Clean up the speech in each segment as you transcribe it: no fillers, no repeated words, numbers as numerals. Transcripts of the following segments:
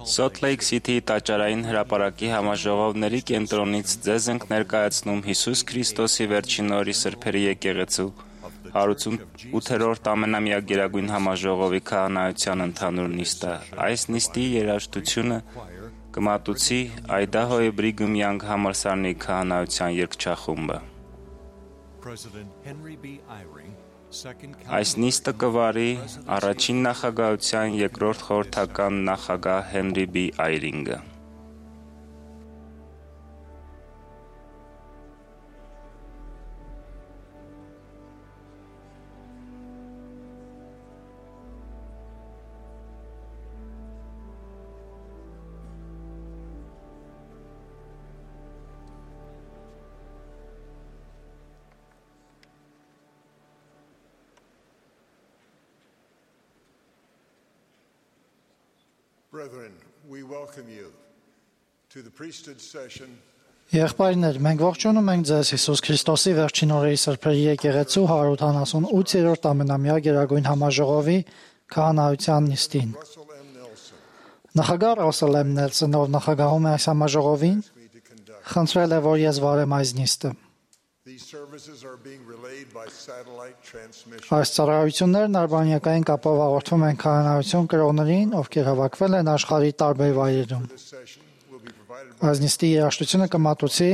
Salt Lake City տաճարային հրապարակի համաժողովների կենտրոնից ձեզ ենք ներկայացնում Հիսուս Քրիստոսի վերջին օրի սրբերի եկեղեցու 188-րդ ամենամյա գերագույն համաժողովի քահանայության ընդհանուր նիստը։ Այս նիստի երաժշտությունը կմատուցի Այդահոյի Բրիգհամ Յանգ համալսարանի քահանայության երգչախումբը։ Այս նիստը կվարի առաջին նախագահության երկրորդ խորհրդական նախագահ Հենրի B. Այրինգը։ Brethren, we welcome you to the priesthood session. Եղբայրներ, մենք ողջունում ենք ձեզ Հիսուս Քրիստոսի վերջին օրերի սրբերի եկեղեցու 188-րդ ամենամյա գերագույն համաժողովի քահանայության նիստին։ Նախագահ Ռասել M. Նելսոնը, ով նախագահում է այս համաժողովին, խնդրել է, որ ես վարեմ այս նիստը։ Այս ծառայություններն արբանյակային կապով հաղորդվում են քահանայություն կրողներին, ովքեր հավաքվել են աշխարհի տարբեր վայրերում։ Այս նիստի երաժշտությունը կմատուցի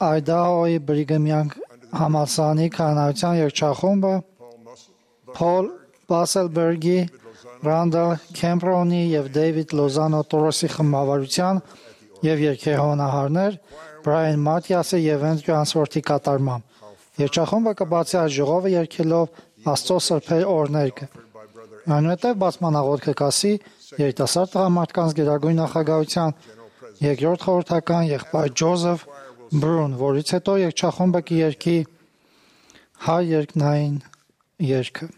Այդահոյի Բրիգհամ Յանգ համալսարանի քահանայության երգչախումբը Փոլ Բասելբերգի, Ռանդալ Քեմպրոնի և Դեյվիդ Լոզանո Տորոսի խմբավարության և երգեհոնահարներ Բրայան Մաթիասի և Էնդրյու Անսվորթի կատարմամբ։ Երգչախումբը կբացի այս ժողովը երգելով Աստծո սրբեր օրհներգը։ Այնուհետև բացման աղոթքը կասի երիտասարդ տղամարդկանց գերագույն նախագահության երկրորդ խորհրդական եղբայր Ջոզեֆ Բրուն, որից հետո երգչախումբը կերգի հայ երկնային երգը։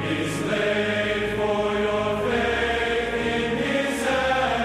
Is laid for your faith in His hand.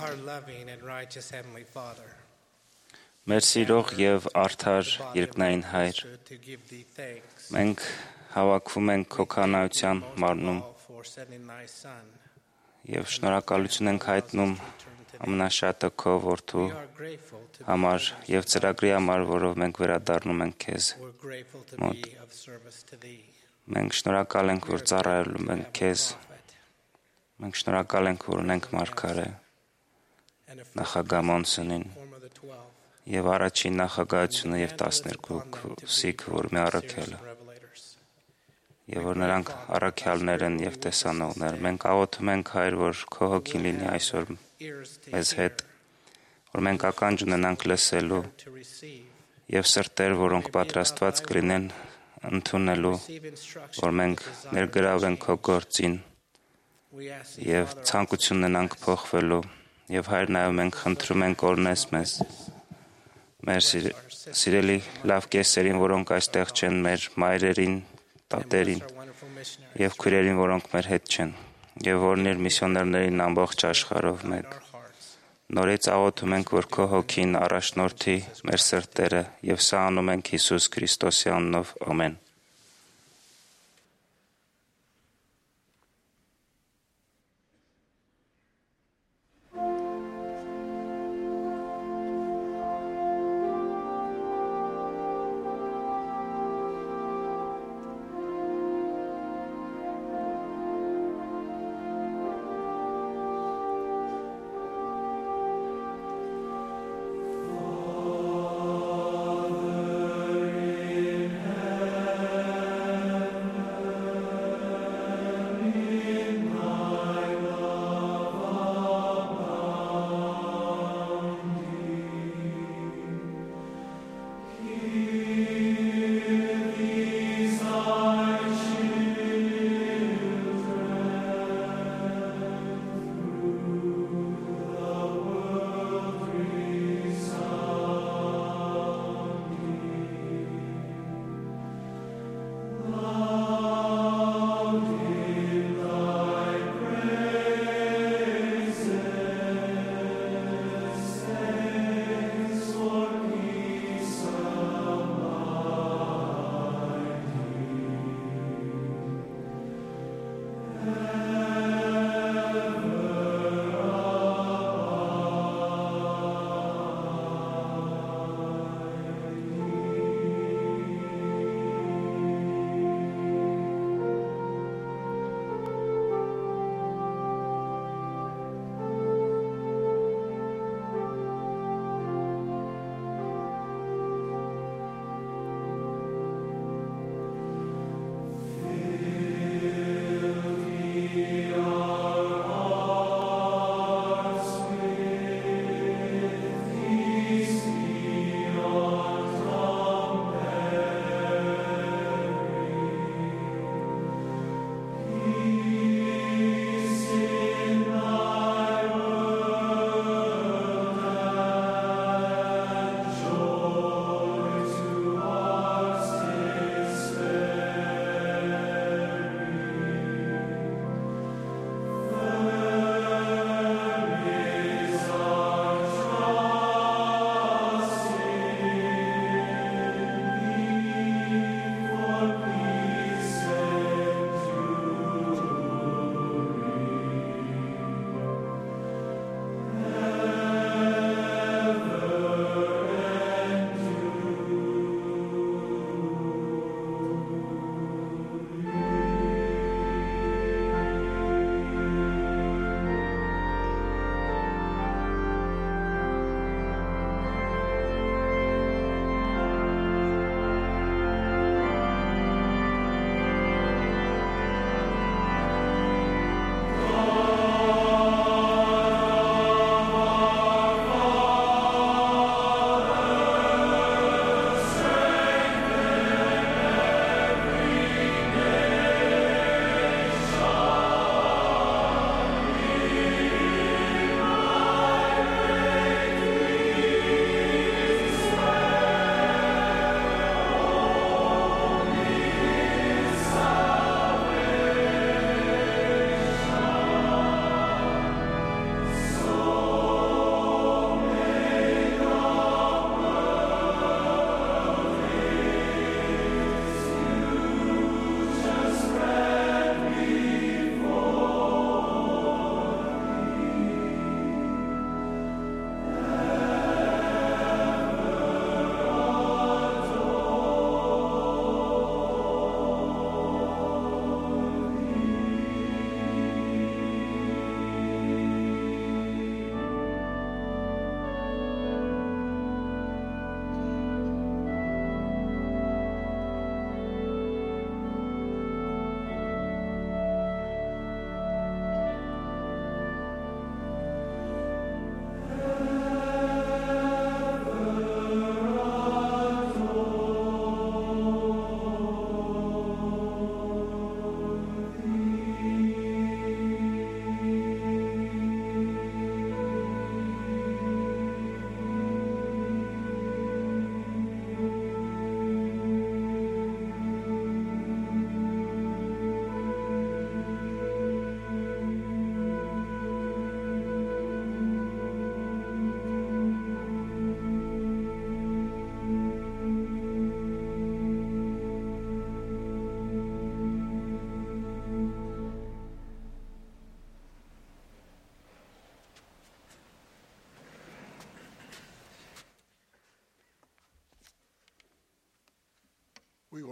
our loving and righteous Heavenly Father, Մեր սիրող եւ արդար երկնային Հայր, to give thee thanks մենք հավաքվում ենք քո քանայության մարնում for sending thy Son. եւ շնորհակալություն ենք հայտնում ամենաշատը քո որդու We are grateful to համար եւ ծրագրի համար, որով մենք վերադառնում ենք քեզ։ we're grateful to Մոտ։ be of service to thee. Մենք շնորհակալ ենք, որ ծառայելու ենք քեզ։ Prophet Մենք շնորհակալ ենք, որ ունենք մարգարե and a նախագահ Մոնսոնին form of the 12 եւ առաջին նախագահությունը եւ 12-իկ, որ մի առաքել է, revelators. եւ որ նրանք առաքյալներ են եւ տեսանողներ։ Մենք աղոթում ենք, Հայր, որ քո հոգին լինի այսօր Ears to մեզ hear, հետ, որ մենք ականջ ունենանք լսելու to receive, եւ սրտեր, որոնք պատրաստված կլինեն ընդունելու, receive instruction. որ մենք ներգրավենք քո գործին We ask thee, եւ Father, ցանկություն ունենանք փոխվելու եւ Հայր նայում ենք, խնդրում ենք օրնես մեզ մեր սիրելի լավ կեսերին, որոնք այստեղ չեն, մեր մայրերին, տատերին our wonderful missionaries, եւ քույրերին, որոնք մեր հետ չեն, եւ որներ միսիոներներին ամբողջ աշխարհով մեկ։ our hearts. Նորից աղոթում ենք, որ քո հոգին առաջնորդի մեր սրտերը եւ սա անում ենք Հիսուս Քրիստոսի անունով։ Ամեն։ Father in heaven,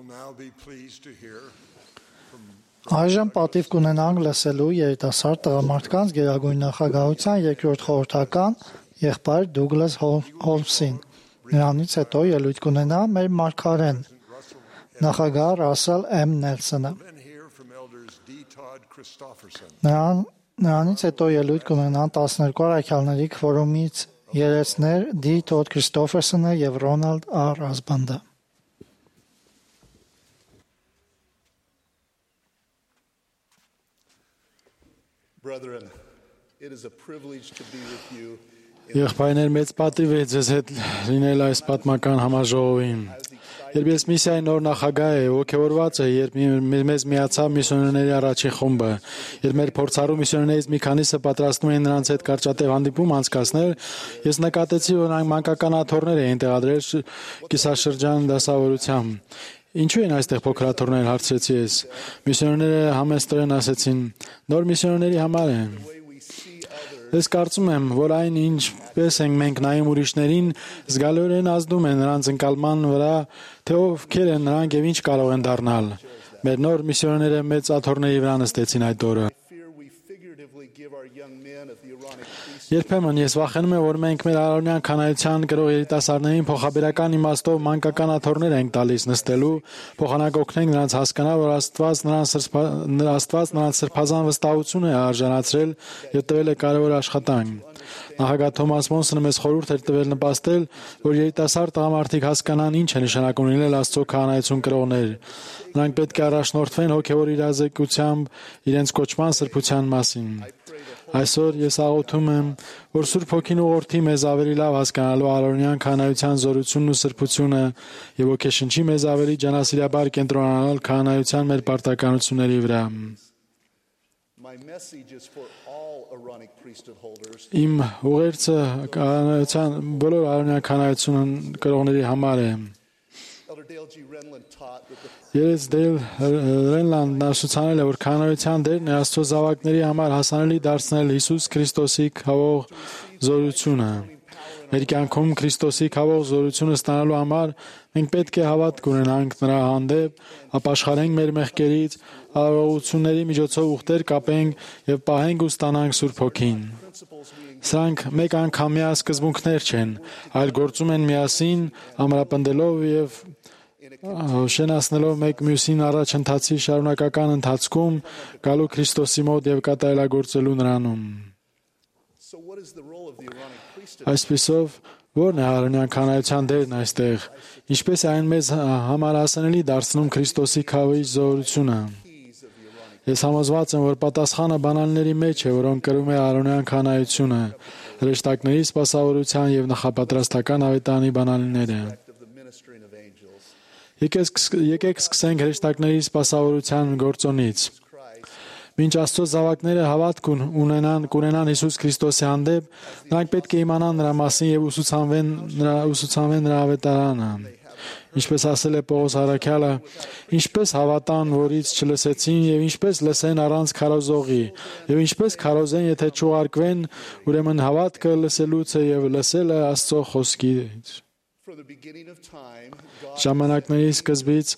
now be pleased to hear from Այժմ պատիվ կունենանք լսելու երիտասարդ տղամարդկանց գերագույն նախագահության երկրորդ խորհրդական եղբայր Դուգլաս Հոլմսին։ Նրանից հետո ելույթ կունենա մեր մարգարեն, նախագահ Ռասել M. Նելսոնը։ men here from elders D. Todd Christofferson, Նրանից հետո ելույթ կունենան 12 առաքյալների քվորումից երեցներ D. Todd Christoffersonը եւ Ronald R. Asband-ը։ Brethren, it is a privilege to be with you Եղբայրներ, մեծ պատիվ է ձեզ հետ լինել այս պատմական համաժողովին։ Երբ ես միսիայի նոր նախագահ եմ, ոգևորված եմ, երբ մեզ միացավ միսիոներների առաջին խումբը, երբ մեր փորձառու միսիոներներից մի քանիսը պատրաստում էին նրանց հետ կարճատև հանդիպում անցկացնել, ես նկատեցի, որ նրանք մանկական աթոռներ էին տեղադրել կիսաշրջան դասավորությամբ։ Ինչու են այստեղ փոքր աթոռներ, հարցրեցի ես։ Միսիոներները համեստորեն ասեցին, նոր միսիոներների համար են։ Ես կարծում եմ, որ այն ինչպես ենք մենք նայում ուրիշներին, զգալիորեն ազդում է նրանց ընկալման վրա, թե ովքեր են նրանք եւ ինչ կարող են դառնալ։ Մեր նոր միսիոներները մեծ աթոռների վրա նստեցին այդ օրը։ fear we figuratively give our young men of the Aaronic priesthood Երբեմն ես վախենում եմ, որ մենք մեր արոնյան քանայության կրող երիտասարդներին փոխաբերական իմաստով մանկական աթոռներ ենք տալիս նստելու, փոխանակ օգնենք նրանց հասկանալ, որ Աստված նրանց սրբազան վստահություն է արժանացրել եւ տվել է կարևոր աշխատանք։ Նախագահ Թոմաս Մոնսոնը մեզ խորհուրդ էր տվել նպաստել, որ երիտասարդ տղամարդիկ հասկանան ինչ է նշանակում լինել Աստծո քահանայություն կրողներ։ Նրանք պետք է առաջնորդվեն հոգևոր իրազեկությամբ իրենց կոչման սրբության մասին։ Այսօր ես աղոթում եմ, որ Սուրբ Հոգին ուղղորդի մեզ ավելի լավ հասկանալու արոնյան քահանայության զորությունն ու սրբությունը եւ ոգեշնչի մեզ ավելի ջանասիրաբար կենտրոնանալ քահանայության մեր պարտականությունների վրա։ My message is for all Aaronic priesthood holders. Իմ ուղերձը քահանայության բոլոր արոնյան քահանայություն կրողների համար է։ Elder Dale G. Renlund taught that the Ես Դեյլ Ռենլանդն ուսուցանել է, որ քահանայության դերն է Աստծո զավակների համար հասանելի դարձնել Հիսուս Քրիստոսի քավող զորությունը։ Մեր կյանքում Քրիստոսի քավող զորությունը ստանալու համար մենք պետք է հավատք ունենանք նրա հանդեպ, ապաշխարենք մեր մեղքերից, արարողությունների միջոցով ուխտեր կապենք եւ պահենք ու ստանանք Սուրբ Հոգին։ Սրանք մեկ անգամյա սկզբունքներ չեն, այլ գործում են միասին, ամրապնդելով եւ շենացնելով մեկ մյուսին առաջընթացի շարունակական ընթացքում գալու Քրիստոսի մոտ եւ կատարելագործելու նրանում։ So what is the role of the Aaronic priesthood? Այսպիսով, ո՞րն է արոնյան քահանայության դերն այստեղ։ Ինչպես է այն մեզ համար հասանելի դարձնում Քրիստոսի քավի զորությունը։ Ես համոզված եմ, որ պատասխանը բանալների մեջ է, որոնք կրում է արոնյան քահանայությունը, հրեշտակների սպասավորության եւ նախապատրաստական ավետարանի բանալիները։ Of the ministering of angels. Եկեք սկսենք հրեշտակների սպասավորության գործոնից։ Մինչ Աստծո զավակները հավատք ունենան Հիսուս Քրիստոսի հանդեպ, նրանք պետք է իմանան նրա մասին եւ ուսուցանվեն նրա ավետարանը։ Ինչպես ասել է Պողոս առաքյալը, ինչպես հավատան, որից չլսեցին, եւ ինչպես լսեն առանց քարոզողի, եւ ինչպես քարոզեն, եթե չուղարկվեն, ուրեմն հավատքը լսելուց է եւ լսելը Աստծո խոսքից։ From the beginning of time, God Ժամանակների սկզբից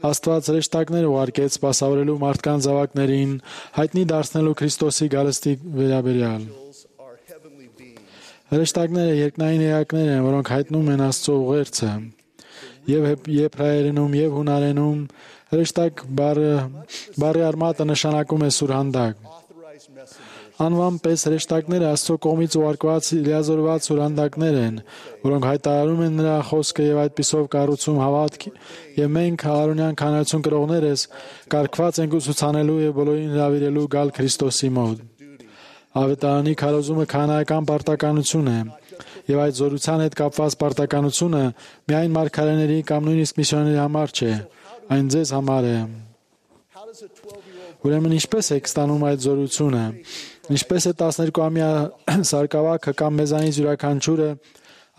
Աստված հրեշտակներ ուղարկեց սպասավորելու մարդկանց զավակներին, հայտնի դարձնելու Քրիստոսի գալստի վերաբերյալ։ are heavenly beings. Հրեշտակները երկնային էակներ են, որոնք հայտնում են Աստծո ուղերձը։ Եվ եբրայերենում եւ հունարենում հրեշտակ բառի արմատը նշանակում է սուրհանդակ։ Authorized messengers. Անվան պես հրեշտակները Աստծո կողմից ուղարկված լիազորված սուրհանդակներ են, որոնք հայտարարում են նրա խոսքը եւ այդպիսով կառուցում հավատք, եւ մենք արոնյան քահանայություն կրողներս կարգված ենք ուսուցանելու եւ բոլորին հրավիրելու գալ Քրիստոսի մոտ։ Ավետարանի քարոզումը քահանայական պարտականություն է, եւ այդ զորության հետ կապված պարտականությունը միայն մարգարեների կամ նույնիսկ միսիոներների համար չէ, այն ձեզ համար է։ How does a 12-year-old Ուրեմն ինչպես եք ստանում այդ զորությունը։ Ինչպես է 12-ամյա սարկավակը կամ մեզանից յուրաքանչյուրը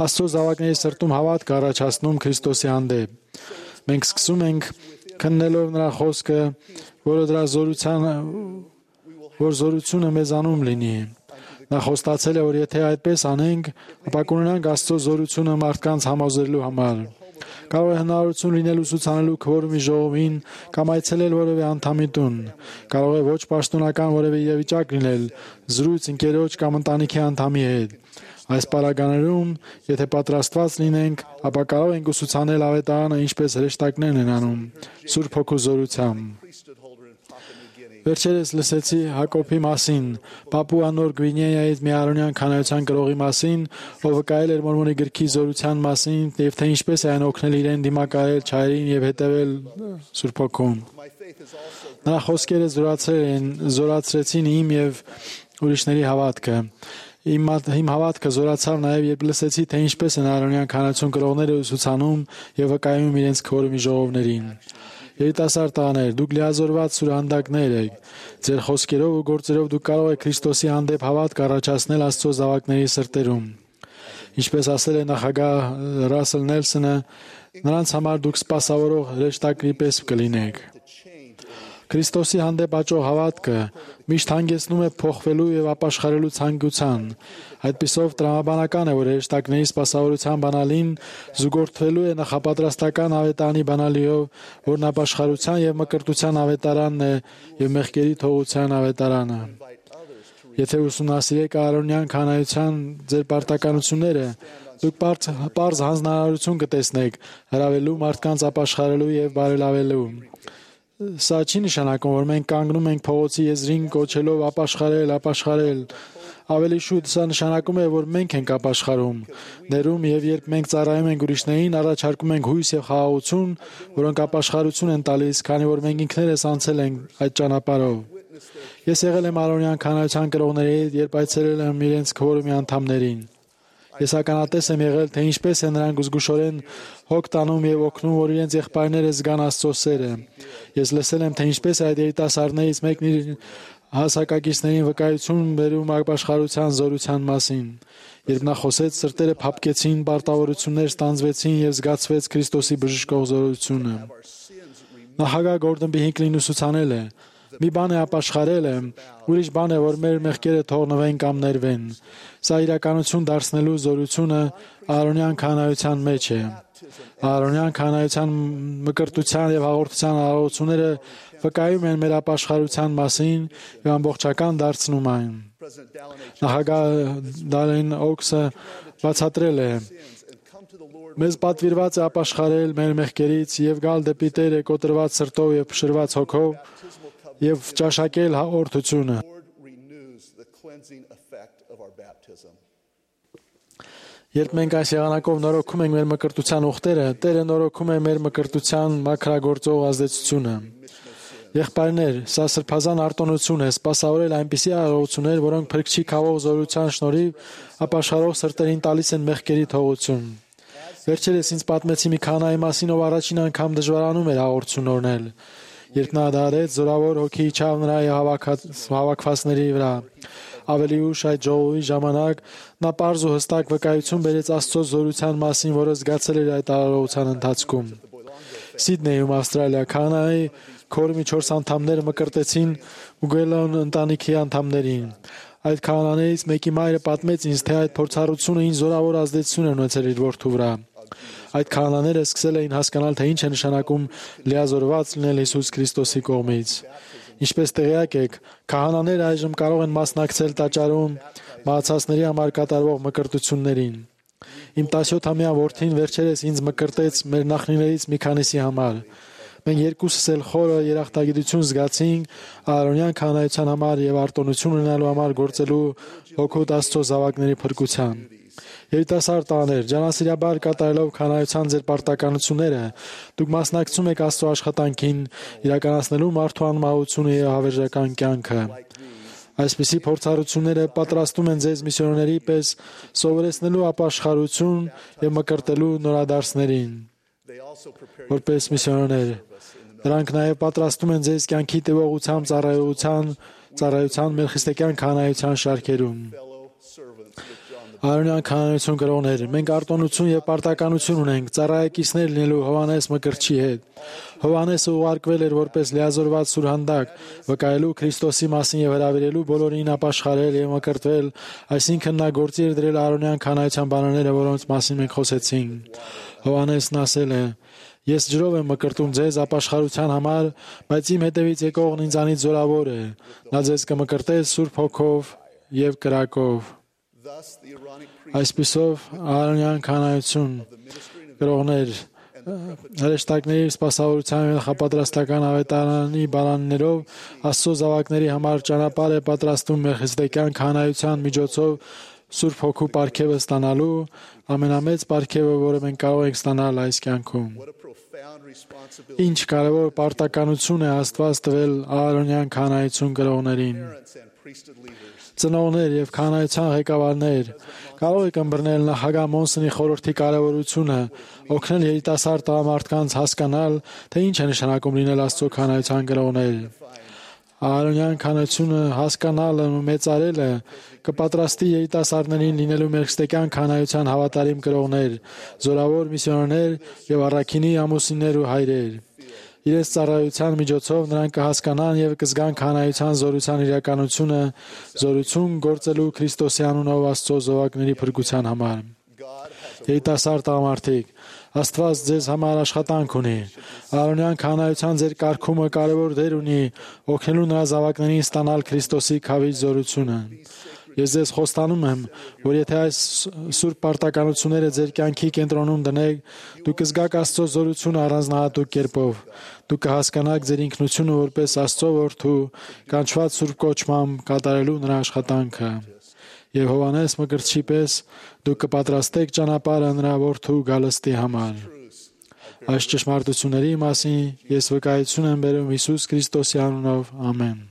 Աստծո զավակների սրտում հավատք առաջացնում Քրիստոսի հանդեպ։ Մենք սկսում ենք քննելով նրա խոսքը, որ զորությունը մեզանում լինի։ Նա խոստացել է, որ եթե այդպես անենք, ապա կունենանք Աստծո զորությունը մարդկանց համոզելու համար։ Կարող է հնարավորություն լինել ուսուցանելու քվորումի ժողովին կամ այցելել որևէ անդամի տուն։ Կարող է ոչ պաշտոնական որևէ իրավիճակ լինել, զրույց ընկերոջ կամ ընտանիքի անդամի հետ։ Այս պարագաներում, եթե պատրաստված լինենք, ապա կարող ենք ուսուցանել ավետարանը, ինչպես հրեշտակներն են անում, Սուրբ Հոգու զորությամբ։ Վերջերս լսեցի Հակոբի մասին, Պապուա Նոր Գվինեայից մի արոնյան քանայության կրողի մասին, ով վկայել էր Մորմոնի գրքի զորության մասին եւ թե ինչպես է այն օգնել իրեն դիմակայել չարին եւ հետեւել Սուրբ Հոգուն։ Նրա խոսքերը զորացրեցին իմ եւ ուրիշների հավատքը։ Իմ հավատքը զորացավ նաև, երբ լսեցի, թե ինչպես են արոնյան քանայություն կրողները ուսուցանում եւ վկայում իրենց քվորումի ժողովներին։ Երիտասարդ տղաներ, դուք լիազորված սուրհանդակներ եք։ Ձեր խոսքերով ու գործերով դուք կարող եք Քրիստոսի հանդեպ հավատք առաջացնել Աստծո զավակների սրտերում։ Ինչպես ասել է նախագահ Ռասել Նելսոնը, նրանց համար դուք սպասավորող հրեշտակի պես կլինեք։ Քրիստոսի հանդեպ աճող հավատքը միշտ հանգեցնում է փոխվելու եւ ապաշխարելու ցանկության։ Այդպիսով տրամաբանական է, որ հրեշտակների սպասավորության բանալին զուգորդվելու է նախապատրաստական ավետարանի բանալիով, որն ապաշխարության եւ մկրտության ավետարանն է եւ մեղքերի թողության ավետարանը։ Եթե ուսումնասիրեք արոնյան քանայության ձեր պարտականությունները, դուք պարզ հանձնարարություն կտեսնեք հրավելու մարդկանց ապաշխարելու եւ բարելավելու։ Սա չի նշանակում, որ մենք կանգնում ենք փողոցի եզրին կոչելով ապաշխարել։ Ավելի շուտ սա նշանակում է, որ մենք ենք ապաշխարում։ Ներում եւ երբ մենք ծառայում ենք ուրիշներին, առաջարկում ենք հույս եւ խաղաղություն, որոնք ապաշխարություն են տալիս, քանի որ մենք ինքներս անցել ենք այդ ճանապարհով։ Ես եղել եմ արոնյան քանայության կրողների հետ, երբ այցելել եմ իրենց քվորումի անդամներին։ Ես ականատես եմ եղել, թե ինչպես են նրանք զգուշորեն հոգ տանում եւ օգնում, որ իրենց եղբայրները զգան Աստծո սերը։ Ես լսել եմ, թե ինչպես այդ երիտասարդներից մեկն իր հասակակիցներին վկայություն բերում ապաշխարության զորության մասին։ Երբ նա խոսեց, սրտերը փափկեցին, պարտավորություններ ստանձվեցին եւ զգացվեց Քրիստոսի բժշկող զորությունը։ Նախագահ Գորդոն B. Հինքլին ուսուցանել է. մի բան է ապաշխարելը, ուրիշ բան է, որ մեր մեղքերը թողնվեն կամ ներվեն։ Սա իրականություն դարձնելու զորությունը արոնյան քանայության մեջ է։ Արոնյան քանայության մկրտության եւ հաղորդության արարողությունները վկայում են մեր ապաշխարության մասին եւ ամբողջական դարձնում այն։ Նախագահ Դալեն Օքսը բացատրել է. մեզ պատվիրված է ապաշխարել մեր մեղքերից եւ գալ դեպի Տերը կոտրված սրտով եւ փշրված հոգով եւ ճաշակել հաղորդությունը։ Երբ մենք այս եղանակով նորոգում ենք մեր մկրտության ուխտերը, Տերը նորոգում է մեր մկրտության մաքրագործող ազդեցությունը։ Եղբայրներ, սա սրբազան արտոնություն է սպասավորել այնպիսի արարողություններ, որոնք Փրկչի քավով զորության շնորհիվ ապաշխարող սրտերին տալիս են մեղքերի թողություն։ Վերջերս ինձ պատմեցի մի քանայի մասին, ով առաջին անգամ դժվարանում էր հաղորդություն օրհնել։ Երբ նա դարեց, զորավոր հոգի իջավ նրա հավաքվածների վրա։ Ավելի ուշ այդ ժողովի ժամանակ նա պարզ ու հստակ վկայություն բերեց Աստծո զորության մասին, որը զգացել էր այդ արարողության ընթացքում։ Սիդնեյում, Ավստրալիա, քահանայի քորմի 4 անդամները մկրտեցին Ուգելոն ընտանիքի անդամներին։ Այդ քահանաներից մեկի մայրը պատմեց ինձ, թե այդ փորձառությունը ինձ զորավոր ազդեցություն է ունեցել իր որդու վրա։ Այդ քահանաները սկսել էին հասկանալ, թե ինչ է նշանակում լիազորված լինել Հիսուս Քրիստոսի կողմից։ Ինչպես տեղյակ եք, քահանաները այժմ կարող են մասնակցել տաճարում մահացածների համար կատարվող մկրտություններին։ Իմ 17-ամյա որդին վերջերս ինձ մկրտեց մեր նախնիներից մի քանիսի համար։ Մենք երկուսս էլ խորը երախտագիտություն զգացինք արոնյան քահանայության համար եւ արտոնություն ունենալու համար գործելու հոգուտ Աստծո զավակների փրկության։ Երիտասարդ տղաներ, ջանասիրաբար կատարելով քահանայության ձեր պարտականությունները, դուք մասնակցում եք Աստծո աշխատանքին, իրականացնելու մարդու անմահությունը եւ հավերժական կյանքը։ Այսպիսի փորձառությունները պատրաստում են ձեզ միսիոներների պես սովորեցնելու ապաշխարություն եւ մկրտելու նորադարձներին։ Որպես միսիոներներ, դրանք նաև պատրաստում են ձեզ կյանքի տևողությամբ ծառայության մելխիստեքյան քահանայության շարքերում։ Արոնյան քահանայություն կրողներ, մենք արտոնություն եւ պարտականություն ունենք ծառայակիցներ լինելու Հովհաննես Մկրտչի հետ։ Հովհաննեսը ուղարկվել էր որպես լիազորված սուրհանդակ, վկայելու Քրիստոսի մասին եւ հրավիրելու բոլորին ապաշխարել եւ մկրտվել, այսինքն նա գործի էր դրել արոնյան քահանայության բանալները, որոնց մասին մենք խոսեցինք։ Հովհաննեսն ասել է. Ես ջրով եմ մկրտում ձեզ ապաշխարության համար, բայց իմ հետևից եկողն ինձանից զորավոր է։ Նա ձեզ կմկրտե Սուրբ Հոգով եւ կրակով։ Thus, the Aaronic priest Այսպիսով Aaronյան քահանայություն կրողներ հրեշտակների սպասավորության եւ նախապատրաստական ավետարանի բանաններով Աստծո զավակների համար ճանապարհ է պատրաստում Մելքիզեդեկյան քահանայության միջոցով Սուրբ Հոգու պարգևը ստանալու ամենամեծ պարգևը, որը մենք կարող ենք ստանալ այս կյանքում։ what a profound responsibility Ինչ կարևոր պարտականություն է Աստված տվել Aaronյան քահանայություն կրողներին։ parents and priesthood leaders Ծնողներ եւ քահանայության ղեկավարներ կարող եք ըմբռնել նախագահ Մոնսոնի խորհրդի կարևորությունը, օգնել երիտասարդ տղամարդկանց հասկանալ, թե ինչ է նշանակում լինել Աստծո քահանայության կրողներ։ Aaronյան քահանայությունը հասկանալը ու մեծարելը կպատրաստի երիտասարդներին լինելու Մելքիզեդեկյան քահանայության հավատարիմ կրողներ, զորավոր միսիոներներ եւ առաքինի ամուսիններ ու հայրեր։ Իրենց ծառայության միջոցով նրանք կհասկանան եւ կզգան քահանայության զորության իրականությունը, զորություն գործելու Քրիստոսի անունով Աստծո զավակների փրկության համար։ Երիտասարդ տղամարդիկ, Աստված ձեզ համար աշխատանք ունի։ Aaronյան քահանայության ձեր կարգումը կարևոր դեր ունի օգնելու նրա զավակներին ստանալ Քրիստոսի քավիճ զորությունը։ Ես ձեզ խոստանում եմ, որ եթե այս սուրբ պարտականությունները ձեր կյանքի կենտրոնում դնեք, դուք կզգաք Աստծո զորությունը առանձնահատուկ կերպով։ Դուք կհասկանաք ձեր ինքնությունը որպես Աստծո որդու, կանչված սուրբ կոչմամբ կատարելու նրա աշխատանքը։ Եվ Հովհաննես մկրտչի պես դուք կպատրաստեք ճանապարհը նրա որդու գալստի համար։ Այս ճշմարտությունների մասին ես վկայություն եմ բերում Հիսուս Քրիստոսի անունով։ Ամեն։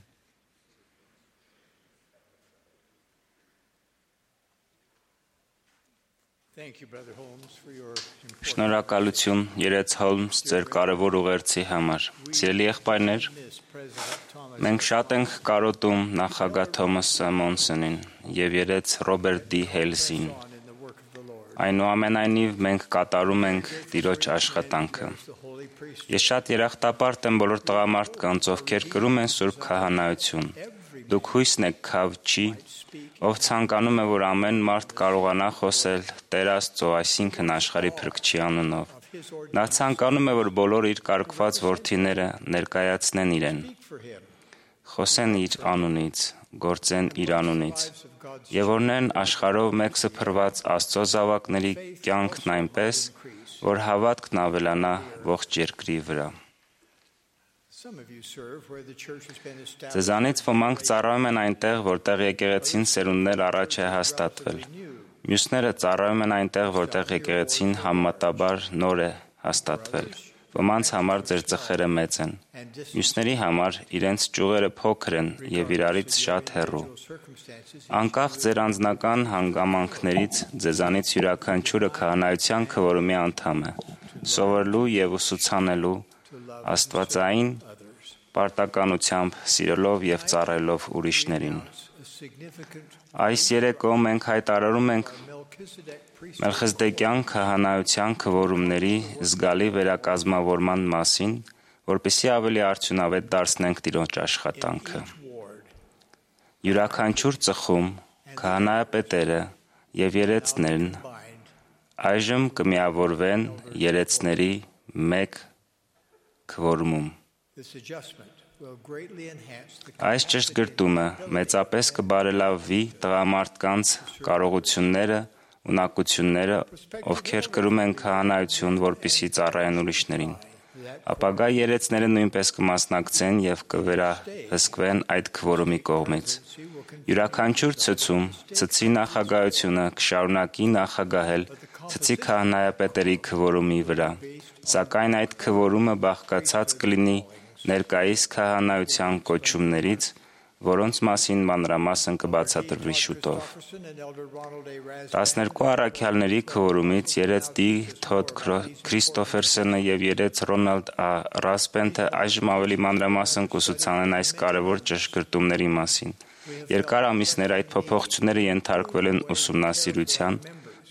Thank you, Brother Holmes, for your important Շնորհակալություն Երեց Հոլմս ձեր կարևոր ուղերձի համար։ Սիրելի եղբայրներ, miss President Thomas մենք շատ ենք կարոտում նախագահ Թոմաս Մոնսոնին եւ Երեց Ռոբերտ Դի Հելսին։ on in the work of the Lord. Այնուամենայնիվ մենք կատարում ենք Տիրոջ աշխատանքը։ The Holy Priest, Ես շատ երախտապարտ եմ բոլոր տղամարդկանց, ովքեր կրում են Սուրբ քահանայություն։ Դուք հույսն եք քավչի, ով ցանկանում է, որ ամեն մարդ կարողանա խոսել Տեր Աստծո, այսինքն աշխարհի Փրկչի անունով։ Նա ցանկանում է, որ բոլոր իր կարգված որդիները ներկայացնեն իրեն, for him, խոսեն իր անունից, գործեն իր անունից, of God's եւ օրնեն աշխարհով մեկ սփռված Աստծո զավակների կյանքն այնպես, որ հավատքն ավելանա ողջ երկրի վրա։ Some of you serve where the church has been established. Ձեզանից ոմանք ծառայում են այնտեղ, որտեղ եկեղեցին սերունդներ առաջ է հաստատվել։ Մյուսները ծառայում են այնտեղ, որտեղ եկեղեցին համեմատաբար նոր է հաստատվել։ Ոմանց համար ձեր ծխերը մեծ են։ Մյուսների համար իրենց ճյուղերը փոքր են եւ իրարից շատ հեռու։ Circumstances Անկախ ձեր անձնական հանգամանքներից, ձեզանից յուրաքանչյուրը քահանայության քվորումի անդամ է, սովորելու եւ ուսուցանելու աստվածային պարտականությամբ սիրելով եւ ծառայելով ուրիշներին։ a significant Այս երեկո մենք հայտարարում ենք Melchizedek priest Մելքիզեդեկյան քահանայության քվորումների զգալի վերակազմավորման մասին, որպեսզի ավելի արդյունավետ դարձնենք Տիրոջ աշխատանքը։ ward. Յուրաքանչյուր ծխում քահանայապետերը եւ երեցներն այժմ կմիավորվեն երեցների մեկ քվորումում։ This adjustment will greatly enhance the Այս ճշտգրտումը մեծապես կբարելավի տղամարդկանց կարողությունները, ունակությունները, ովքեր կրում են քահանայություն, որպեսզի ծառայեն ուրիշներին։ Ապագա երեցները նույնպես կմասնակցեն եւ կվերահսկվեն այդ քվորումի կողմից։ Յուրաքանչյուր ցցում ցցի նախագահությունը կշարունակի նախագահել ցցի քահանայապետերի քվորումի վրա, սակայն այդ քվորումը բաղկացած կլինի ներկայիս քահանայության կոչումներից, որոնց մասին մանրամասն կբացատրվի շուտով։ 12 առաքյալների քվորումից երեց Դի Թոդ Քրիստոֆերսոնը եւ երեց Ռոնալդ Ա. Ռասպենթը այժմ ավելի մանրամասն կուսուցանեն այս կարևոր ճշգրտումների մասին։ Երկար ամիսներ այդ փոփոխությունները ենթարկվել են ուսումնասիրության։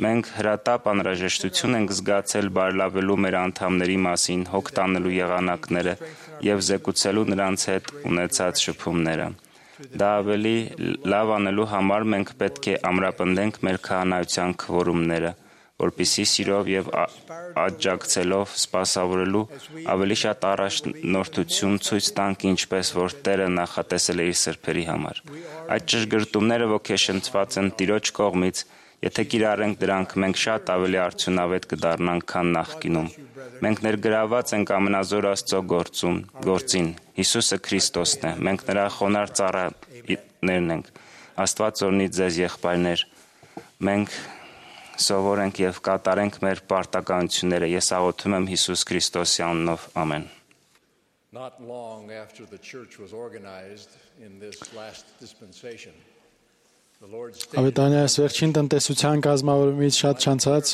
Մենք հրատապ անհրաժեշտություն ենք զգացել բարելավելու մեր անդամների մասին հոգ տանելու եղանակները եւ զեկուցելու նրանց հետ ունեցած շփումները։ Դա ավելի լավ անելու համար մենք պետք է ամրապնդենք մեր քահանայության քվորումները, որպեսզի սիրով եւ աջակցելով սպասավորելու ավելի շատ առաջնորդություն ցույց տանք, ինչպես որ Տերը նախատեսել է իր սրբերի համար։ Այդ ճշգրտումները ոգեշնչված են Տիրոջ կողմից, եթե կիրառենք դրանք, մենք շատ ավելի արդյունավետ կդառնանք, քան նախկինում։ Մենք ներգրաված ենք ամենազոր Աստծո գործին։ Հիսուսը Քրիստոսն է։ Մենք նրա խոնարհ ծառաներն ենք։ Աստված օրհնի ձեզ, եղբայրներ։ Մենք սովորենք եւ կատարենք մեր պարտականությունները։ Ես աղոթում եմ Հիսուս Քրիստոսի անունով։ Ամեն։ Not long after the church was organized in this last dispensation, the Lord stated, Ավետարանի վերջին տնտեսության կազմավորումից շատ չանցած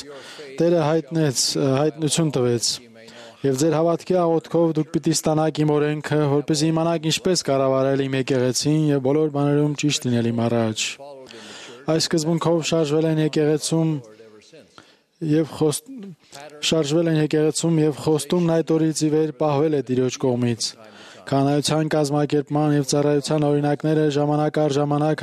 Տերը հայտնություն տվեց եւ ձեր հավատքի աղոթքով դուք պիտի ստանաք իմ օրենքը, որպեսզի իմանաք ինչպես կառավարել իմ եկեղեցին եւ բոլոր բաներում ճիշտ լինել իմ առաջ։ Այս սկզբունքով շարժվել են եկեղեցում եւ խոստումն այդ օրից ի վեր պահվել է Տիրոջ կողմից։ Քահանայության կազմակերպման եւ ծառայության օրինակները ժամանակ առ ժամանակ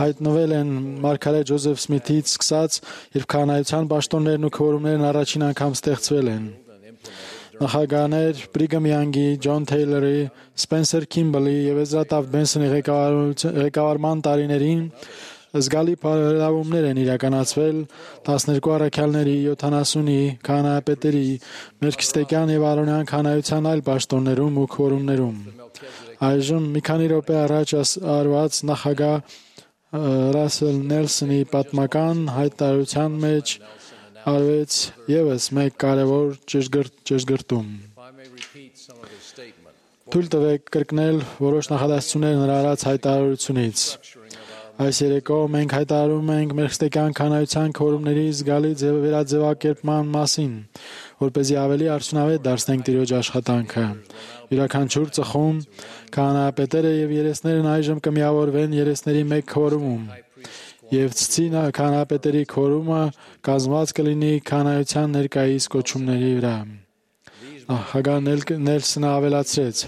հայտնվել են Մարգարետ Ջոզեֆ Սմիթից սկսած, երբ քահանայության պաշտոններն ու քվորումներն առաջին անգամ ստեղծվել են։ Նախագահներ Բրիգամ Յանգի, Ջոն Թեյլորի, Սպենսեր Քիմբլի եւ Էզրա Տաֆտ Բենսոնի ղեկավարման տարիներին զգալի բարելավումներ են իրականացվել 12 առաքյալների, 70-ի, քահանայապետերի, Մելքիստեկյան եւ Արոնյան քահանայության այլ պաշտոններում ու քվորումներում։ Այժմ մի քանի րոպե առաջ արված նախագահ Ռասել Նելսոնի պատմական հայտարարության մեջ արվեց եւս մեկ կարևոր ճշգրտում։ Թույլ տվեք կրկնել որոշ նախադասություններ նրա արած հայտարարությունից։ Այս երեկո մենք հայտարարում ենք Մելքիստեկյան քահանայության քվորումների զգալի վերաձևակերպման մասին, որպեսզի ավելի արդյունավետ դարձնենք Տիրոջ աշխատանքը։ Յուրաքանչյուր ծխում քահանայապետերը եւ երեսներն այժմ կմիավորվեն երեսների մեկ քվորումում, եւ ցցի քահանայապետերի քվորումը կազմված կլինի քահանայության ներկայիս կոչումների վրա։ Նախագահ Նելսոնը ավելացրեց.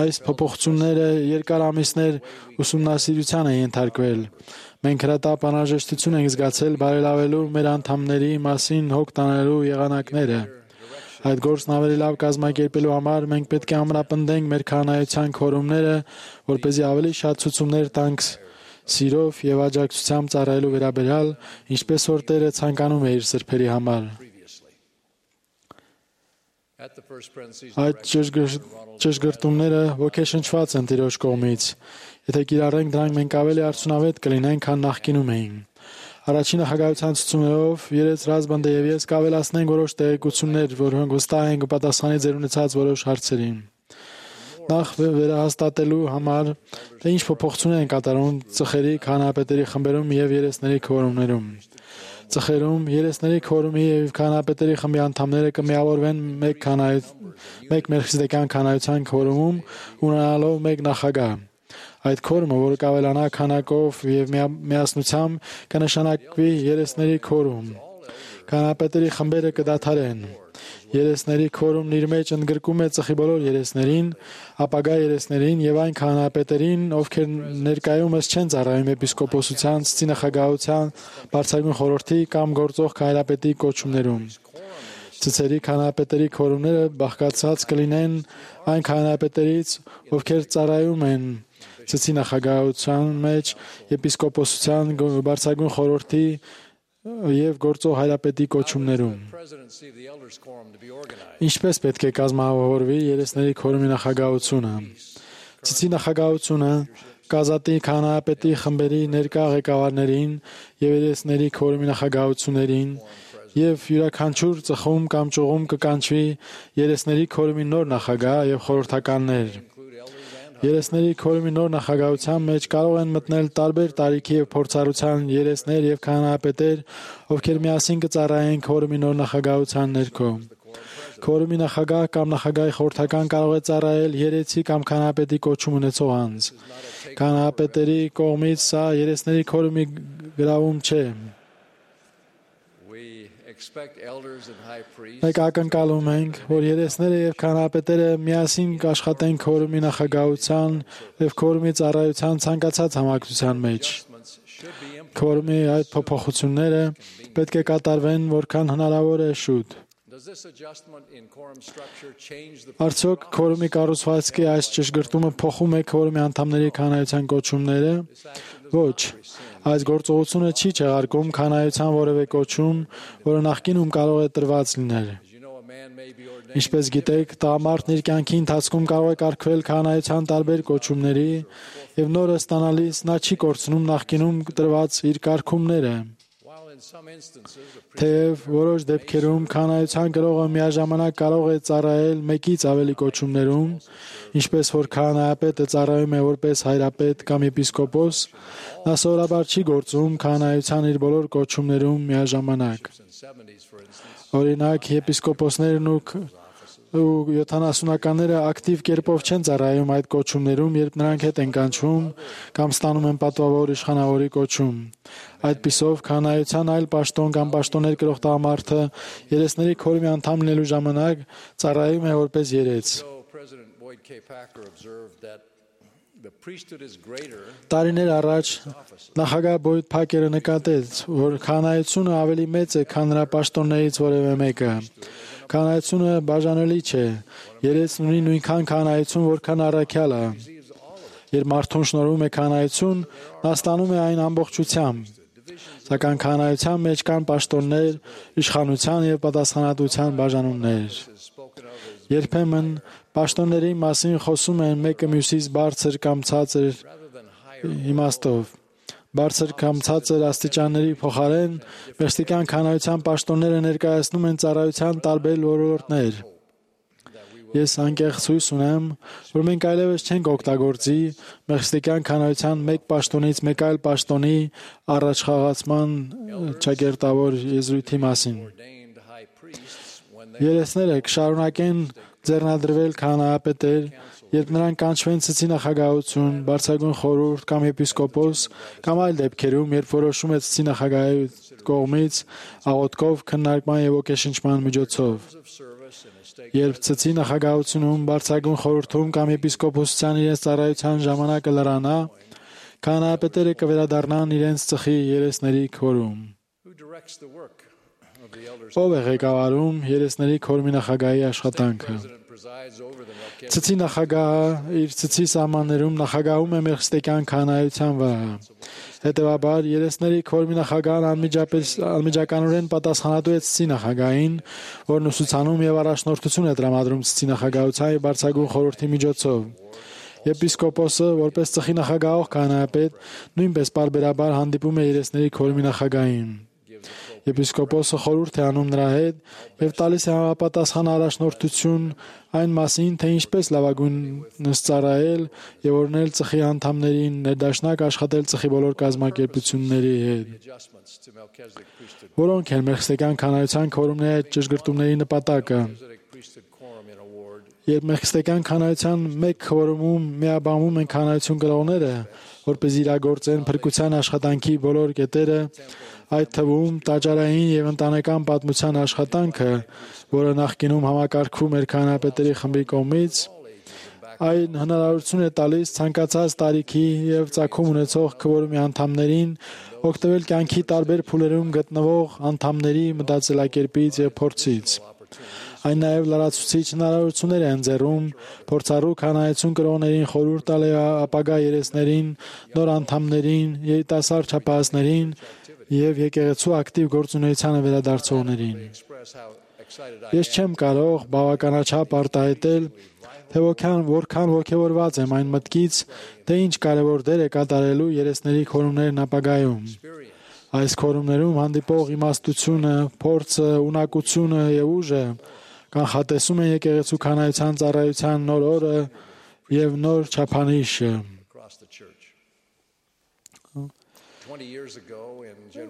Այս փոփոխությունները երկար ամիսներ ուսումնասիրության են ենթարկվել։ Մենք հրատապ անհրաժեշտություն ենք զգացել բարելավելու մեր անդամների մասին հոգ տանելու եղանակները։ Այդ գործն ավելի լավ կազմակերպելու համար մենք պետք է ամրապնդենք մեր քահանայության քվորումները, որպեսզի ավելի շատ ցուցումներ տանք սիրով եւ աջակցությամբ ծառայելու վերաբերյալ, ինչպես որ Տերը ցանկանում է իր սրբերի համար։ Այդ ճշգրտումները ոգեշնչված են Տիրոջ կողմից։ Եթե կիրառենք դրանք, մենք ավելի արդյունավետ կլինենք, քան նախկինում էինք։ Առաջին նախագահության ցուցումներով երեցրած բնդը եւ ես կավելացնենք որոշ տեղեկություններ, որոնք վստահ են կպատասխանի ձեր ունեցած որոշ հարցերին։ Նախ վերահաստատելու համար, թե ինչ փոփոխություններ են կատարում ծխերի, քահանայապետերի խմբերում եւ երեսների քվորումներում։ Ծխերում երեսների քվորումի եւ քահանայապետերի խմբի անդամները կմիավորվեն մեկ Մելքիստեկյան քահանայության քվորումում, ունենալով մեկ նախագահ։ Այդ քվորումը, որը կավելանա քանակով եւ միասնությամբ, կնշանակվի երեսների քվորում։ Քահանայապետերի խմբերը կդադարեն։ Երեսների քվորումն իր մեջ ընդգրկում է ծխի բոլոր երեսներին, ապագա երեսներին եւ այն քահանայապետերին, ովքեր ներկայումս չեն ծառայում եպիսկոպոսության, ցցի նախագահության, բարձրագույն խորհրդի կամ գործող քահանայապետի կոչումներում։ Ցցերի քահանայապետերի քվորումները բաղկացած կլինեն այն քահանայապետերից, ովքեր ծառայում են ցցի նախագահության մեջ, եպիսկոպոսության, բարձրագույն խորհրդի եւ գործող հայրապետի կոչումներում։ Ինչպես պետք է կազմավորվի երեսների քվորումի նախագահությունը։ Ցցի նախագահությունը կազատի քահանայապետի խմբերի ներկա ղեկավարներին եւ երեսների քվորումի նախագահություններին եւ յուրաքանչյուր ծխում կամ ճյուղում կկանչվի երեսների քվորումի նոր նախագահ եւ խորհրդականներ։ Երեսների քվորումի նոր նախագահության մեջ կարող են մտնել տարբեր տարիքի եւ փորձառության երեսներ եւ քահանայապետեր, ովքեր միասին կծառայեն քվորումի նոր նախագահության ներքո։ Քվորումի նախագահ կամ նախագահի խորհրդական կարող է ծառայել երեցի կամ քահանայապետի կոչում ունեցող անձ։ Քահանայապետերի կողմից սա երեսների քվորումի գրավում չէ։ Մենք ակնկալում ենք, որ երեսները եւ քահանայապետերը միասին կաշխատեն քվորումի նախագահության եւ քվորումի ծառայության ցանկացած համակցության մեջ։ քվորումի այդ փոփոխությունները պետք է կատարվեն որքան հնարավոր է շուտ։ Արդյոք քվորումի կառուցվածքի այս ճշգրտումը փոխում է քվորումի անդամների քանայության կոչումները։ Ոչ, այս գործողությունը չի չեղարկում քանայության որևէ կոչում, որը նախկինում կարող է տրված լինել։ Ինչպես գիտեք, տղամարդն իր կյանքի ընթացքում կարող է կարգվել քահանայության տարբեր կոչումների եւ նորը ստանալիս նա չի կորցնում նախկինում տրված իր կարգումները։ Թեև որոշ դեպքերում քահանայության գրողը միաժամանակ կարող է ծառայել մեկից ավելի կոչումներում, ինչպես որ քահանայապետը ծառայում է որպես հայրապետ կամ եպիսկոպոս, նա սովորաբար չի գործում քահանայության իր բոլոր կոչումներում միաժամանակ։ Օրինակ, եպիսկոպոսներն ու 70-ականները ակտիվ կերպով չեն ծառայում այդ կոչումներում, երբ նրանք հետ են կանչվում կամ ստանում են պատվավոր իշխանավորի կոչում։ Այդպիսով, քահանայության այլ պաշտոն կամ պաշտոններ կրող տղամարդը երեսների քորմի անդամ լինելու ժամանակ ծառայում է որպես երես։ Տարիներ առաջ նախագահ Բոյդ Փակերը նկատեց, որ քահանայությունը ավելի մեծ է, քան նրա պաշտոններից որևէ մեկը։ Քահանայությունը բաժանելի չէ։ Երեսն ունի նույնքան քահանայություն, որքան առաքյալը։ Երբ մարդուն շնորհվում է քահանայություն, նա ստանում է այն ամբողջությամբ։ Սակայն քահանայության մեջ կան պաշտոններ, իշխանության եւ պատասխանատվության բաժանումներ։ Երբեմն պաշտոնների մասին խոսում են մեկը մյուսից բարձր կամ ցածր իմաստով։ Բարձր կամ ցածր աստիճանների փոխարեն մեղստիկյան քահանայության պաշտոնները ներկայացնում են ծառայության տարբեր ոլորտներ։ Ես անկեղծ հույս ունեմ, որ մենք այլևս չենք օգտագործի մեղստիկյան քահանայության մեկ պաշտոնից մեկ այլ պաշտոնի առաջխաղացման ճակերտավոր եզրույթի մասին։ Երեսները կշարունակեն ձեռնադրվել քահանայապետեր, երբ նրանք կանչվեն ցցի նախագահություն, բարձրագույն խորհուրդ կամ եպիսկոպոս, կամ այլ դեպքերում, երբ որոշում է ցցի նախագահի կողմից աղոթքով, քննարկման եւ ոգեշնչման միջոցով։ Երբ ցցի նախագահությունում, բարձրագույն խորհրդում կամ եպիսկոպոսության իրենց ծառայության ժամանակը լրանա, քահանայապետերը կվերադառնան իրենց ծխի երեսների քորում։ Ով է ղեկավարում երեսների քորմի նախագահի աշխատանքը։ Ցցի նախագահը իր ցցի սահմաններում նախագահում է մեղստիկյան քահանայության վրա։ Հետևաբար, երեսների քորմի նախագահն անմիջականորեն պատասխանատու է ցցի նախագահին, որն ուսուցանում եւ առաջնորդություն է տրամադրում ցցի նախագահության եւ բարձրագույն խորհրդի միջոցով։ Եպիսկոպոսը, որպես ծխի նախագահող քահանայապետ, նույնպես պարբերաբար հանդիպում է երեսների քորմի նախագահին։ Եպիսկոպոսը խորհուրդ է անում նրա հետ եւ տալիս է համապատասխան առաջնորդություն այն մասին, թե ինչպես լավագույնս ծառայել եւ օրհնել ծխի անդամներին, ներդաշնակ աշխատել ծխի բոլոր կազմակերպությունների հետ։ Որոնք են մեղստիկյան քահանայության քորումների այդ ճշգրտումների նպատակը։ Երբ մեղստիկյան քահանայության մեկ քորումում միաբանվում են քահանայություն կրողները, որպես իրագործեն փրկության աշխատանքի բոլոր կետերը, այդ թվում տաճարային եւ ընտանեկան պատմության աշխատանքը, որը նախկինում համակարգվում էր քահանայապետերի խմբի կողմից, այն հնարավորություն է տալիս ցանկացած տարիքի եւ ծագում ունեցող քվորումի անդամներին օգտվել կյանքի տարբեր փուլերում գտնվող անդամների մտածելակերպից եւ փորձից։ Այն նաև լրացուցիչ հնարավորություններ է ընձեռում փորձառու քահանայություն կրողներին խորհուրդ տալ ապագա երեսներին, նոր անդամներին, երիտասարդ չափահասներին եւ եկեղեցու ակտիվ գործունեությանը վերադարձողներին։ Ես չեմ կարող բավականաչափ արտահայտել, թե որքան ոգևորված եմ այն մտքից, թե ինչ կարևոր դեր է կատարելու երեսների քորումներն ապագայում։ Այս քորումներում հանդիպող իմաստությունը, փորձը, ունակությունը եւ ուժը կանխատեսում են եկեղեցու քահանայության ծառայության նոր օրը եւ նոր չափանիշը։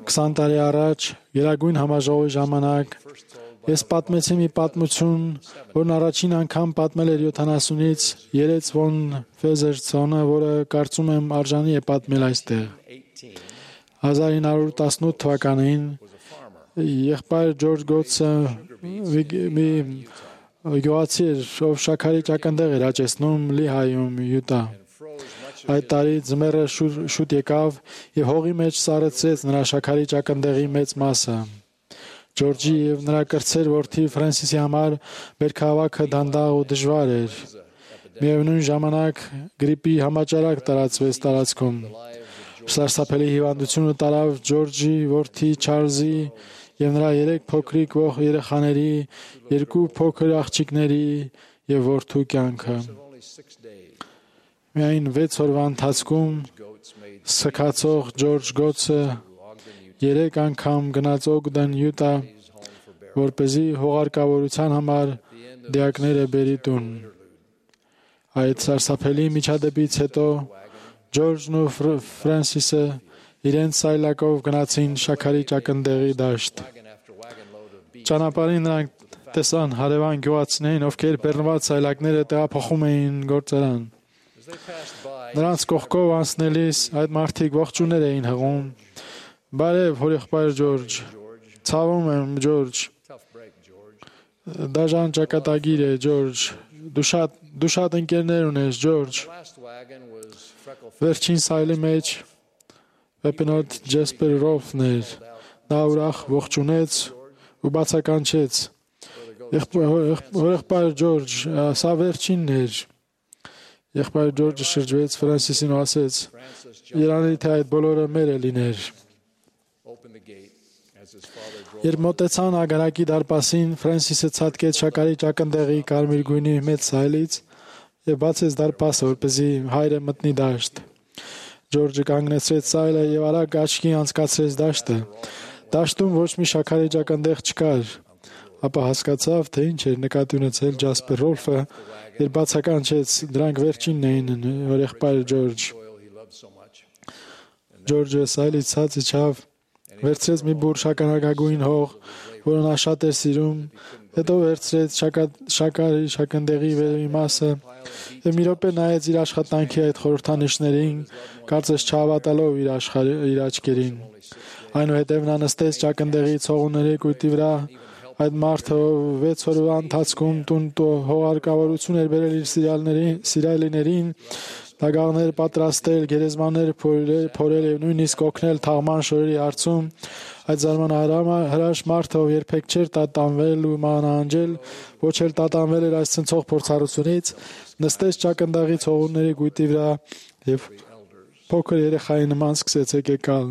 20 տարի առաջ Գերագույն համաժողովի ժամանակ ես պատմեցի մի պատմություն, որն առաջին անգամ պատմել էր 70-ից Երեց ֆոն Ֆեզերցոնը, որը կարծում եմ արժանի է պատմել այստեղ։ 1918 թվականին եղբայր Ջորջ Գոթսը մի գյուղացի էր, ով շաքարի ճակնդեղ էր աճեցնում Լիհայում, Յուտա։ Այդ տարի ձմեռը շուտ եկավ եւ հողի մեջ սառեցրեց նրա շաքարի ճակնդեղի մեծ մասը։ Ջորջի եւ նրա կրտսեր որդի Ֆրանսիսի համար բերքահավաքը դանդաղ ու դժվար էր։ Միևնույն ժամանակ գրիպի համաճարակ տարածվեց տարածքում։ Սարսափելի հիվանդությունը տարավ Ջորջի որդի Չարլզի եւ նրա 3 փոքրիկ ող երեխաների, 2 փոքր աղջիկների եւ որդու կյանքը։ Միայն 6 օրվա ընթացքում սքացող Ջորջ Գոթսը 3 անգամ գնաց Օգդեն, Յուտա, որպեսզի հողարկավորության համար դիակները բերի տուն։ Այդ սարսափելի միջադեպից հետո Ջորջն ու Ֆրանսիսը իրենց սայլակով գնացին շաքարի ճակնդեղի դաշտ։ Ճանապարհին նրանք տեսան հարևան գյուղացիներին, ովքեր բեռնված սայլակները տեղափոխում էին գործարան։ Նրանց կողքով անցնելիս այդ մարդիկ ողջույններ էին հղում։ Բարև, հորեղբայր Ջորջ։ Ցավում եմ, Ջորջ։ Դաժան ճակատագիր է, Ջորջ։ Դու շատ ընկերներ ունես, Ջորջ։ Վերջին սայլի մեջ Պեպինոտ Ջեսպեր Ռոֆն էր։ Նա ուրախ ողջունեց ու բացականչեց։ Հորեղբայր Ջորջ, սա վերջինն էր։ Եղբայր Ջորջը շրջվեց Ֆրանսիսին ու ասեց. Երանի թե այդ բոլորը մերը լիներ։ Երբ մոտեցան ագարակի դարպասին, Ֆրանսիսը ցատկեց շաքարի ճակնդեղի կարմիր գույնի մեծ սայլից եւ բացեց դարպասը, որպեսզի հայրը մտնի դաշտ։ Ջորջը կանգնեցրեց սայլը եւ արագ աչքի անցկացրեց դաշտը։ Դաշտում ոչ մի շաքարի ճակնդեղ չկար։ Ապա հասկացավ, թե ինչ էր նկատի ունեցել Ջասպեր Ռոլֆը, երբ բացականչեց, դրանք վերջինն էին, հորեղբայր Ջորջ։ Ջորջը սայլից ցած իջավ, վերցրեց մի բուռ շաքարագույն հող, որը նա շատ էր սիրում, հետո վերցրեց շաքարի ճակնդեղի վերևի մասը եւ մի րոպե նայեց իր աշխատանքի այդ խորհրդանիշներին, կարծես չհավատալով իր աչքերին։ Այնուհետև նա նստեց ճակնդեղի ցողունների կույտի վրա։ Այդ մարդը 6 օրվա ընթացքում տուն հողարկավորություն էր բերել իր սիրալիներին, դագաղներ պատրաստել, գերեզմաներ փորել եւ նույնիսկ օգնել թաղման շորերի հարցում։ Այդ զարմանահրաշ մարդը, ով երբեք չէր տատանվել ու մանանջել, ոչ էլ տատանվել էր այս ցնցող փորձառությունից, նստեց ճակնդաղի ցողունների կույտի վրա եւ փոքր երեխայի նման սկսեց եկեկալ։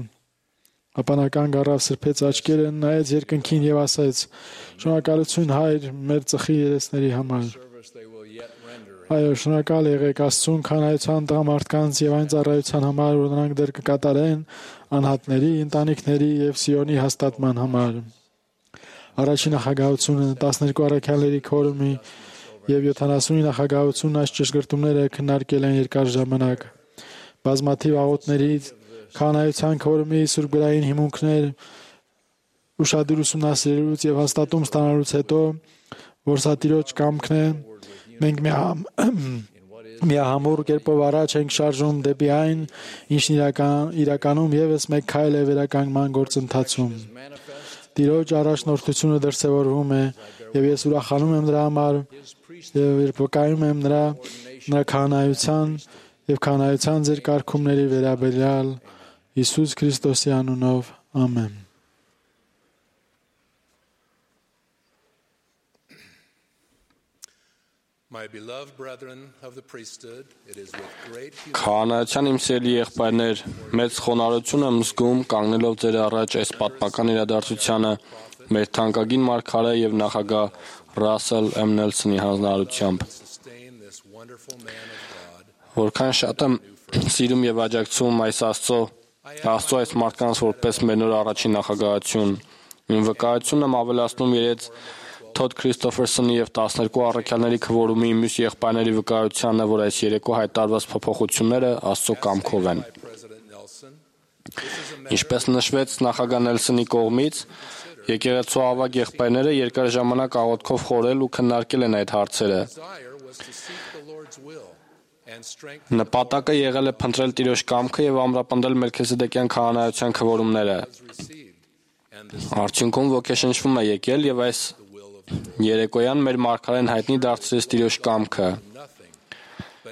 Ապա նա կանգ առավ, սրբեց աչքերը, նայեց երկնքին եւ ասաց. «Շնորհակալություն, Հայր, մեր ծխի երեսների համար»։ Այո, շնորհակալ եղեք Աստծուն քանայության տղամարդկանց եւ այն ծառայության համար, որ նրանք դեռ կկատարեն անհատների, ընտանիքների եւ Սիոնի հաստատման համար։ Առաջին նախագահությունը 12 առաքյալների քորումի եւ 70-ի նախագահությունն այս ճշգրտումները քննարկել են երկար ժամանակ։ Բազմաթիվ աղոթների քանայության քորումի սուրբգրային հիմունքներ ուշադիր ուսումնասիրելուց եւ հաստատում ստանալուց հետո, որ սա Տիրոջ կամքն է, մենք միահամուռ կերպով առաջ ենք շարժում դեպի այն, ինչն իրականում եւս մեկ քայլ է վերականգնման գործընթացում։ Տիրոջ առաջնորդությունը դրսևորվում է եւ ես ուրախանում եմ դրա համար եւ երբ վկայում եմ նրա քահանայության եւ քահանայության ձեր կարգումների վերաբերյալ Հիսուս Քրիստոսի անունով ամեն։ Քահանայության իմ սիրելի եղբայրներ, մեծ խոնարհություն եմ զգում կանգնելով ձեր առաջ այս պատմական իրադարձությանը մեր թանկագին մարգարե եւ նախագահ Ռասել M. Նելսոնի հանձնարարությամբ։ Որքան շատ եմ սիրում եւ աջակցում այս Աստծո այս մարդկանց որպես մեր նոր առաջին նախագահություն։ Իմ վկայությունն եմ ավելացնում իրենց Թոդ Քրիստոֆերսոնի եւ 12 առաքյալների քվորումի մյուս եղբայրների վկայությանը, որ այս երեկո հայտարարված փոփոխությունները Աստծո կամքով են։ Ինչպես նշվեց նախագահ Նելսոնի կողմից, եկեղեցու ավագ եղբայրները երկար ժամանակ աղոթքով խորել ու քննարկել են այդ հարցերը։ Նպատակը եղել է փնտրել Տիրոջ կամքը եւ ամրապնդել Մելքիսեդեկյան քահանայության քվորումները։ Արդյունքում ոգեշնչվում է եկել եւ այս երեկոյան մեր մարգարեն հայտնի դարձրեց Տիրոջ կամքը։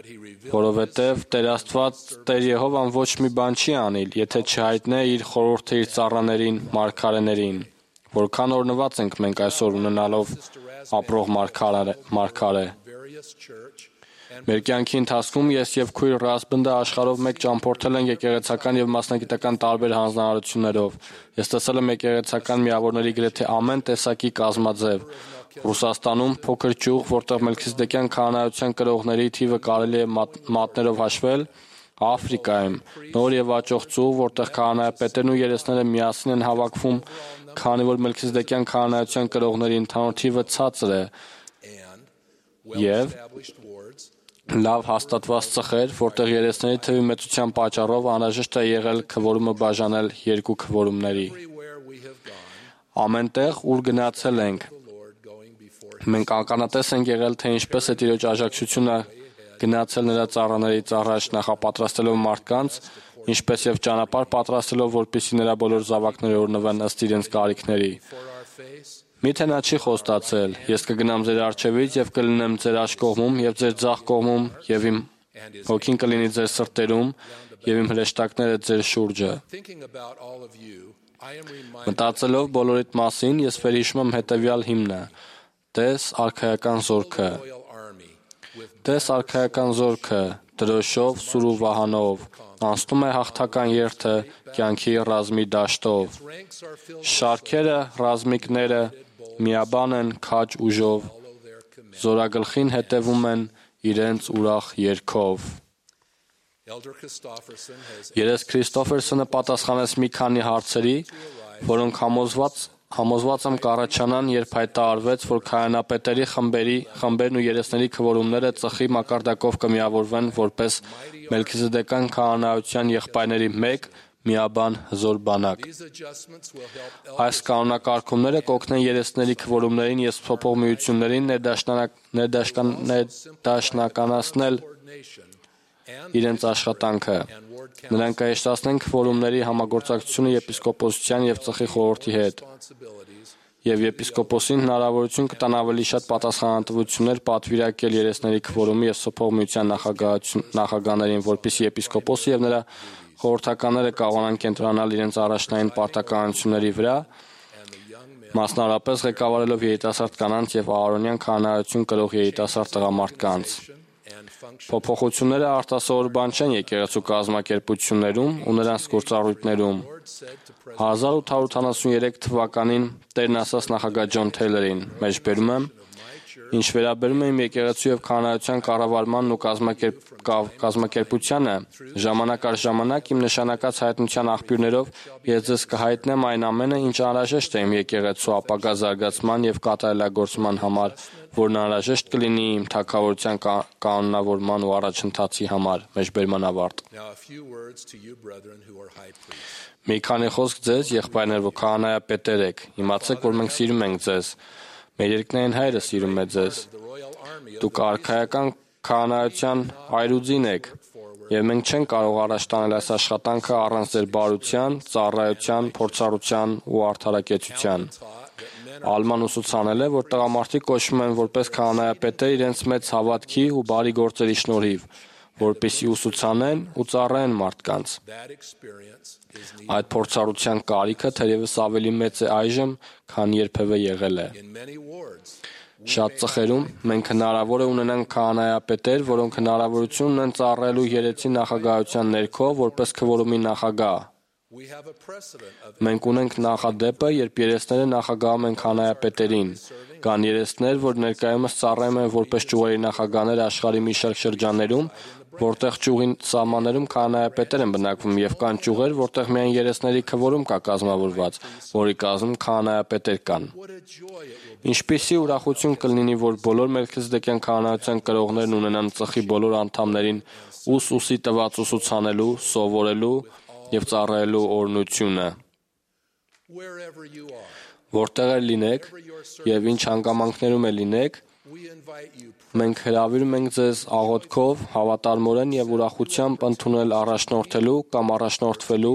Որովհետև Տեր Աստված, Տեր Եհովան ոչ մի բան չի անիլ, եթե չհայտնե իր խորհուրդը իր ծառաներին, մարգարեներին։ Որքան օրհնված ենք մենք այսօր ունենալով ապրող մարգարե։ Մեր կյանքի ընթացքում ես եւ քույր Ռասբնդը աշխարհով մեկ ճամփորդել ենք եկեղեցական եւ մասնագիտական տարբեր հանձնարարություններով։ Ես տեսել եմ եկեղեցական միավորների գրեթե ամեն տեսակի կազմաձև։ Ռուսաստանում փոքր ճյուղ, որտեղ Մելքիզեդեկյան քահանայության կրողների թիվը կարելի է մատներով հաշվել, Աֆրիկայում նոր եւ աճող ծուղ, որտեղ քահանայապետերն ու երեսները միասին են հավաքվում, քանի որ Մելքիզեդեկյան քահանայության կրողների ընդհանուր թիվը ցածր է, եւ լավ հաստատված ծխեր, որտեղ երեսների թվի մեծության պատճառով անհրաժեշտ է եղել քվորումը բաժանել երկու քվորումների։ Ամենտեղ, ուր գնացել ենք, մենք ականատես ենք եղել, թե ինչպես է Տիրոջ աջակցությունը գնացել նրա ծառաներից առաջ նախապատրաստելով մարդկանց, ինչպես եւ ճանապարհ պատրաստելով, որպեսզի նրա բոլոր զավակները օրհնվեն ըստ իրենց կարիքների։ Միթե նա չի խոստացել. ես կգնամ ձեր առջևից եւ կլինեմ ձեր աջ կողմում եւ ձեր ձախ կողմում եւ իմ հոգին կլինի ձեր սրտերում եւ իմ հրեշտակները ձեր շուրջը։ Մտածելով բոլորիդ մասին, ես վերհիշում եմ հետեւյալ հիմնը. Տես արքայական զորքը։ Տես արքայական զորքը, դրոշով, սուր ու վահանով, անցնում է հաղթական երթը կյանքի ռազմի դաշտով։ Շարքերը, ռազմիկները միաբան են քաջ ուժով, զորագլխին հետևում են իրենց ուրախ երգով։ Երես Քրիստոֆերսոնը պատասխանեց մի քանի հարցերի, որոնք համոզված եմ կառաջանան, երբ հայտարարվեց, որ քահանապետերի խմբերն ու երեսների քվորումները ծխի մակարդակով կմիավորվեն որպես Մելքիզեդեկյան քահանայության եղբայրների մեկ միաբան հզոր բանակ։ Այս կանոնակարգումները կօգնեն երեսների քվորումներին և փոփոխություններին ներդաշնականացնել իրենց աշխատանքը։ Նրանք կհեշտացնեն քվորումների համագործակցությունը եպիսկոպոսության և ծխի խորհրդի հետ, և եպիսկոպոսին հնարավորություն կտան ավելի շատ պատասխանատվություններ պատվիրակել երեսների քվորումի և փոփոխության նախագահներին, որպեսզի եպիսկոպոսը և նրա խորհրդականները կարողանան կենտրոնանալ իրենց առաջնային պարտականությունների վրա, մասնավորապես ղեկավարելով երիտասարդ կանանց և Ահարոնյան քահանայություն կրող երիտասարդ տղամարդկանց։ Փոփոխությունները արտասովոր բան չեն եկեղեցու կազմակերպություններում ու նրանց գործառույթներում։ 1873 թվականին Տերն ասաց նախագահ Ջոն Թեյլերին, մեջբերում եմ, ինչ վերաբերում է իմ եկեղեցու և քահանայության կառավարմանն ու կազմակերպությանը, ժամանակ առ ժամանակ իմ նշանակած հայտնության աղբյուրներով ես ձեզ կհայտնեմ այն ամենը, ինչ անհրաժեշտ է իմ եկեղեցու ապագա զարգացման և կատարելագործման համար, որն անհրաժեշտ կլինի իմ թագավորության կանոնավորման ու առաջընթացի համար։ Մեջբերման ավարտ։ Մի քանի խոսք ձեզ, եղբայրներ, որ քահանայապետեր եք, իմացեք, որ մենք սիրում ենք ձեզ։ Մեր երկնային Հայրը սիրում է ձեզ։ Դուք արքայական քահանայության այրուձին եք, և մենք չենք կարող առաջ տանել այս աշխատանքը առանց ձեր բարության, ծառայության, փորձառության ու արդարակեցության։ Ալման ուսուցանել է, որ տղամարդիկ կոչվում են որպես քահանայապետեր իրենց մեծ հավատքի ու բարի գործերի շնորհիվ, որպեսզի ուսուցանեն ու ծառայեն մարդկանց։ Այդ փորձառության կարիքը թերևս ավելի մեծ է այժմ, քան երբևէ եղել է։ Շատ ծխերում մենք հնարավոր է ունենանք քահանայապետեր, որոնք հնարավորություն ունեն ծառայելու երեցի նախագահության ներքո որպես քվորումի նախագահ։ Մենք ունենք նախադեպը, երբ երեսները նախագահում են քահանայապետերին։ Կան երեսներ, որ ներկայումս ծառայում են որպես ճյուղերի նախագահներ աշխարհի մի շարք շրջաններում, որտեղ ճյուղի սահմաններում քահանայապետեր են բնակվում, և կան ճյուղեր, որտեղ միայն երեսների քվորում կա կազմավորված, որի կազմում քահանայապետեր կան։ Ինչպիսի ուրախություն կլինի, որ բոլոր Մելքիզեդեկյան քահանայության կրողներն ունենան ծխի բոլոր անդամներին ուսի տված ուսուցանելու, սովորելու և ծառայելու օրհնությունը։ Որտեղ էլ լինեք և ինչ հանգամանքներում էլ լինեք, մենք հրավիրում ենք ձեզ աղոթքով, հավատարմորեն և ուրախությամբ ընդունել առաջնորդելու կամ առաջնորդվելու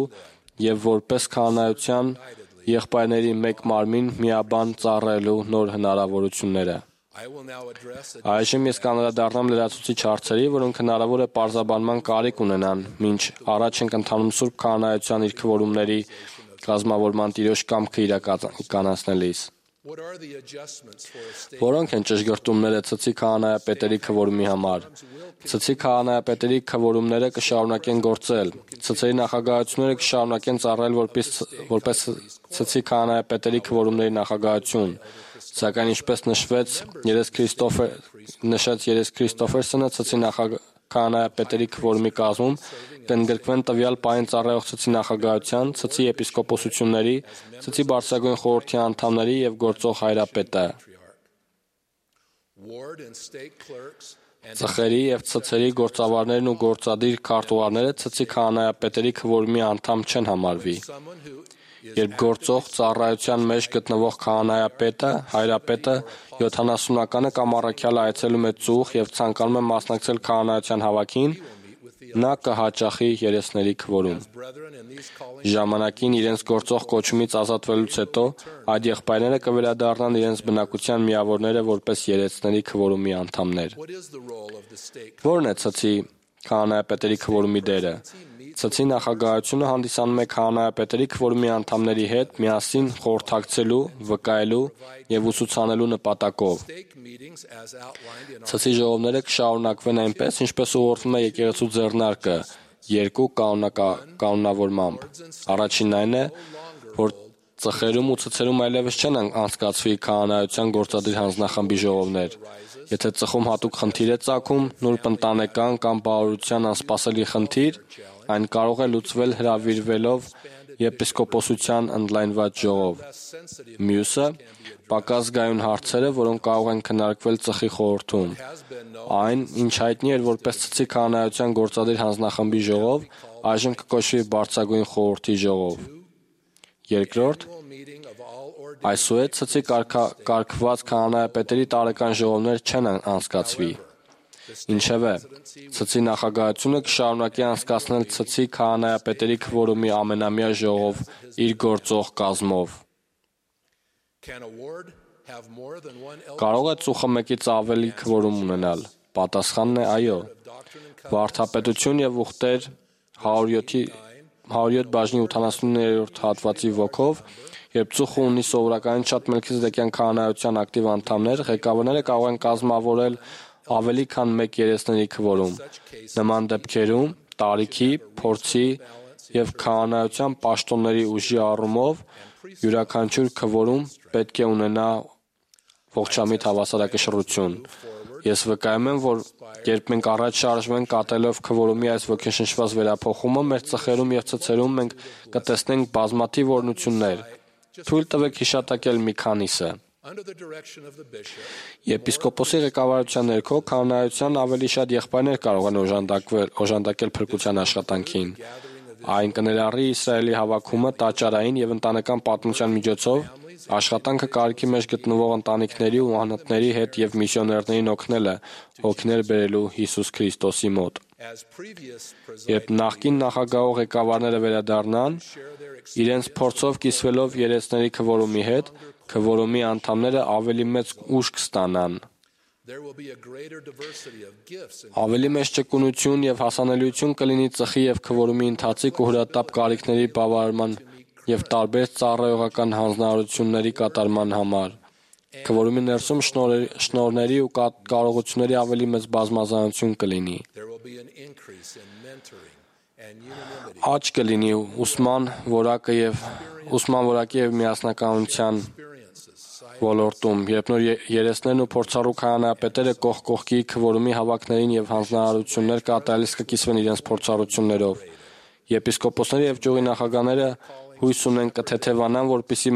և որպես քահանայության եղբայրների մեկ մարմին միաբան ծառայելու նոր հնարավորությունները։ Այժմ ես կանդրադառնամ լրացուցիչ հարցերի, որոնք հնարավոր է պարզաբանման կարիք ունենան, մինչ առաջ ենք ընթանում Սուրբ Քահանայության իր քվորումների կազմավորման տիրոջ կամքը իրականացնելիս։ Որոնք են ճշգրտումները ցցի քահանայապետերի քվորումի համար։ Ցցի քահանայապետերի քվորումները կշարունակեն գործել։ Ցցերի նախագահությունները կշարունակեն ծառայել որպես ցցի քահանայապետերի քվորումների նախագահություն։ Սակայն ինչպես նշեց Երես Քրիստոֆերսոնը, ցցի քահանայապետերի քվորումի կազմում կընդգրկվեն տվյալ պահին ծառայող ցցի նախագահության, ցցի եպիսկոպոսությունների, ցցի բարձրագույն խորհրդի անդամների և գործող հայրապետը։ Ծխերի և ցցերի գործավարներն ու գործադիր քարտուղարները ցցի քահանայապետերի քվորումի անդամ չեն համարվի։ Երբ գործող ծառայության մեջ գտնվող քահանայապետը, հայրապետը 70-ականը կամ առաքյալը այցելում է ծուխ և ցանկանում է մասնակցել քահանայության հավաքին, նա կհաճախի երեսների քվորում։ Ժամանակին իրենց գործող կոչումից ազատվելուց հետո այդ եղբայրները կվերադառնան իրենց բնակության միավորները որպես երեցների քվորումի անդամներ։ Ո՞րն է ցցի քահանայապետերի քվորումի դերը։ Ցցի նախագահությունը հանդիսանում է քահանայապետերի քվորումի անդամների հետ միասին խորհրդակցելու, վկայելու և ուսուցանելու նպատակով։ Ցցի ժողովները կշարունակվեն այնպես, ինչպես ուղղորդվում է եկեղեցու ձեռնարկը, երկու կանոնավորմամբ։ Առաջինն այն է, որ ծխերում ու ցցերում այլևս չեն անցկացվի քահանայության գործադիր հանձնախմբի ժողովներ։ Եթե ծխում հատուկ խնդիր է ծագում, նուրբ ընտանեկան կամ բարօրության անսպասելի խնդիր, այն կարող է լուծվել հրավիրվելով եպիսկոպոսության ընդլայնված ժողով։ Մյուսը պակաս զգայուն հարցերը, որոնք կարող են քննարկվել ծխի խորհրդում։ Այն, ինչ հայտնի էր որպես ցցի քահանայության գործադիր հանձնախմբի ժողով, այժմ կկոչվի բարձրագույն խորհրդի ժողով։ Երկրորդ, այսուհետ ցցի կարգված քահանայապետերի տարեկան ժողովներ չեն անցկացվի։ Ինչևէ, ցցի նախագահությունը կշարունակի անցկացնել ցցի քահանայապետերի քվորումի ամենամյա ժողով իր գործող կազմով։ Կարող է ծուխը մեկից ավելի քվորում ունենալ։ Պատասխանն է այո։ Վարդապետություն և ուխտեր 107 բաժնի 89-րդ հատվածի ոգով, երբ ծուխը ունի սովորականից շատ մելքիզեդեկյան քահանայության ակտիվ անդամներ, ղեկավարները կարող են կազմավորել ավելի քան մեկ երեցների քվորում։ Նման դեպքերում տարիքի, փորձի և քահանայության պաշտոնների ուժի առումով յուրաքանչյուր քվորում պետք է ունենա ողջամիտ հավասարակշռություն։ Ես վկայում եմ, որ երբ մենք առաջ շարժվենք կատարելով քվորումի այս ոգեշնչված վերափոխումը, մեր ծխերում և ցցերում մենք կտեսնենք բազմաթիվ օրհնություններ։ Թույլ տվեք հիշատակել մի քանիսը։ Եպիսկոպոսի ղեկավարության ներքո քահանայության ավելի շատ եղբայրներ կարող են օժանդակել փրկության աշխատանքին։ Այն կներառի Իսրայելի հավաքումը տաճարային և ընտանեկան պատմության միջոցով, աշխատանքը կարիքի մեջ գտնվող ընտանիքների ու անհատների հետ և միսիոներներին օգնելը հոգիներ բերելու Հիսուս Քրիստոսի մոտ։ Երբ նախկին նախագահող ղեկավարները վերադառնան, իրենց փորձով կիսվելով երեցների քվորումի հետ, քվորումի անդամները ավելի մեծ ուժ կստանան։ Ավելի մեծ ճկունություն և հասանելիություն կլինի ծխի և քվորումի ընթացիկ ու հրատապ կարիքների բավարարման և տարբեր ծառայողական հանձնարարությունների կատարման համար։ Քվորումի ներսում շնորհների ու կարողությունների ավելի մեծ բազմազանություն կլինի։ Աճ կլինի ուսման որակի և միասնականության ոլորտում, երբ նոր երեցներն ու փորձառու քահանայապետերը կողք կողքի քվորումի հավաքներին և հանձնարարություններ կատարելիս կկիսվեն իրենց փորձառություններով։ Եպիսկոպոսները և ճյուղի նախագահները հույս ունեն կթեթևանան, որպեսզի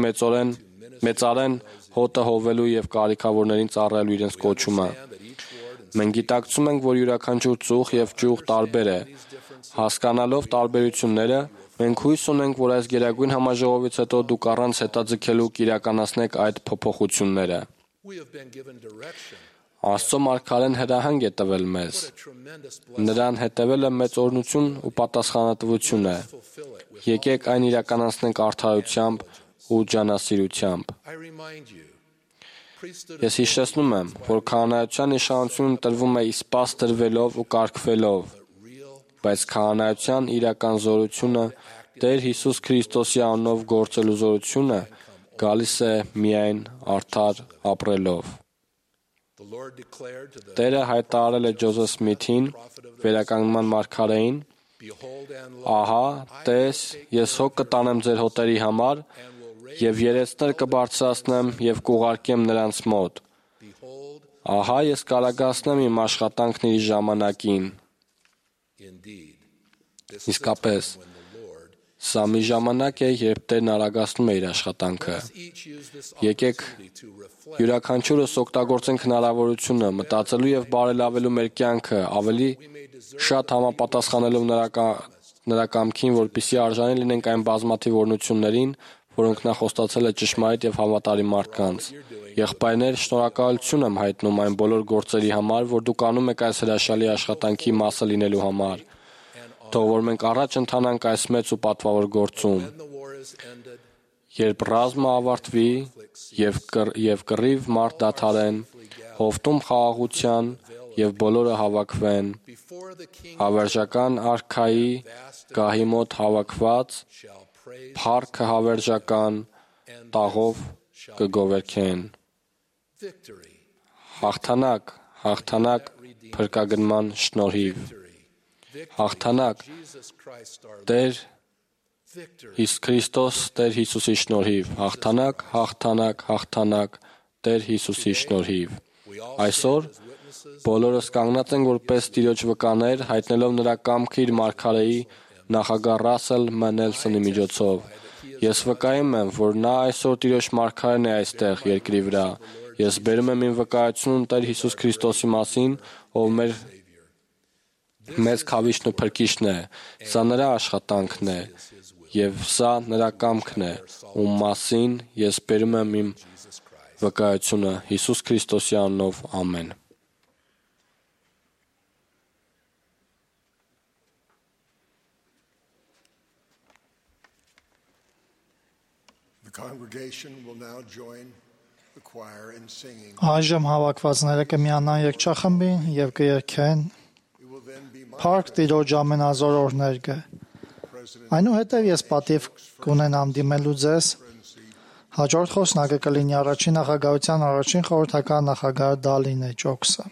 մեծարեն հոտը հովելու և կարիքավորներին ծառայելու իրենց կոչումը։ Մենք գիտակցում ենք, որ յուրաքանչյուր ծուխ և ճյուղ տարբեր է։ Հասկանալով տարբերությունները, մենք հույս ունենք, որ այս գերագույն համաժողովից հետո դուք առանց հետաձգելու կիրականացնեք այդ փոփոխությունները։ Աստծո մարգարեն հրահանգ է տվել մեզ։ Նրան հետևելը մեծ օրհնություն ու պատասխանատվություն է։ Եկեք այն իրականացնենք արդարությամբ ու ջանասիրությամբ։ Ես հիշեցնում եմ, որ քահանայության իշխանությունը տրվում է իսպաս տրվելով ու կարգվելով, բայց քահանայության իրական զորությունը Տեր Հիսուս Քրիստոսի անունով գործելու զորությունը գալիս է միայն արդար ապրելով։ Տերը հայտարարել է Ջոզեֆ Սմիթին, վերականգնման մարգարեին. «Ահա, տես, ես հոգ կտանեմ ձեր հոտերի համար և երեցներ կբարձրացնեմ և կուղարկեմ նրանց մոտ։ Ահա, ես կարագացնեմ իմ աշխատանքն իր ժամանակին»։ Իսկապես, սա մի ժամանակ է, երբ Տերն արագացնում է իր աշխատանքը։ Եկեք յուրաքանչյուրս օգտագործենք հնարավորությունը մտածելու և բարելավելու մեր կյանքը ավելի շատ համապատասխանելով նրա կամքին, որպեսզի արժանի լինենք այն բազմաթիվ օրհնություններին, որոնք նա խոստացել է ճշմարիտ և հավատարիմ մարդկանց։ Եղբայրներ, շնորհակալություն եմ հայտնում այն բոլոր գործերի համար, որ դուք անում եք այս հրաշալի աշխատանքի մասը լինելու համար։ Թող որ մենք առաջ ընթանանք այս մեծ ու պատվավոր գործում։ Երբ ռազմը ավարտվի և կռիվ մարդ դադարեն, հովտում խաղաղության և բոլորը հավաքվեն, հավերժական արքայի գահի մոտ հավաքված, փառքը հավերժական տաղով կգովերգեն։ Հաղթանակ, հաղթանակ փրկագնման շնորհիվ։ Հաղթանակ Տեր Քրիստոս Տեր Հիսուսի շնորհիվ։ Հաղթանակ, հաղթանակ, հաղթանակ Տեր Հիսուսի շնորհիվ։ Այսօր բոլորս կանգնած ենք որպես Տիրոջ վկաներ, հայտնելով նրա կամքը իր մարգարեի նախագահ Ռասել Մ. Նելսոնի միջոցով։ Ես վկայում եմ, որ նա այսօր Տիրոջ մարգարեն է այստեղ երկրի վրա։ Ես բերում եմ իմ վկայությունն Տեր Հիսուս Քրիստոսի մասին, ով մեծ քավիչն ու փրկիչն է։ Սա նրա աշխատանքն է և սա նրա կամքն է, ում մասին ես բերում եմ իմ վկայությունը Հիսուս Քրիստոսի անունով։ Ամեն։ The congregation will now join the choir in singing. Այժմ հավաքվածները կմիանան երգչախմբին և կերգեն Փառք Տիրոջ ամենազոր օրհներգը։ Այնուհետև ես պատիվ կունենամ դիմելու ձեզ։ Հաջորդ խոսնակը կլինի առաջին նախագահության առաջին խորհրդական նախագահ Դալինե Ջոքսը։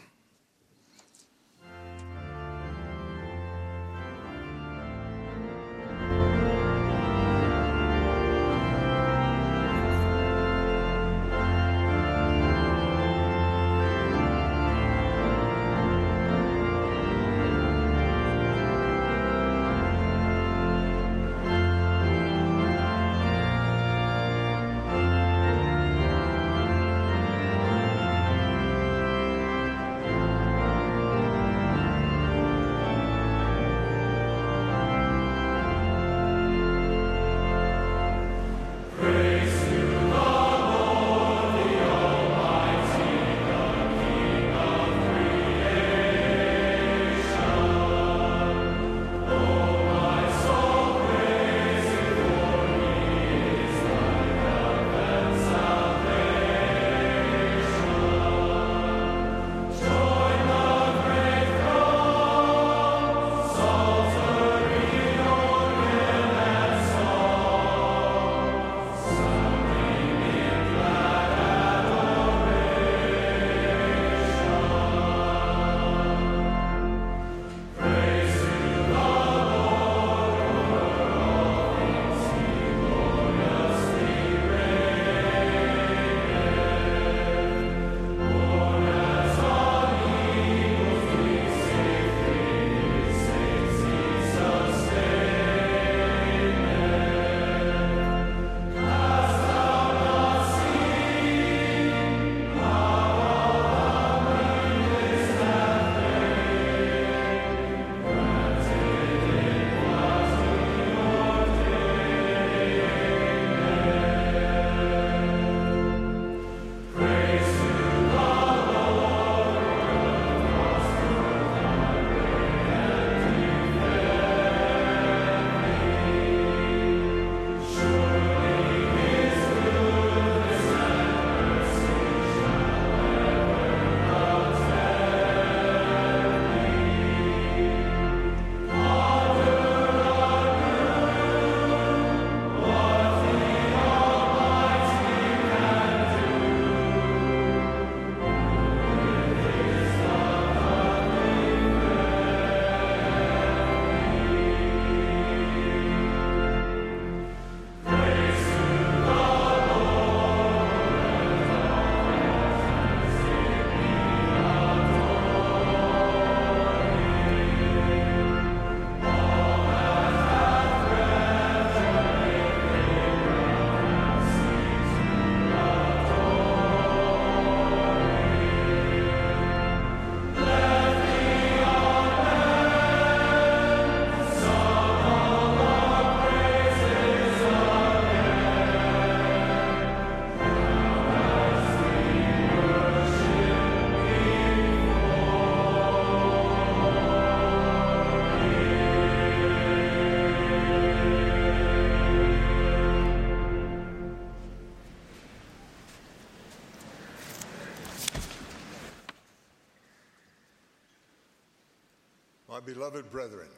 My beloved brethren,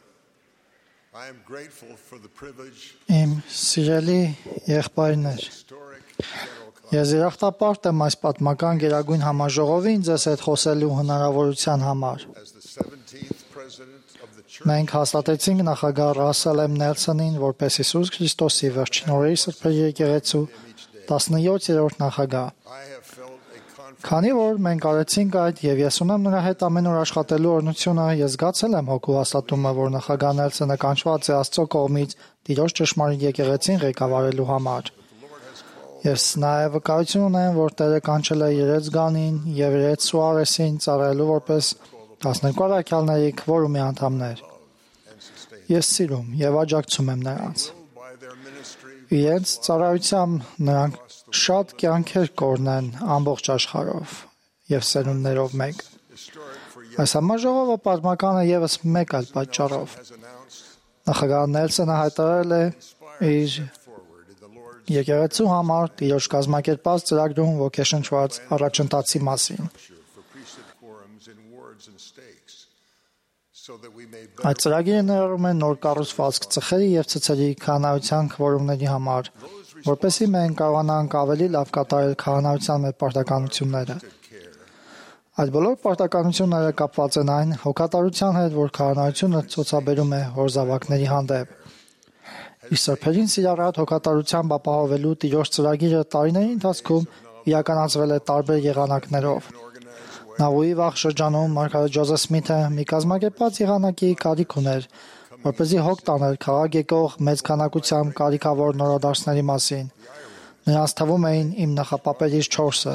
I am grateful for the privilege Իմ սիրելի եղբայրներ, historic general ես երախտապարտ եմ այս պատմական գերագույն համաժողովին ձեզ հետ խոսելու հնարավորության համար։ as the 17th president of the church. Մենք հաստատեցինք նախագահ Ռասել M. Նելսոնին որպես Հիսուս Քրիստոսի վերջին օրերի սրբերի եկեղեցու 17-րդ նախագահ։ I have felt a confidence Քանի որ մենք արեցինք այդ եւ ես ունեմ նրա հետ ամեն օր աշխատելու օրհնությունը, ես զգացել եմ հոգու հաստատումը, որ նախագահ Նելսոնը կանչված է Աստծո կողմից Տիրոջ ճշմարիտ եկեղեցին ղեկավարելու համար։ Ես նաև վկայություն ունեմ, որ Տերը կանչել է Երեց Գանին եւ Երեց Սուարեսին ծառայելու որպես 12 առաքյալների քվորումի անդամներ։ Ես սիրում եւ աջակցում եմ նրանց։ by their ministry Իրենց ծառայությամբ նրանք շատ կյանքեր կորնեն ամբողջ աշխարհով եւ սերունդներով մեկ։ historic for years Այս համաժողովը պատմական է եւս մեկ այլ պատճառով։ has announced Նախագահ Նելսոնը հայտարարել է իր forward in the Lord's եկեղեցու համար Տիրոջ կազմակերպած ծրագրում ոգեշնչված առաջընթացի մասին։ for priesthood quorums in wards and stakes so that we may Այդ ծրագիրը ներառում է նոր կառուցվածք ծխերի եւ ցցերի քահանայության քվորումների համար, որպեսզի մենք կարողանանք ավելի լավ կատարել քահանայության մեր պարտականությունները։ Այդ բոլոր պարտականությունները կապված են այն հոգատարության հետ, որ քահանայությունը ցուցաբերում է հոր զավակների հանդեպ։ Իսկ սրբերին սիրառատ հոգատարությամբ ապահովելու Տիրոջ ծրագիրը տարիների ընթացքում իրականացվել է տարբեր եղանակներով։ Նավուի վաղ շրջանում Մարգարետ Ջոզեֆ Սմիթը մի կազմակերպված եղանակի կարիք ուներ, որպեսզի հոգ տաներ քաղաք եկող մեծ քանակությամբ կարիքավոր նորադարձների մասին։ Նրանց թվում էին իմ նախապապերից 4-ը՝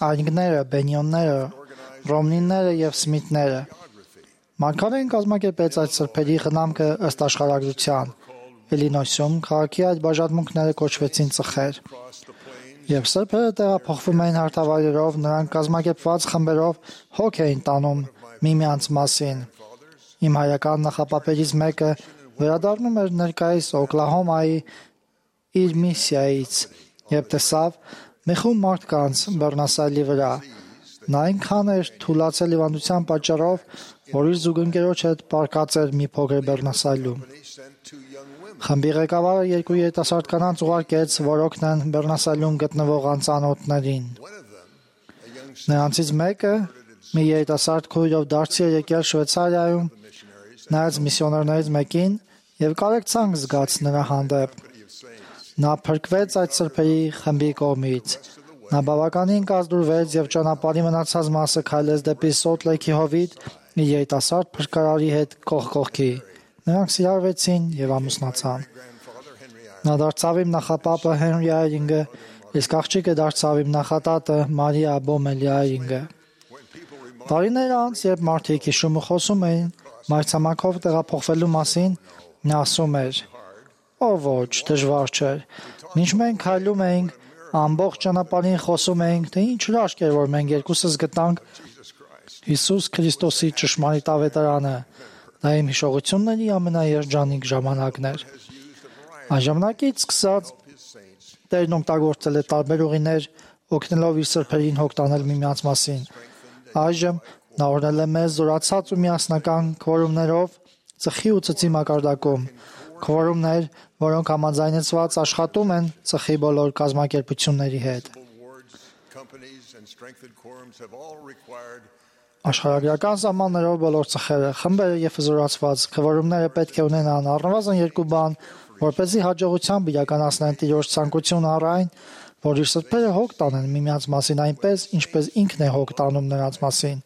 Այրինգները, Բենիոնները, Ռոմնիները եւ Սմիթները։ Մարգարեն կազմակերպեց այդ սրբերի խնամքը ըստ աշխարհագրության։ Իլինոյսում քաղաքի այդ բաժանմունքները կոչվեցին ծխեր։ Երբ սրբերը տեղափոխվում էին հարթավայրերով, նրանք կազմակերպված խմբերով հոգ էին տանում միմյանց մասին։ Իմ հայական նախապապերից մեկը վերադառնում էր ներկայիս Օկլահոմայի իր միսիայից եւ տեսավ մի խումբ մարդկանց Բեռնասայլի վրա։ Նա այնքան էր թուլացել հիվանդության պատճառով, որ իր զուգընկերոջ հետ պարկած էր մի փոքր Բեռնասայլում։ Խմբի ղեկավարը երկու երիտասարդ կանանց ուղարկեց, որ օգնեն Բեռնասայլում գտնվող անծանոթներին։ Նրանցից մեկը մի երիտասարդ քույրով դարձի էր եկել Շվեյցարիայում, նայեց միսիոներներից մեկին եւ կարեկցանք զգաց նրա հանդեպ։ Նա փրկվեց այդ սրբերի խմբի կողմից։ Նա բավականին կազդուրվեց եւ ճանապարհի մնացած մասը քայլեց դեպի Սոլտ Լեյքի հովիտ իր երիտասարդ փրկարարի հետ կողք կողքի։ Նրանք սիրարվեցին եւ ամուսնացան։ Նա դարձավ իմ նախապապը Հենրի Այրինգը, իսկ աղջիկը դարձավ իմ նախատատը Մարիա Բոմելի Այրինգը։ Տարիներ անց, երբ մարդիկ հիշում ու խոսում էին մայրցամաքով տեղափոխվելու մասին, նա ասում էր. «Ո ոչ, դժվար չէր։ Մինչ մենք քայլում էինք, ամբողջ ճանապարհին խոսում էինք, թե ինչ հրաշք էր, որ մենք երկուսս գտանք Հիսուս Քրիստոսի ճշմարիտ ավետարանը։ Դա իմ հիշողությունների ամենաերջանիկ ժամանակն էր»։ Այն ժամանակից սկսած Տերն օգտագործել է տարբեր ուղիներ, օգնելով իր սրբերին հոգ տանել միմյանց մասին։ Այժմ նա օրհնել է մեզ զորացած ու միասնական քվորումներով ծխի ու ծծի մակարդակում։ Քվորումներ, որոնք համաձայնեցված աշխատում են ծխի բոլոր կազմակերպությունների հետ։ companies and strengthened quorums have all required Աշխարհագրական սահմաններով բոլոր ծխերը, խմբերը եւ զորացված քվորումները պետք է ունենան առնվազն երկու բան, որպեսզի հաջողությամբ իրականացնեն Տիրոջ ցանկությունը առ այն, որ իր սրբերը հոգ տանեն միմյանց մասին այնպես, ինչպես ինքն է հոգ տանում նրանց մասին։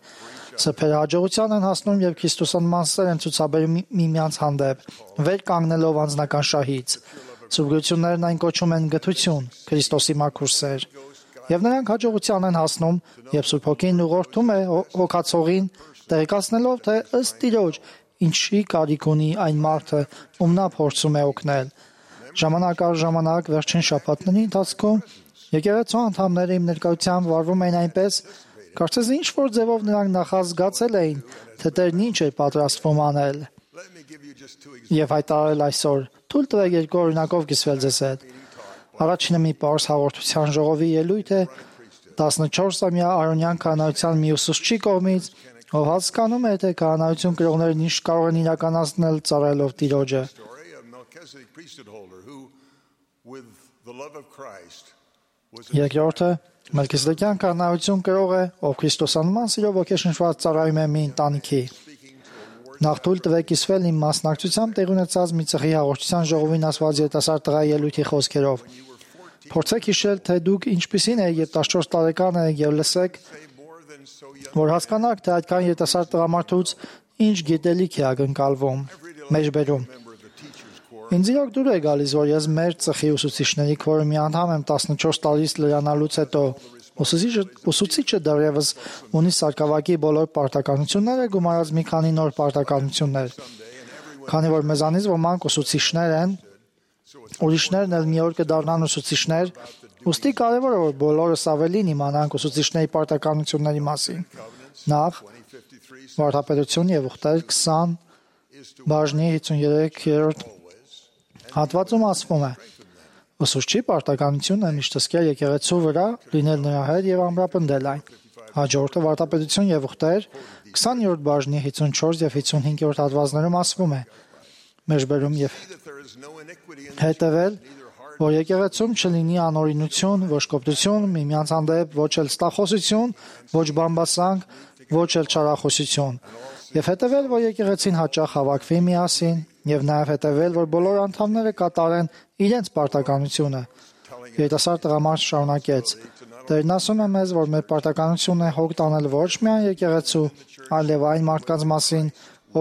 Սրբերը հաջողության են հասնում եւ քրիստոսանման սեր են ցուցաբերում միմյանց հանդեպ, վեր կանգնելով անձնական շահից։ Սուրբություններն այն կոչում են գթություն, Քրիստոսի մաքուր սեր։ Եվ նրանք հաջողության են հասնում, եւ Սուրբ Հոգին ուղղորդում է հոգացողին, տեղեկացնելով, թե ըստ Տիրոջ ինչի կարիք ունի այն մարդը, ում նա փորձում է օգնել։ Ժամանակ առ ժամանակ վերջին շաբաթների ընթացքում եկեղեցու անդամները իմ ներկայությամբ վարվում էին այնպես, կարծես ինչ որ ձևով նրանք նախազգացել էին, թե Տերն ինչ է պատրաստվում անել։ Եվ հայտարարել այսօր. «Թույլ տվեք երկու օրինակով կիսվել ձեզ հետ»։ Առաջինը մի պարզ հաղորդության ժողովի ելույթ է 14-ամյա Արոնյան քահանայության մի ուսուցչի կողմից, Ով հասկանում է, թե քահանայություն կրողներն ինչ կարող են իրականացնել ծառայելով Տիրոջը։ Story of Melchizedek priesthood holder who, with the love of Christ, was Երկրորդը Մելքիզեդեկյան քահանայություն կրող է, ով Քրիստոսանման սիրով ոգեշնչված ծառայում է մի ընտանիքի։ Նախ թույլ տվեք կիսվել իմ մասնակցությամբ տեղի ունեցած մի ծխի հաղորդության ժողովին ասված երիտասարդ տղայի ելույթի խոսքերով։ Փորձեք հիշել, թե դուք ինչպիսին եք, երբ 14 տարեկան եք եւ լսեք, որ հասկանաք, թե այդքան երիտասարդ տղամարդուց ինչ գիտելիք է ակնկալվում։ Մեջբերում։ Ինձ իրոք դուր է գալիս, որ ես մեր ծխի ուսուցիչների քվորումի անդամ եմ 14 տարից լրանալուց հետո։ Ուսուցիչը դեռևս ունի սարկավակի բոլոր պարտականությունները, գումարած մի քանի նոր պարտականություններ։ Քանի որ մեզանից ոմանք ուսուցիչներ են, ուրիշներն էլ մի օր կդառնան ուսուցիչներ, ուստի կարևոր է, որ բոլորս ավելին իմանանք ուսուցիչների պարտականությունների մասին։ Նախ, Վարդապետություն եւ ուխտեր 20 բաժնի 53-րդ հատվածում ասվում է. Ուսուցչի պարտականությունը միշտ հսկել եկեղեցու վրա, լինել նրա հետ եւ ամրապնդել այն։ Հաջորդը Վարդապետություն եւ ուխտեր 20-րդ բաժնի 54 եւ 55-րդ հատվածներում ասվում է. Մեջբերում եւ հետեւել, որ եկեղեցում չլինի անօրինություն, ոչ կոպտություն, միմյանց հանդեպ ոչ էլ ստախոսություն, ոչ բամբասանք, ոչ էլ չարախոսություն, եւ հետեւել, որ եկեղեցին հաճախ հավաքվի միասին, եւ նաեւ հետեւել, որ բոլոր անդամները կատարեն իրենց պարտականությունը։ Երիտասարդ տղամարդ շարունակեց. Տերն ասում է մեզ, որ մեր պարտականությունն է հոգ տանել ոչ միայն եկեղեցու, այլև այն մարդկանց մասին,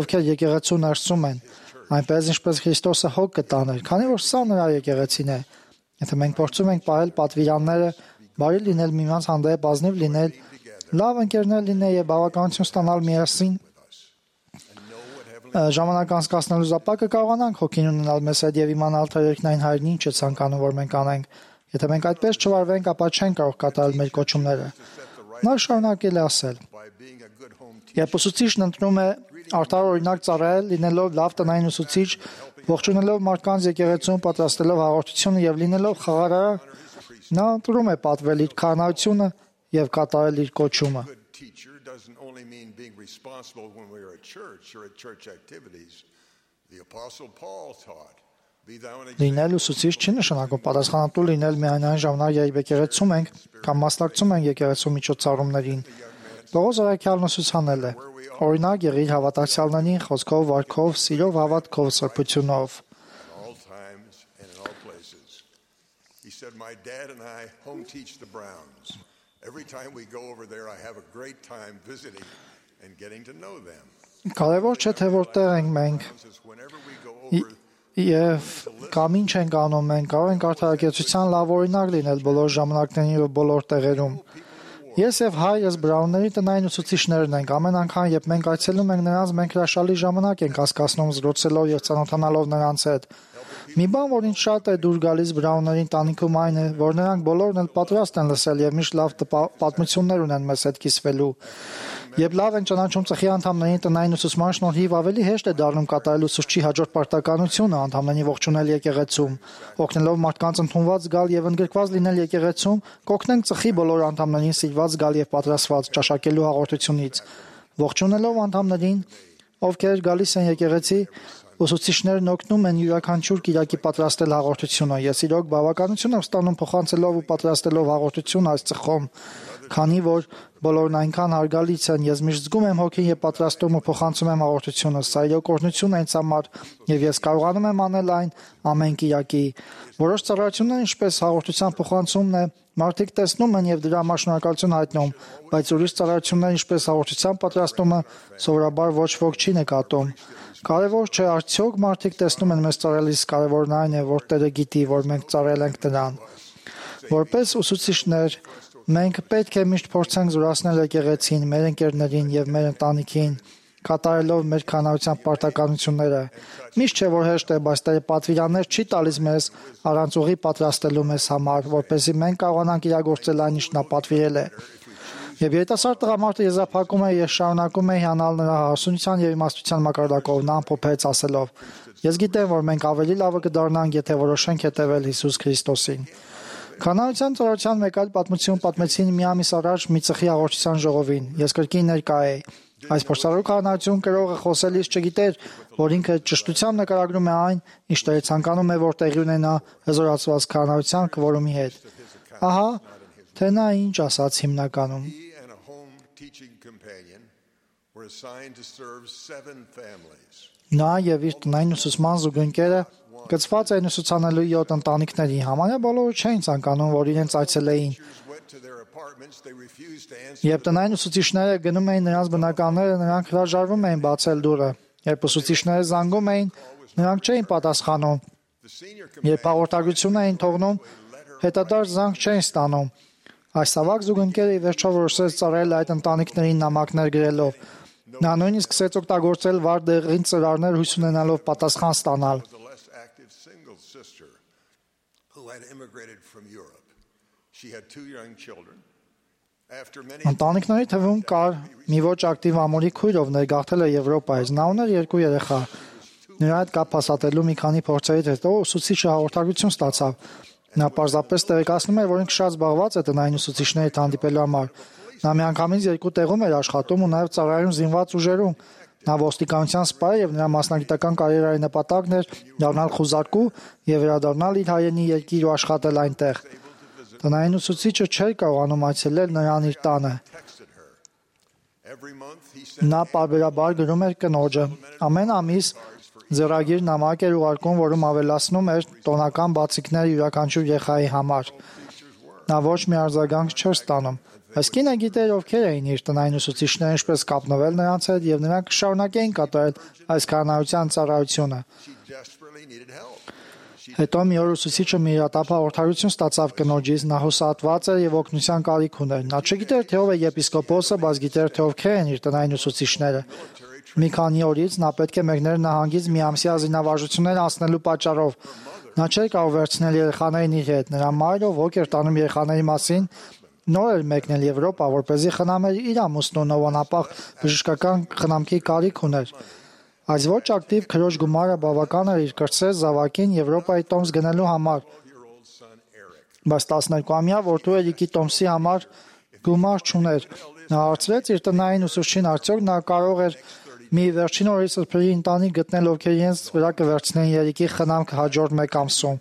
ովքեր եկեղեցու ներսում են, այնպես ինչպես Քրիստոսը հոգ կտաներ, քանի որ սա նրա եկեղեցին է։ Եթե մենք փորձում ենք պահել պատվիրանները, բարի լինել միմյանց հանդեպ, ազնիվ լինել, լավ ընկերներ լինել եւ բավականություն ստանալ միասին, ժամանակ անցկացնելու զապակը կարողանանք հոգին ունենալ մեզ հետ եւ իմանալ, թե երկնային հայրն ինչ է ցանկանում, որ մենք անենք։ Եթե մենք այդպես չվարվենք, ապա չենք կարող կատարել մեր կոչումները։ Նա շարունակել է ասել. Երբ ուսուցիչն ընտրում է արդար օրինակ ծառայել, լինելով լավ տնային ուսուցիչ, ողջունելով մարդկանց եկեղեցուն, պատրաստելով հաղորդությունը եւ լինելով խաղարար, նա ընտրում է պատվել իր քահանայությունը եւ կատարել իր կոչումը։ doesn't only mean being responsible when we are at church or at church activities. The Apostle Paul taught, be thou an Լինել ուսուցիչ չի նշանակում պատասխանատու լինել միայն այն ժամանակ, երբ եկեղեցում ենք կամ մասնակցում ենք եկեղեցու միջոցառումներին։ Պողոս առաքյալն ուսուցանել է. օրինակ եղիր հավատացյալներին խոսքով, վարքով, սիրով, հավատքով, սրբությունով։ all times and in all places. He said, my dad and I home teach the Browns. Every time we go over there, I have a great time visiting and getting to know them. Կարևոր չէ թե որտեղ ենք մենք Whenever we go over, եւ կամ ինչ ենք անում, մենք կարող ենք արդարակեցության լավ օրինակ լինել բոլոր ժամանակներին եւ բոլոր տեղերում։ Ես եւ հայրս Բրաունների տնային ուսուցիչներն ենք։ Ամեն անգամ, երբ մենք այցելում ենք նրանց, մենք հրաշալի ժամանակ ենք հասկացնում զրուցելով եւ ծանոթանալով նրանց հետ։ Մի բան, որ ինձ շատ է դուր գալիս Բրաունների ընտանիքում, այն է, որ նրանք բոլորն էլ պատրաստ են լսել եւ միշտ լավ պատմություններ ունեն մեզ հետ կիսվելու։ Երբ լավ են ճանաչում ծխի անդամներին տնային ուսուցման շնորհիվ, ավելի հեշտ է դառնում կատարել ուսուցչի հաջորդ պարտականությունը անդամներին ողջունել եկեղեցում, օգնելով մարդկանց ընդունված գալ եւ ընդգրկված լինել եկեղեցում, կօգնենք ծխի բոլոր անդամներին սիրված գալ եւ պատրաստված ճաշակելու հաղորդությունից։ Ողջունելով անդամներին, ովքեր գալիս են եկեղեցի, ուսուցիչներն օգնում են յուրաքանչյուր կիրակի պատրաստել հաղորդությունը։ Ես իրոք բավականություն եմ ստանում փոխանցելով ու պատրաստելով հաղորդություն այս ծխում, քանի որ բոլորն այնքան հարգալից են, ես միշտ զգում եմ հոգին եւ պատրաստում ու փոխանցում եմ հաղորդությունը։ Սա իրոք օրհնություն է ինձ համար եւ ես կարողանում եմ անել այն ամեն կիրակի։ Որոշ ծառայություններ, ինչպես հաղորդության փոխանցումն է, մարդիկ տեսնում են եւ դրա համար շնորհակալություն հայտնում, բայց ուրիշ ծառայություններ, ինչպես հաղորդության պատրաստումը, սովորաբար ոչ ոք չի նկատում։ Կարևոր չէ, արդյոք մարդիկ տեսնում են մեզ ծառայելիս, կարևորն այն է, որ Տերը գիտի, որ մենք ծառայել ենք նրան։ Որպես ուսուցիչներ, մենք պետք է միշտ փորձենք զորացնել եկեղեցին, մեր ընկերներին եւ մեր ընտանիքին, կատարելով մեր քահանայության պարտականությունները։ Միշտ չէ, որ հեշտ է, բայց Տերը պատվիրաններ չի տալիս մեզ առանց ուղի պատրաստելու մեզ համար, որպեսզի մենք կարողանանք իրագործել այն, ինչ նա պատվիրել է։ Եվ երիտասարդ տղամարդը եզրափակում է, ես շարունակում եմ հիանալ նրա հասունության եւ իմաստության մակարդակով, նա ամփոփեց ասելով. Ես գիտեմ, որ մենք ավելի լավը կդառնանք, եթե որոշենք հետևել Հիսուս Քրիստոսին։ Քահանայության ծառայության մեկ այլ պատմություն պատմեցին մի ամիս առաջ մի ծխի հաղորդության ժողովին։ Ես կրկին ներկա էի։ Այս փորձառու քահանայություն կրողը խոսելիս չգիտեր, որ ինքը ճշտությամբ նկարագրում է այն, ինչ Տերը ցանկանում է, որ տեղի ունենա հզորացված քահանայության կվորումի հետ։ Ահա, թե նա ինչ ասաց հիմնականում։ He and a home teaching companion were assigned to serve 7 families. Նա եւ իր տնային ուսուցման զուգընկերը գծված էին ուսուցանելու 7 ընտանիքների։ Համարյա բոլորը չէին ցանկանում, որ իրենց այցելեին։ Went to their apartments, they refused to answer. Երբ տնային ուսուցիչները գնում էին նրանց բնակարանը, նրանք հրաժարվում էին բացել դուռը։ Երբ ուսուցիչները զանգում էին, նրանք չէին պատասխանում։ The senior Երբ հաղորդագրություն էին թողնում, հետադարձ զանգ չէին ստանում։ Այս ավակ զուգընկերը ի վերջո որոշեց ծառայել այդ ընտանիքներին նամակներ գրելով։ Նա նույնիսկ սկսեց օգտագործել վառ դեղին ծրարներ հույս ունենալով պատասխան ստանալ։ was a less active single sister who had immigrated from Europe. She had 2 young children. After many Ընտանիքների թվում կար մի ոչ ակտիվ ամորի քույր, ով ներգաղթել է Եվրոպայից։ Նա ուներ 2 երեխա։ Նրա հետ կապ հաստատելու մի քանի փորձերից հետո ուսուցիչը հաղորդագրություն ստացավ։ Նա պարզապես տեղեկացնում էր, որ ինքը շատ զբաղված է տնային ուսուցիչների հետ հանդիպելու համար։ Նա միանգամից 2 տեղում էր աշխատում ու նաև ծառայում զինված ուժերում։ Նա ոստիկանության սպա է եւ նրա մասնագիտական կարիերայի նպատակն էր դառնալ խուզարկու եւ վերադառնալ իր հայրենի երկիր ու աշխատել այնտեղ։ Տնային ուսուցիչը չէր կարողանում այցելել նրան իր տանը։ texted her. Every month he sent Նա պարբերաբար գրում էր կնոջը։ Ամեն ամիս ձեռագիր նամակ էր ուղարկում, որում ավելացնում էր տոնական բացիկներ յուրաքանչյուր երեխայի համար։ Նա ոչ մի արձագանք չէր ստանում։ Այս կինը գիտեր ովքեր էին իր տնային ուսուցիչները, ինչպես կապնվել նրանց հետ, եւ նրանք կշարունակեին կատարել այս քահանայության ծառայությունը։ she desperately needed help. Հետո մի օր ուսուցիչը մի իրատապ հաղորդագրություն ստացավ կնոջից, նա հուսահատված էր եւ օգնության կարիք ուներ։ Նա չգիտեր թե ով է եպիսկոպոսը, բայց գիտեր թե ովքեր են իր տնային ուսուցիչները։ Մի քանի օրից նա պետք է մեկներ նահանգից մի ամսյա զինավարժություններ անցնելու պատճառով։ Նա չէր կարող վերցնել երեխաներին իր հետ։ Նրա մայրը ոգ էր տանում երեխաների մասին, նոր էր մեկնել Եվրոպա, որպեսզի խնամեր իր ամուսնուն, ով անապահ բժշկական խնամքի կարիք ուներ։ Այս ոչ ակտիվ քրոջ գումարը բավական էր իր կրտսեր զավակին Եվրոպայի տոմս գնելու համար։ Բայց 12-ամյա որդու Էրիկի տոմսի համար գումար չուներ։ Նա հարցրեց իր տնային ուսուցչին, արդյոք նա կարող էր մի վերջին օրի սրբերի ընտանիք գտնել, ովքեր իրենց վրա կվերցնեն Երիկի խնամքը հաջորդ 1 ամսում։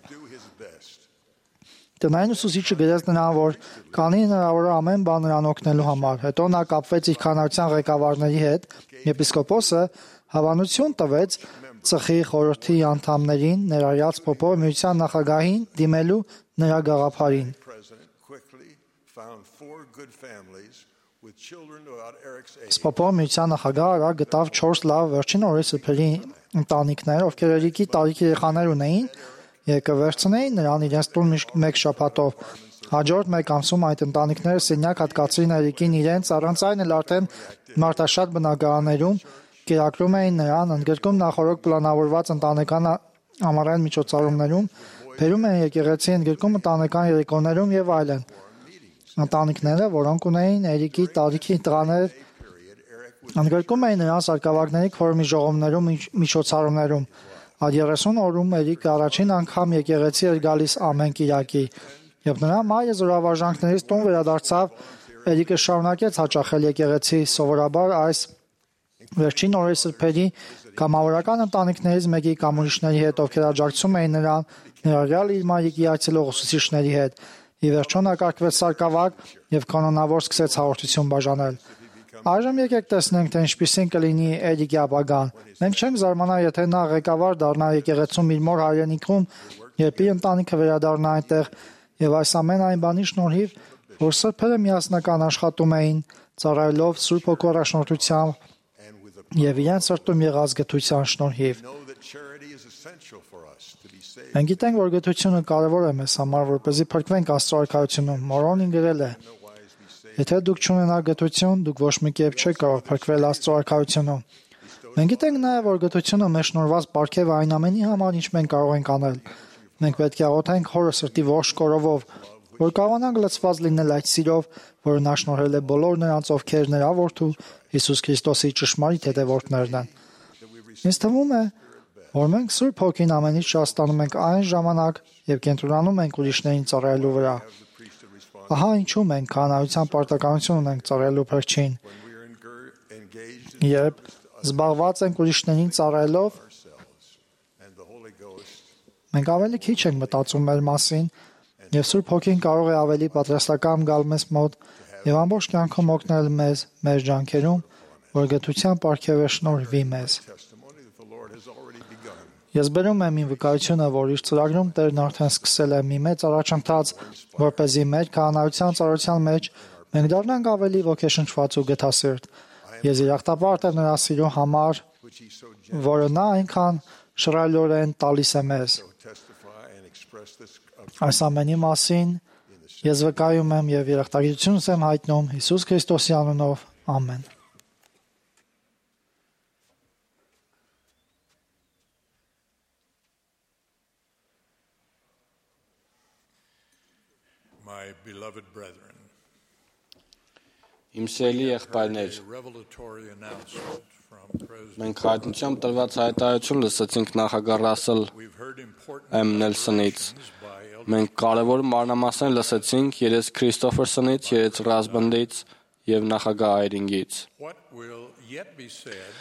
Տնային ուսուցիչը գրեց նրան, որ կանի հնարավոր է ամեն բան նրան օգնելու համար։ Հետո նա կապվեց իր քահանայության ղեկավարների հետ, եպիսկոպոսը հավանություն տվեց ծխի խորհրդի անդամներին, ներառյալ Պոպով միության նախագահին, դիմելու նրա գաղափարին։ President quickly found 4 good families with children about Eric's age. Սպոպով միության նախագահը արագ գտավ 4 լավ վերջին օրի սրբերի ընտանիքներ, ովքեր Էրիկի տարիքի երեխաներ ունեին, եւ կվերցնեին նրան իրենց տուն մեկ շաբաթով։ Հաջորդ 1 ամսում այդ ընտանիքները սենյակ հատկացրին Էրիկին իրենց, առանց այն էլ արդեն մարտաշատ բնակարաններում կերակրում էին նրան, ընդգրկում նախորդ պլանավորված ընտանեկան ամառային միջոցառումներում, բերում էին եկեղեցի, ընդգրկում ընտանեկան երեկոներում եւ այլն։ Ընտանիքները, որոնք ունեին Էրիկի տարիքի տղաներ, ընդգրկում էին նրան սարկավագների քվորումի ժողովներում, միջոցառումներում։ Այդ 30 օրում Էրիկը առաջին անգամ եկեղեցի էր գալիս ամեն կիրակի, եւ նրա մայրը զորավարժանքներից տուն վերադարձավ, Էրիկը շարունակեց հաճախել եկեղեցի, սովորաբար այս վերջին օրերի սրբերի կամավորական ընտանիքներից մեկի կամ ուրիշների հետ, ովքեր աջակցում էին նրան, ներառյալ իր մայրիկի այցելող ուսուցիչների հետ։ Ի վերջո նա կարգվեց սարկավագ եւ կանոնավոր սկսեց հաղորդություն բաժանել։ Այժմ եկեք տեսնենք, թե ինչպիսին կլինի Էրիկի ապագան։ Մենք չենք զարմանա, եթե նա ղեկավար դառնա եկեղեցում իր մոր հայրենիքում, երբ իր ընտանիքը վերադառնա այնտեղ, եւ այս ամեն այն բանի շնորհիվ, որ սրբերը միասնական աշխատում էին, ծառայելով Սուրբ Հոգու առաջնորդությամբ եւ իրենց սրտում եղած գթության շնորհիվ։ Know that charity is essential for us to be saved. Մենք գիտենք, որ գթությունը կարևոր է մեզ համար, որպեսզի փրկվենք Աստծո արքայությունում։ Մորոնին գրել է. Եթե դուք չունենաք գթություն, դուք ոչ մի կերպ չեք կարող փրկվել Աստծո արքայությունում։ Մենք գիտենք նաև, որ գթությունը մեզ շնորհված պարգև է այն ամենի համար, ինչ մենք կարող ենք անել։ Մենք պետք է աղոթենք Հորը սրտի ողջ կորովով, որ կարողանանք լցված լինել այդ սիրով, որը նա շնորհել է բոլոր նրանց, ովքեր նրա որդու Հիսուս Քրիստոսի ճշմարիտ հետևորդներն են։ Ինձ թվում է, որ մենք Սուրբ Հոգին ամենից շատ ստանում ենք այն ժամանակ, երբ կենտրոնանում ենք ուրիշներին ծառայելու վրա։ Ահա ինչու մենք քահանայության պարտականություն ունենք ծառայելու Փրկչին։ Երբ զբաղված ենք ուրիշներին ծառայելով, and the Holy Ghost մենք ավելի քիչ ենք մտածում մեր մասին, եւ Սուրբ Հոգին կարող է ավելի պատրաստական գալ մեզ մոտ եւ ամբողջ կյանքում օգնել մեզ մեր ջանքերում, որ գթության պարգևը շնորհվի մեզ։ testimony that the Lord has already begun. Ես բերում եմ իմ վկայությունը, որ իր ծրագրում Տերն արդեն սկսել է մի մեծ առաջընթաց, որպեսզի մեր քահանայության ծառայության մեջ մենք դառնանք ավելի ոգեշնչված ու գթասիրտ։ Ես իրախտապարտ եմ նրա սիրո համար, որը նա այնքան շռայլորեն տալիս է մեզ։ Testify and express this Այս ամենի մասին ես վկայում եմ եւ երախտագիտությունս եմ հայտնում Հիսուս Քրիստոսի անունով։ Ամեն։ My beloved brethren, Իմ սիրելի եղբայրներ, a revelatory announcement from President. մենք հայտնությամբ տրված հայտարարություն լսեցինք նախագահ Ռասել We've heard important M. Նելսոնից։ declarations by Elder. Մենք կարևոր մանրամասներ լսեցինք երես Քրիստոֆերսոնից, երես Ռասբնդից եւ նախագահ Այրինգից։ What will yet be said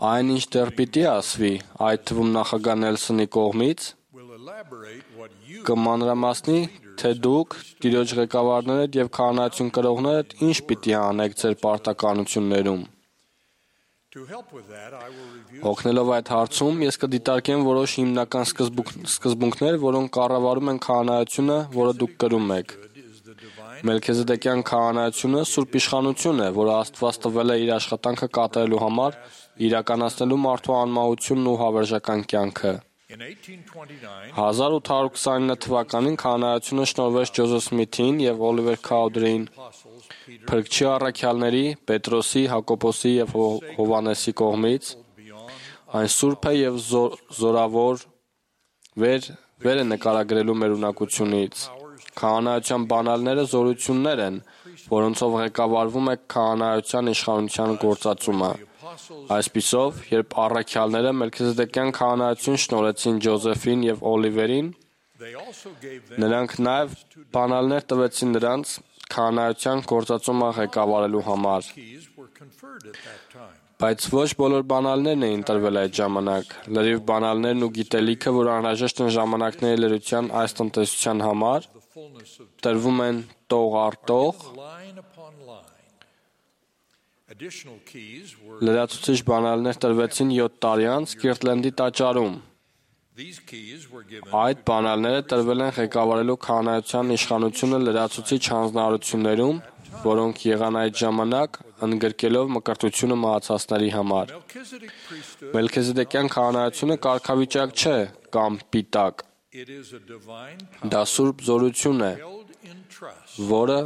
Այն ինչ դեռ պիտի ասվի, այդ թվում նախագահ Նելսոնի կողմից, will elaborate what you կմանրամասնի, թե դուք, Տիրոջ ղեկավարներդ եւ քահանայություն կրողներդ ինչ պիտի անեք ձեր պարտականություններում։ to help with that. I will review Օգնելով այդ հարցում, ես կդիտարկեմ որոշ հիմնական սկզբունքներ, որոնք կառավարում են քահանայությունը, որը դուք կրում եք։ is the divine Մելքիզեդեկյան քահանայությունը սուրբ իշխանություն է, որը Աստված տվել է իր աշխատանքը կատարելու համար, իրականացնելու մարդու անմահությունն ու հավերժական կյանքը։ in 1829. 1829 թվականին քահանայությունը շնորհվեց Ջոզեֆ Սմիթին եւ Օլիվեր Քաուդերին, Apostles Peter Փրկչի առաքյալների, Պետրոսի, Հակոբոսի եւ Հովանեսի կողմից։ beyond Այն սուրբ է եւ զորավոր վեր է նկարագրելու մեր ունակությունից։ Քահանայության բանալները զորություններ են, որոնցով ղեկավարվում է քահանայության իշխանության գործածումը։ Այսպիսով, երբ առաքյալները Մելքիզեդեկյան քահանայություն շնորհեցին Ջոզեֆին եւ Օլիվերին, they also gave them նրանք նաեւ բանալներ տվեցին նրանց քահանայության գործածումը ղեկավարելու համար։ keys were conferred at that time. Բայց ոչ բոլոր բանալներն էին տրվել այդ ժամանակ։ Լրիվ բանալներն ու գիտելիքը, որ անհրաժեշտ են ժամանակների լրության այս տնտեսության համար, The fullness of տրվում են տող առ տող։ line upon line. Additional keys were Լրացուցիչ բանալներ տրվեցին 7 տարի անց Կիրտլենդի տաճարում։ these keys were given Այդ բանալները տրվել են ղեկավարելու քահանայության իշխանությունը լրացուցիչ հանձնարարություններում, որոնք եղան այդ ժամանակ ընդգրկելով մկրտությունը մահացածների համար։ Melchizedek priesthood. Մելքիզեդեկյան քահանայությունը կարգավիճակ չէ կամ պիտակ։ It is a divine Դա սուրբ զորություն է, held in trust որը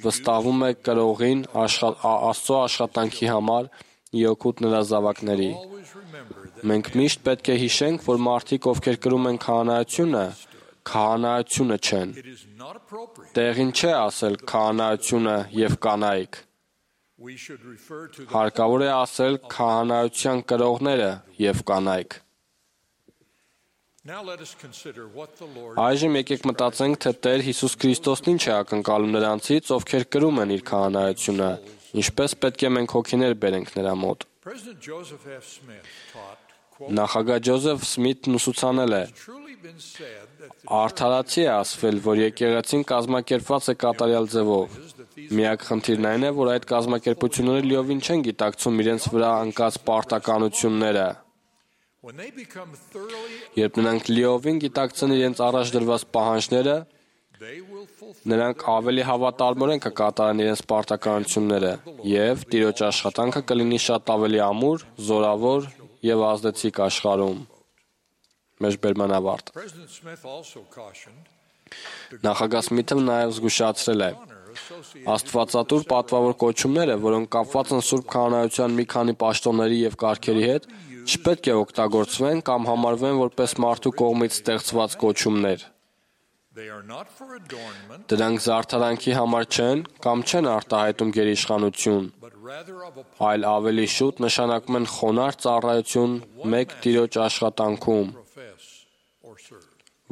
վստահվում է կրողին Աստծո աշխատանքի համար իօգուտ նրա զավակների։ always remember that Մենք միշտ պետք է հիշենք, որ մարդիկ, ովքեր կրում են քահանայությունը, քահանայությունը չեն։ it is not appropriate. Տեղին չէ ասել քահանայությունը եւ կանայք։ We should refer to the Հարկավոր է ասել քահանայության կրողները եւ կանայք։ Now let us consider what the Lord Այժմ եկեք մտածենք, թե Տեր Հիսուս Քրիստոսն ինչ է ակնկալում նրանցից, ովքեր կրում են իր քահանայությունը, ինչպես պետք է մենք հոգիներ բերենք նրա մոտ։ President Joseph F. Smith taught, quote, Նախագահ Ջոզեֆ Սմիթն ուսուցանել է. truly been said that the Արդարացի է ասվել, որ եկեղեցին կազմակերպված է կատարյալ ձևով։ Միակ խնդիրն այն է, որ այդ կազմակերպությունները լիովին չեն գիտակցում իրենց վրա անկած պարտականությունները։ when they become thoroughly Երբ նրանք լիովին գիտակցեն իրենց առաջ դրված պահանջները, they will fulfill նրանք ավելի հավատարմորեն կկատարեն իրենց պարտականությունները եւ Տիրոջ աշխատանքը կլինի շատ ավելի ամուր, զորավոր եւ ազդեցիկ աշխարհում։ Մեջբերման ավարտ։ President Smith also cautioned Նախագահ Սմիթը նաեւ զգուշացրել է. honor associated Աստվածատուր պատվավոր կոչումները, որոնք կապված են Սուրբ քահանայության մի քանի պաշտոնների եւ կարգերի հետ, չպետք է օգտագործվեն կամ համարվեն որպես մարդու կողմից ստեղծված կոչումներ։ they are not for adornment Դրանք զարդարանքի համար չեն կամ չեն արտահայտում գերիշխանություն, but rather of a այլ ավելի շուտ նշանակում են խոնարհ ծառայություն մեկ Տիրոջ աշխատանքում, profess or serve.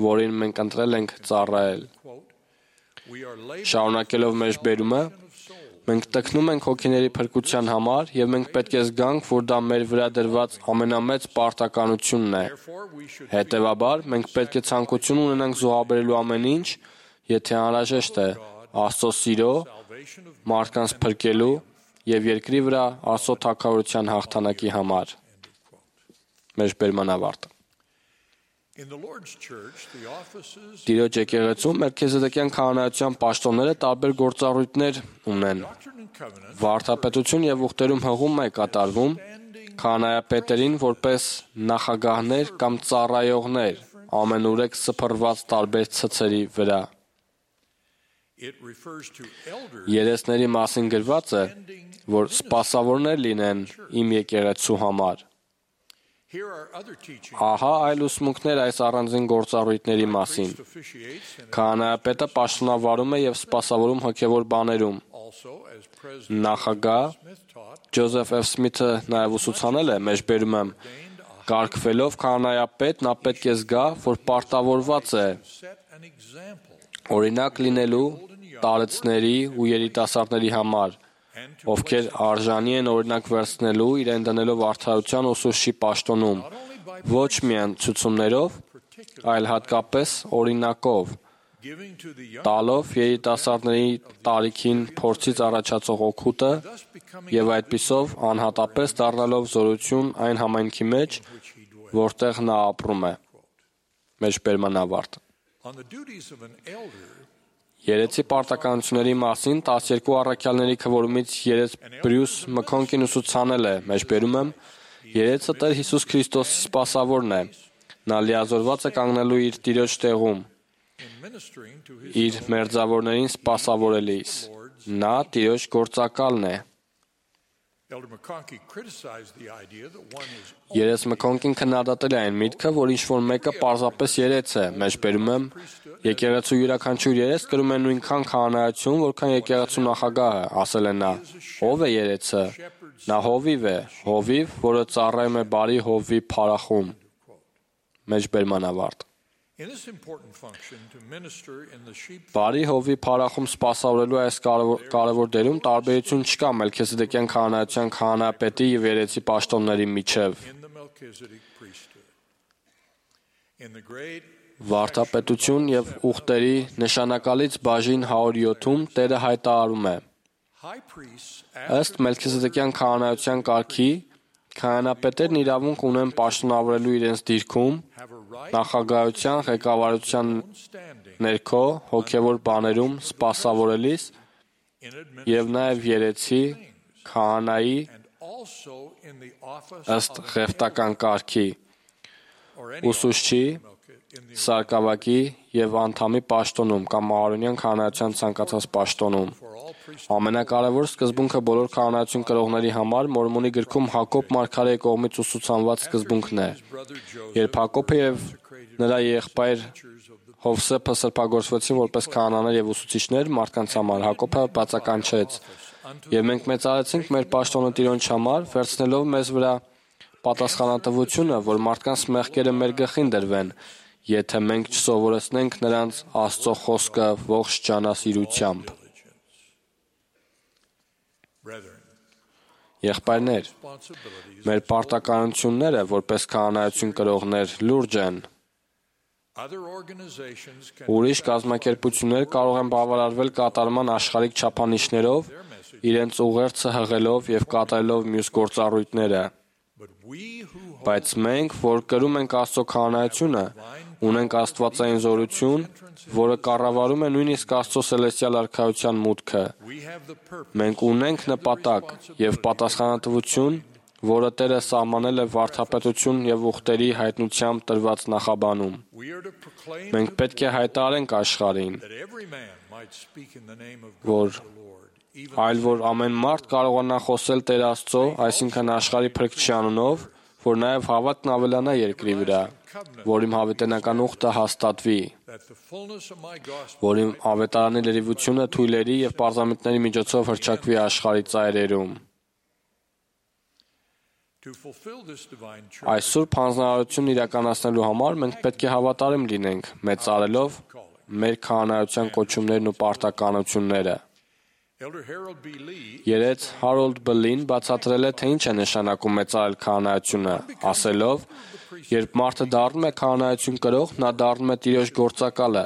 որին մենք ընտրել ենք ծառայել։ Quote, we are laboring Շարունակելով մեր բերումը, Մենք տքնում ենք հոգիների փրկության համար եւ մենք պետք է զգանք, որ դա մեր վրա դրված ամենամեծ պարտականությունն է։ Հետևաբար, մենք պետք է ցանկություն ունենանք զոհաբերելու ամեն ինչ, եթե անհրաժեշտ է, Աստծո սիրո, մարդկանց փրկելու եւ երկրի վրա Աստծո թագավորության հաղթանակի համար։ Մեջբերման ավարտ։ Տիրոջ եկեղեցում Մելքիզեդեկյան քահանայության պաշտոնները տարբեր գործառույթներ ունեն։ Վարդապետություն եւ ուխտերում հղում է կատարվում քահանայապետերին որպես նախագահներ կամ ծառայողներ ամենուրեք սփռված տարբեր ցցերի վրա։ Երեսների մասին գրված է, որ սպասավորներ լինեն իմ եկեղեցու համար։ Ահա այլ ուսմունքներ այս առանձին գործառույթների մասին։ Քահանայապետը պաշտոնավարում է եւ սպասավորում հոգեվոր բաներում։ Նախագահ Ջոզեֆ F. Սմիթը նաեւ ուսուցանել է, մեջբերում եմ, կարգվելով քահանայապետ, նա պետք է զգա, որ պարտավորված է օրինակ լինելու տարեցների ու երիտասարդների համար, ովքեր արժանի են օրինակ վերցնելու իրեն դնելով արդարության ուսուցչի պաշտոնում, ոչ միայն ցուցումներով, այլ հատկապես օրինակով, տալով երիտասարդների տարիքին փորձից առաջացող օգուտը եւ այդպիսով անհատապես դառնալով զորություն այն համայնքի մեջ, որտեղ նա ապրում է։ Մեջբերման ավարտ։ Երեցի պարտականությունների մասին 12 առաքյալների քվորումից երեց Բրյուս Մքոնկին ուսուցանել է, մեջբերում եմ, երեցը Տեր Հիսուս Քրիստոսի սպասավորն է, նա լիազորված է կանգնելու իր Տիրոջ տեղում, իր մերձավորներին սպասավորելիս, նա Տիրոջ գործակալն է։ Երես Մքոնկին քննադատել է այն միտքը, որ ինչ-որ մեկը պարզապես երեց է, մեջբերում եմ, եկեղեցու յուրաքանչյուր երես կրում է նույնքան քահանայություն, որքան եկեղեցու նախագահը, ասել է նա։ Ո՞վ է երեցը։ Նա հովիվ է, հովիվ, որը ծառայում է բարի հովվի փարախում։ Մեջբերման ավարտ։ Բարի հովվի փարախում սպասավորելու այս կարևոր դերում տարբերություն չկա Մելքիզեդեկյան քահանայության քահանայապետի եւ երեցի պաշտոնների միջև։ Վարդապետություն եւ ուխտերի նշանակալից բաժին 107-ում Տերը հայտարարում է. Ըստ Մելքիզեդեկյան քահանայության կարգի քահանապետերն իրավունք ունեն պաշտոնավորելու իրենց դիրքում նախագահության ղեկավարության ներքո հոգևոր բաներում սպասավորելիս եւ նաեւ երեցի քահանայի ըստ ղևտական կարգի ուսուցչի սարկավակի եւ անդամի պաշտոնում կամ Ահարոնյան քահանայության ցանկացած պաշտոնում։ Ամենակարևոր սկզբունքը բոլոր քահանայություն կրողների համար Մորմոնի գրքում Հակոբ մարգարեի կողմից ուսուցանված սկզբունքն է։ Երբ Հակոբը եւ նրա եղբայր Հովսեփը սրբագործվեցին որպես քահանաներ եւ ուսուցիչներ մարդկանց համար, Հակոբը բացականչեց. «Եվ մենք մեծարեցինք մեր պաշտոնը Տիրոջ համար, վերցնելով մեզ վրա պատասխանատվությունը, որ մարդկանց մեղքերը մեր գլխին դրվեն, եթե մենք չսովորեցնենք նրանց Աստծո խոսքը ողջ ջանասիրությամբ»։ Եղբայրներ, մեր պարտականությունները որպես քահանայություն կրողներ լուրջ են։ Ուրիշ կազմակերպություններ կարող են բավարարվել կատարման աշխարհիկ չափանիշներով, իրենց ուղերձը հղելով եւ կատարելով մյուս գործառույթները։ Բայց մենք, որ կրում ենք Աստծո քահանայությունը, ունենք աստվածային զորություն, որը կառավարում է նույնիսկ Աստծո սելեստիալ արքայության մուտքը։ Մենք ունենք նպատակ եւ պատասխանատվություն, որը Տերը սահմանել է վարդապետություն եւ ուխտերի հայտնությամբ տրված նախաբանում։ Մենք պետք է հայտարարենք աշխարհին, որ ամեն մարդ կարողանա խոսել Տեր Աստծո, այսինքն աշխարհի Փրկչի անունով, որ նաև հավատքն ավելանա երկրի վրա, որ իմ հավիտենական ուխտը հաստատվի, որ իմ ավետարանի լրիվությունը թույլերի եւ պարզամիտների միջոցով հռչակվի աշխարհի ծայրերում։ Այս սուրբ հանձնարարությունն իրականացնելու համար մենք պետք է հավատարիմ լինենք, մեծարելով մեր քահանայության կոչումներն ու պարտականությունները։ Երեց Հարոլդ Բլին բացատրել է, թե ինչ է նշանակում մեծարել քահանայությունը, ասելով. երբ մարդը դառնում է քահանայություն կրող, նա դառնում է Տիրոջ գործակալը։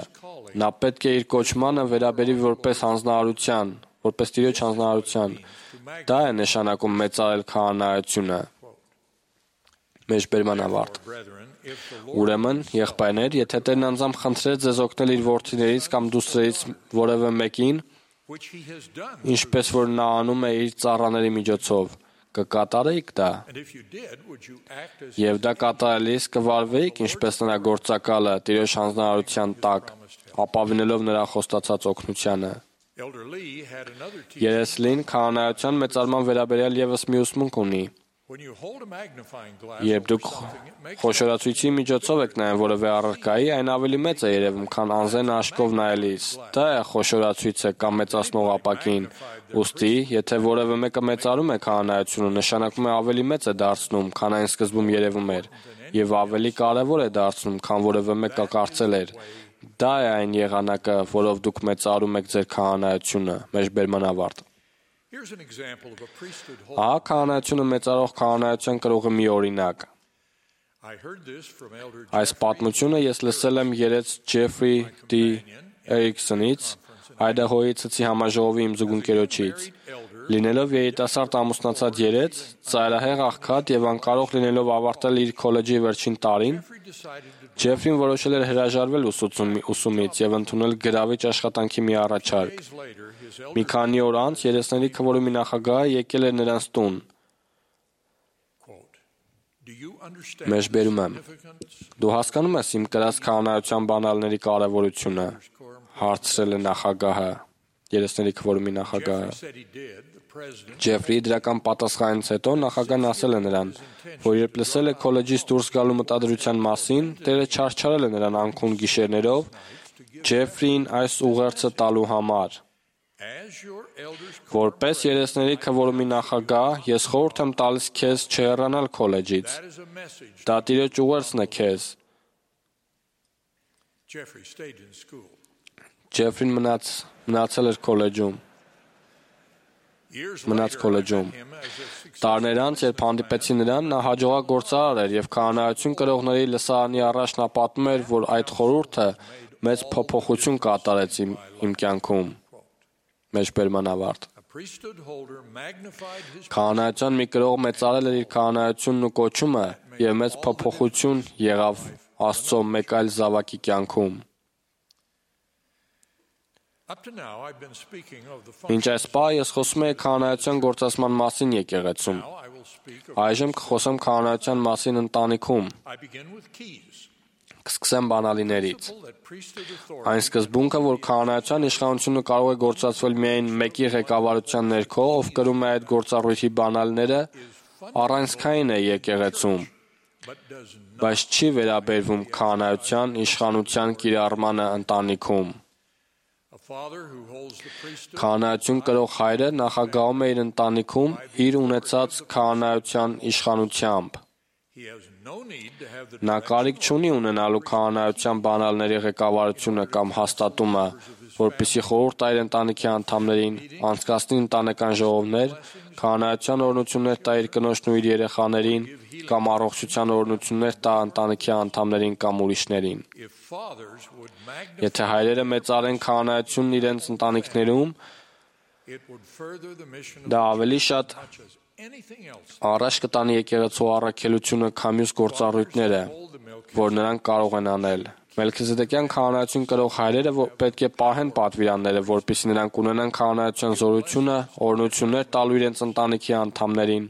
Նա պետք է իր կոչմանը վերաբերի որպես հանձնարարության, որպես Տիրոջ հանձնարարության։ Դա է նշանակում մեծարել քահանայությունը։ Մեջբերման ավարտ։ Ուրեմն, եղբայրներ, եթե Տերն անձամբ խնդրեր ձեզ օգնել իր որդիներից կամ դուստրերից որևէ մեկին, ինչպես որ նա անում է իր ծառաների միջոցով, կկատարեիք դա։ Եվ դա կատարելիս կվարվեիք, ինչպես նրա գործակալը Տիրոջ հանձնարարության տակ, ապավինելով նրա խոստացած օգնությանը։ Երես Լին քահանայության մեծարման վերաբերյալ ևս մի ուսմունք ունի։ Երբ դուք խոշորացույցի միջոցով եք նայում որևէ առարկայի, այն ավելի մեծ է երևում, քան անզեն աշկով նայելիս։ Դա է խոշորացույցը կամ մեծացնող ապակին։ Ուստի, եթե որևէ մեկը մեծարում է քահանայությունը, նշանակում է ավելի մեծ է դարձնում, քան այն սկզբում երևում էր, եւ ավելի կարևոր է դարձնում, քան որևէ մեկը կարծել էր։ Դա է այն եղանակը, որով դուք մեծարում եք ձեր քահանայությունը։ Մեջբերման ավարտ։ Ահա քահանայությունը մեծարող քահանայության կրողի մի օրինակ։ Այս պատմությունը ես լսել եմ երեց Ջեֆրի D. Էրիքսոնից, Այդահոյի Ցցի համաժողովի իմ զուգընկերոջից։ Լինելով երիտասարդ ամուսնացած երեց, ծայրահեղ աղքատ եւ անկարող լինելով ավարտել իր քոլեջի վերջին տարին, Ջեֆրին որոշել էր հրաժարվել ուսումից եւ ընդունել գրավիչ աշխատանքի մի առաջարկ։ Մի քանի օր անց երեցների քվորումի նախագահը եկել էր նրանց տուն։ Մեջբերում եմ. Դու հասկանում ես իմ կրած քահանայության բանալների կարևորությունը, հարցրել է նախագահը, երեցների քվորումի նախագահը։ Ջեֆրիի դրական պատասխանից հետո նախագահն ասել է նրան, որ երբ լսել է քոլեջից դուրս գալու մտադրության մասին, Տերը չարչարել է նրան անքուն գիշերներով Ջեֆրիին այս ուղերձը տալու համար։ Որպես երեցների քվորումի նախագահ, ես խորհուրդ եմ տալիս քեզ չհեռանալ քոլեջից։ Դա Տիրոջ ուղերձն է քեզ։ Ջեֆրին մնացել էր քոլեջում։ Տարիներ անց, երբ հանդիպեցի նրան, նա հաջողակ գործարար էր եւ քահանայություն կրողների լսարանի առաջ նա պատմում էր, որ այդ խորհուրդը մեծ փոփոխություն կատարեց իմ կյանքում։ Մեջբերման ավարտ։ Քահանայության մի կրող մեծարել էր իր քահանայությունն ու կոչումը եւ մեծ փոփոխություն եղավ Աստծո մեկ այլ զավակի կյանքում։ Մինչ այս պահ ես խոսում եի քահանայության գործածման մասին եկեղեցում։ Այժմ կխոսեմ քահանայության մասին ընտանիքում։ Կսկսեմ բանալիներից։ Այն սկզբունքը, որ քահանայության իշխանությունը կարող է գործածվել միայն մեկի ղեկավարության ներքո, ով կրում է այդ գործառույթի բանալիները, առանցքային է եկեղեցում, բայց չի վերաբերվում քահանայության իշխանության կիրառմանը ընտանիքում։ Քահանայություն կրող հայրը նախագահում է իր ընտանիքում իր ունեցած քահանայության իշխանությամբ։ Նա կարիք չունի ունենալու քահանայության բանալների ղեկավարությունը կամ հաստատումը, որպեսզի խորհուրդ տա իր ընտանիքի անդամներին, անցկացնի ընտանեկան ժողովներ, քահանայության օրհնություններ տա իր կնոջն ու իր երեխաներին, կամ առողջության օրհնություններ տա ընտանիքի անդամներին կամ ուրիշներին։ Եթե հայրերը մեծարեն քահանայությունն իրենց ընտանիքներում, դա ավելի շատ առաջ կտանի եկեղեցու առաքելությունը, քան մյուս գործառույթները, որ նրանք կարող են անել։ Մելքիզեդեկյան քահանայություն կրող հայրերը պետք է պահեն պատվիրանները, որպեսզի նրանք ունենան քահանայության զորությունը, օրհնություններ տալու իրենց ընտանիքի անդամներին։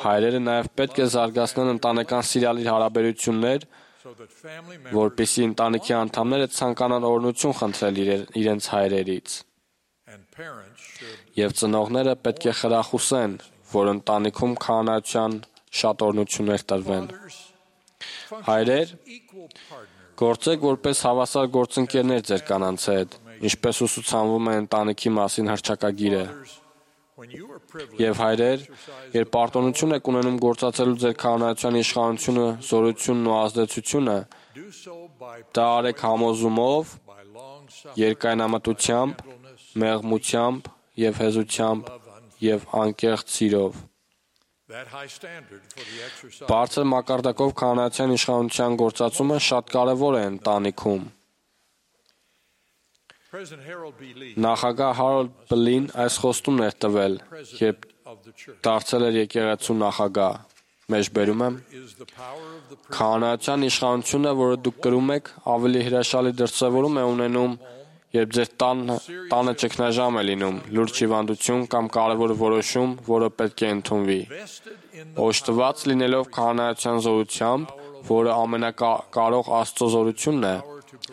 Հայրերը նաև պետք է զարգացնեն ընտանեկան սիրալիր հարաբերություններ, որպեսզի ընտանիքի անդամները ցանկանան օրհնություն խնդրել իրենց հայրերից։ Եվ ծնողները պետք է խրախուսեն, որ ընտանիքում քահանայության շատ օրհնություններ տրվեն։ Հայրեր, գործեք որպես հավասար գործընկերներ ձեր կանանց հետ, ինչպես ուսուցանվում է ընտանիքի մասին հռչակագիրը։ Եվ հայրեր, երբ պարտունություն եք ունենում գործածելու ձեր քահանայության իշխանությունը, զորությունն ու ազդեցությունը, դա արեք համոզումով երկայնամտությամբ, մեղմությամբ եւ հեզությամբ եւ անկեղծ սիրով։ Բարձր մակարդակով քահանայության իշխանության գործածումը շատ կարևոր է ընտանիքում։ Նախագահ Հարոլդ Բլին այս խոստումն էր տվել, երբ դարձել էր եկեղեցու նախագահ։ Մեջբերում եմ. քահանայության իշխանությունը, որը դուք կրում եք, ավելի հրաշալի դրսևորում է ունենում, երբ ձեր տանը ճգնաժամ է լինում, լուրջ հիվանդություն կամ կարևոր որոշում, որը պետք է ընդունվի։ Օժտված լինելով քահանայության զորությամբ, որը ամենակարող Աստծո զորությունն է,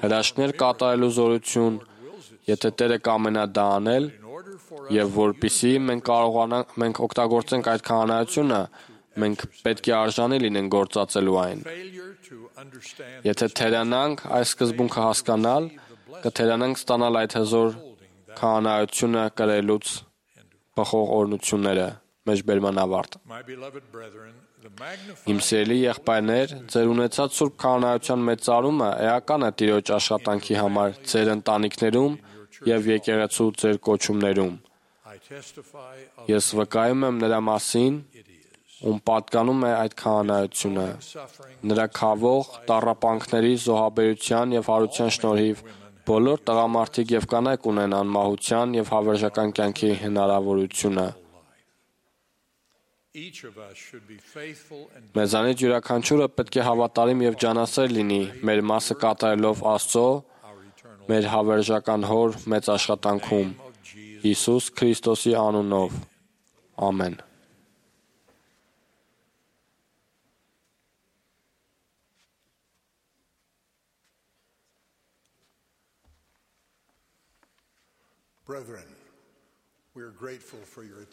հրաշքներ կատարելու զորություն, եթե Տերը կամենա դա անել, եւ որպիսի մենք օգտագործենք այդ քահանայությունը, մենք պետք է արժանի լինենք գործածելու այն։ Եթե թերանանք այս սկզբունքը հասկանալ, կթերանանք ստանալ այդ հզոր քահանայությունը կրելուց բխող օրհնությունները։ Մեջբերման ավարտ։ Իմ սիրելի եղբայրներ, ձեր ունեցած սուրբ քահանայության մեծարումը էական է Տիրոջ աշխատանքի համար ձեր ընտանիքներում եւ եկեղեցու ձեր կոչումներում։ Ես վկայում եմ նրա մասին, ում պատկանում է այդ քահանայությունը, նրա քավող, տառապանքների, զոհաբերության եւ հարության շնորհիվ բոլոր տղամարդիկ եւ կանայք ունեն անմահության եւ հավերժական կյանքի հնարավորությունը։ Մեզանից յուրաքանչյուրը պետք է հավատարիմ եւ ջանասեր լինի մեր մասը կատարելով Աստծո, մեր հավերժական Հոր մեծ աշխատանքում, Հիսուս Քրիստոսի անունով։ Ամեն։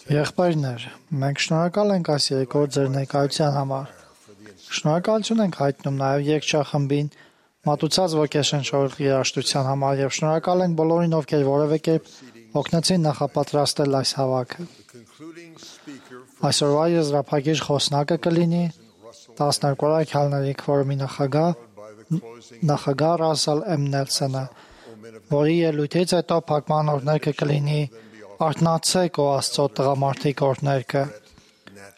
Եղբայրներ, մենք շնորհակալ ենք այս երեկոյր ձեր ներկայության համար։ Շնորհակալություն ենք հայտնում նաև երգչախմբին մատուցած ոգեշնչող երաժշտության համար եւ շնորհակալ ենք բոլորին, ովքեր որևէ կերպ օգնեցին նախապատրաստել այս հավաքը։ Այսօրվա եզրափակիչ խոսնակը կլինի 12-րդ քահանայի քվորումի նախագահ Ռասել M. Նելսոնը, որի ելույթից հետո փակման օրհներգը կլինի «Արթնացեք, ո Աստծո տղամարդիկ» օրհներգը։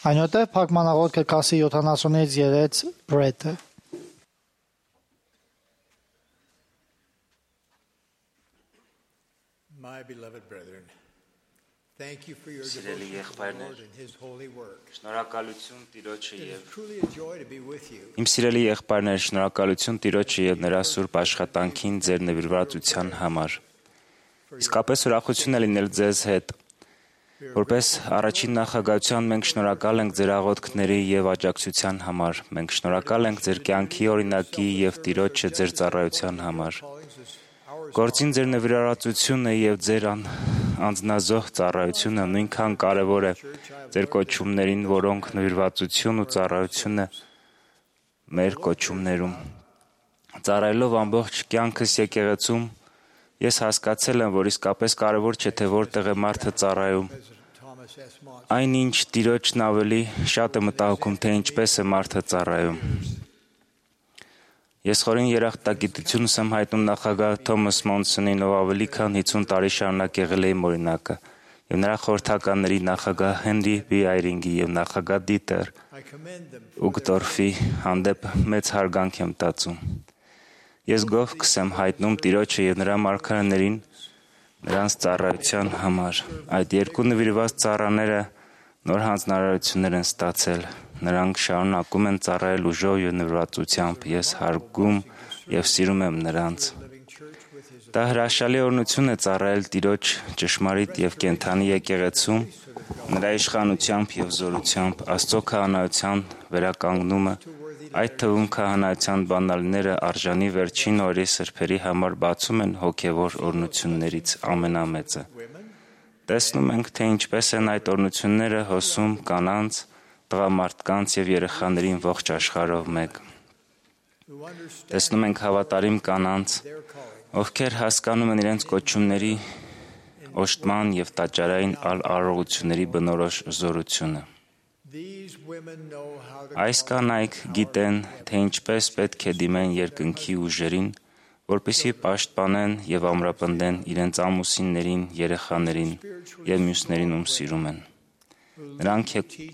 Այնուհետև փակման աղոթքը կասի 70-ից 3 բրեդը։ Սիրելի եղբայրներ, շնորհակալություն Տիրոջը եւ Իմ սիրելի եղբայրներ, շնորհակալություն Տիրոջը եւ նրա սուրբ աշխատանքին ձեր նվիրվածության համար։ Իսկապես ուրախություն է լինել ձեզ հետ։ Որպես առաջին նախագահության մենք շնորհակալ ենք ձեր աղոթքների եւ աջակցության համար։ Մենք շնորհակալ ենք ձեր կյանքի օրինակի եւ Տիրոջը ձեր ծառայության համար։ Գործին ձեր նվիրվածությունը եւ ձեր անձնազոհ ծառայությունը նույնքան կարևոր է ձեր կոչումներին, որոնք նվիրվածություն ու ծառայությունը մեր կոչումներում։ Ծառայելով ամբողջ կյանքս եկեղեցում, ես հասկացել եմ, որ իսկապես կարևոր չէ, թե որտեղ է մարդը ծառայում։ Այնինչ Տիրոջն ավելի շատ է մտահոգում, թե ինչպես է մարդը ծառայում։ Ես խորին երախտագիտությունս եմ հայտնում նախագահ Թոմաս Մոնսոնին, ով ավելի քան 50 տարի շարունակ եղել է իմ օրինակը, եւ նրա խորհրդականների նախագահ Հենրի B. Այրինգի եւ նախագահ Դիտեր Ուգտորֆի հանդեպ մեծ հարգանք եմ տածում։ Ես գովքս եմ հայտնում Տիրոջը եւ նրա մարգարեներին նրանց ծառայության համար։ Այդ երկու նվիրված ծառաները նոր հանձնարարություններ են ստացել։ Նրանք շարունակում են ծառայել ուժով եւ նվիրվածությամբ։ Ես հարգում եւ սիրում եմ նրանց։ Դա հրաշալի օրհնություն է ծառայել Տիրոջ ճշմարիտ եւ կենդանի եկեղեցում, նրա իշխանությամբ եւ զորությամբ, Աստծո քահանայության վերականգնումը, այդ թվում քահանայության բանալիները արժանի վերջին օրերի սրբերի համար բացում են հոգեվոր օրհնություններից ամենամեծը։ Տեսնում ենք, թե ինչպես են այդ օրհնությունները հոսում կանանց, տղամարդկանց եւ երեխաներին ողջ աշխարհով մեկ։ Տեսնում ենք հավատարիմ կանանց, ովքեր հասկանում են իրենց կոչումների օժտման եւ տաճարային արարողությունների բնորոշ զորությունը։ Այս կանայք գիտեն, թե ինչպես պետք է դիմեն երկնքի ուժերին, որպեսզի պաշտպանեն եւ ամրապնդեն իրենց ամուսիններին, երեխաներին եւ մյուսներին, ում սիրում են։ Նրանք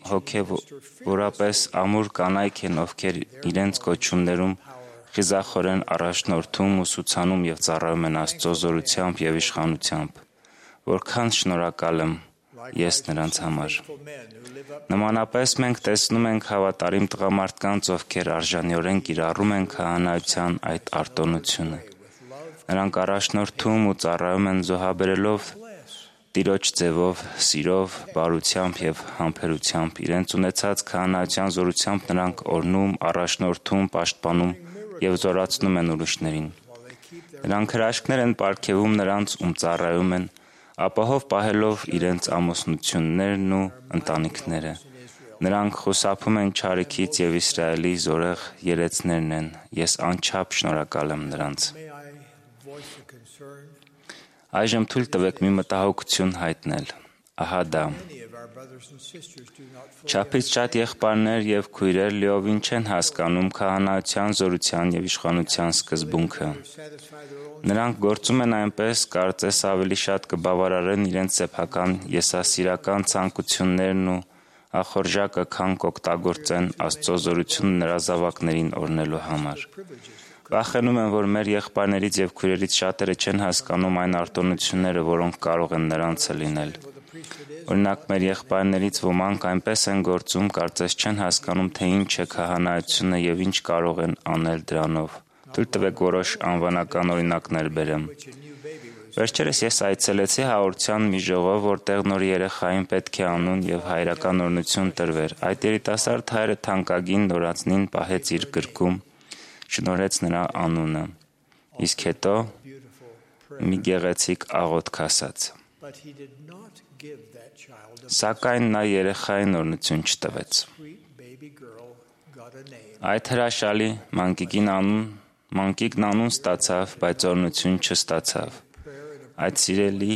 հոգեվորապես ամուր կանայք են, ովքեր իրենց կոչումներում խիզախորեն առաջնորդում, ուսուցանում եւ ծառայում են Աստծո զորությամբ եւ իշխանությամբ։ Որքան շնորհակալ եմ ես նրանց համար։ Նմանապես մենք տեսնում ենք հավատարիմ տղամարդկանց, ովքեր արժանիորեն կիրառում են քահանայության այդ արտոնությունը։ Նրանք առաջնորդում ու ծառայում են զոհաբերելով Տիրոջ ձևով, սիրով, բարությամբ եւ համբերությամբ, իրենց ունեցած քահանայության զորությամբ նրանք օրհնում, առաջնորդում, պաշտպանում եւ զորացնում են ուրիշներին։ Նրանք հրաշքներ են պարգևում նրանց, ում ծառայում են, ապահով պահելով իրենց ամուսնություններն ու ընտանիքները։ Նրանք խուսափում են չարիքից եւ Իսրայելի զորեղ երեցներն են։ Ես անչափ շնորհակալ եմ նրանց։ Այժմ թույլ տվեք մի մտահոգություն հայտնել։ Ահա դա։ Չափից շատ եղբայրներ եւ քույրեր լիովին չեն հասկանում քահանայության զորության եւ իշխանության սկզբունքը։ Նրանք գործում են այնպես, կարծես ավելի շատ կբավարարեն իրենց սեփական եսասիրական ցանկություններն ու ախորժակը, քան կօգտագործեն Աստծո զորությունը նրա զավակներին օրհնելու համար։ Վախենում եմ, որ մեր եղբայրներից եւ քույրերից շատերը չեն հասկանում այն արտոնությունները, որոնք կարող են նրանցը լինել։ Օրինակ, մեր եղբայրներից ոմանք այնպես են գործում, կարծես չեն հասկանում, թե ինչ է քահանայությունը եւ ինչ կարող են անել դրանով։ Թույլ տվեք որոշ անվանական օրինակներ բերեմ։ Վերջերս ես այցելեցի հաղորդության մի ժողով, որտեղ նոր երեխային պետք է անուն եւ հայրական օրհնություն տրվեր։ Այդ երիտասարդ հայրը թանկագին նորածնին պահեց իր գրկում, շնորհեց նրա անունը, իսկ հետո մի գեղեցիկ աղոթք ասաց։ Սակայն նա երեխային օրհնություն չտվեց։ Այդ հրաշալի մանկիկն անուն ստացավ, բայց օրհնություն չստացավ։ Այդ սիրելի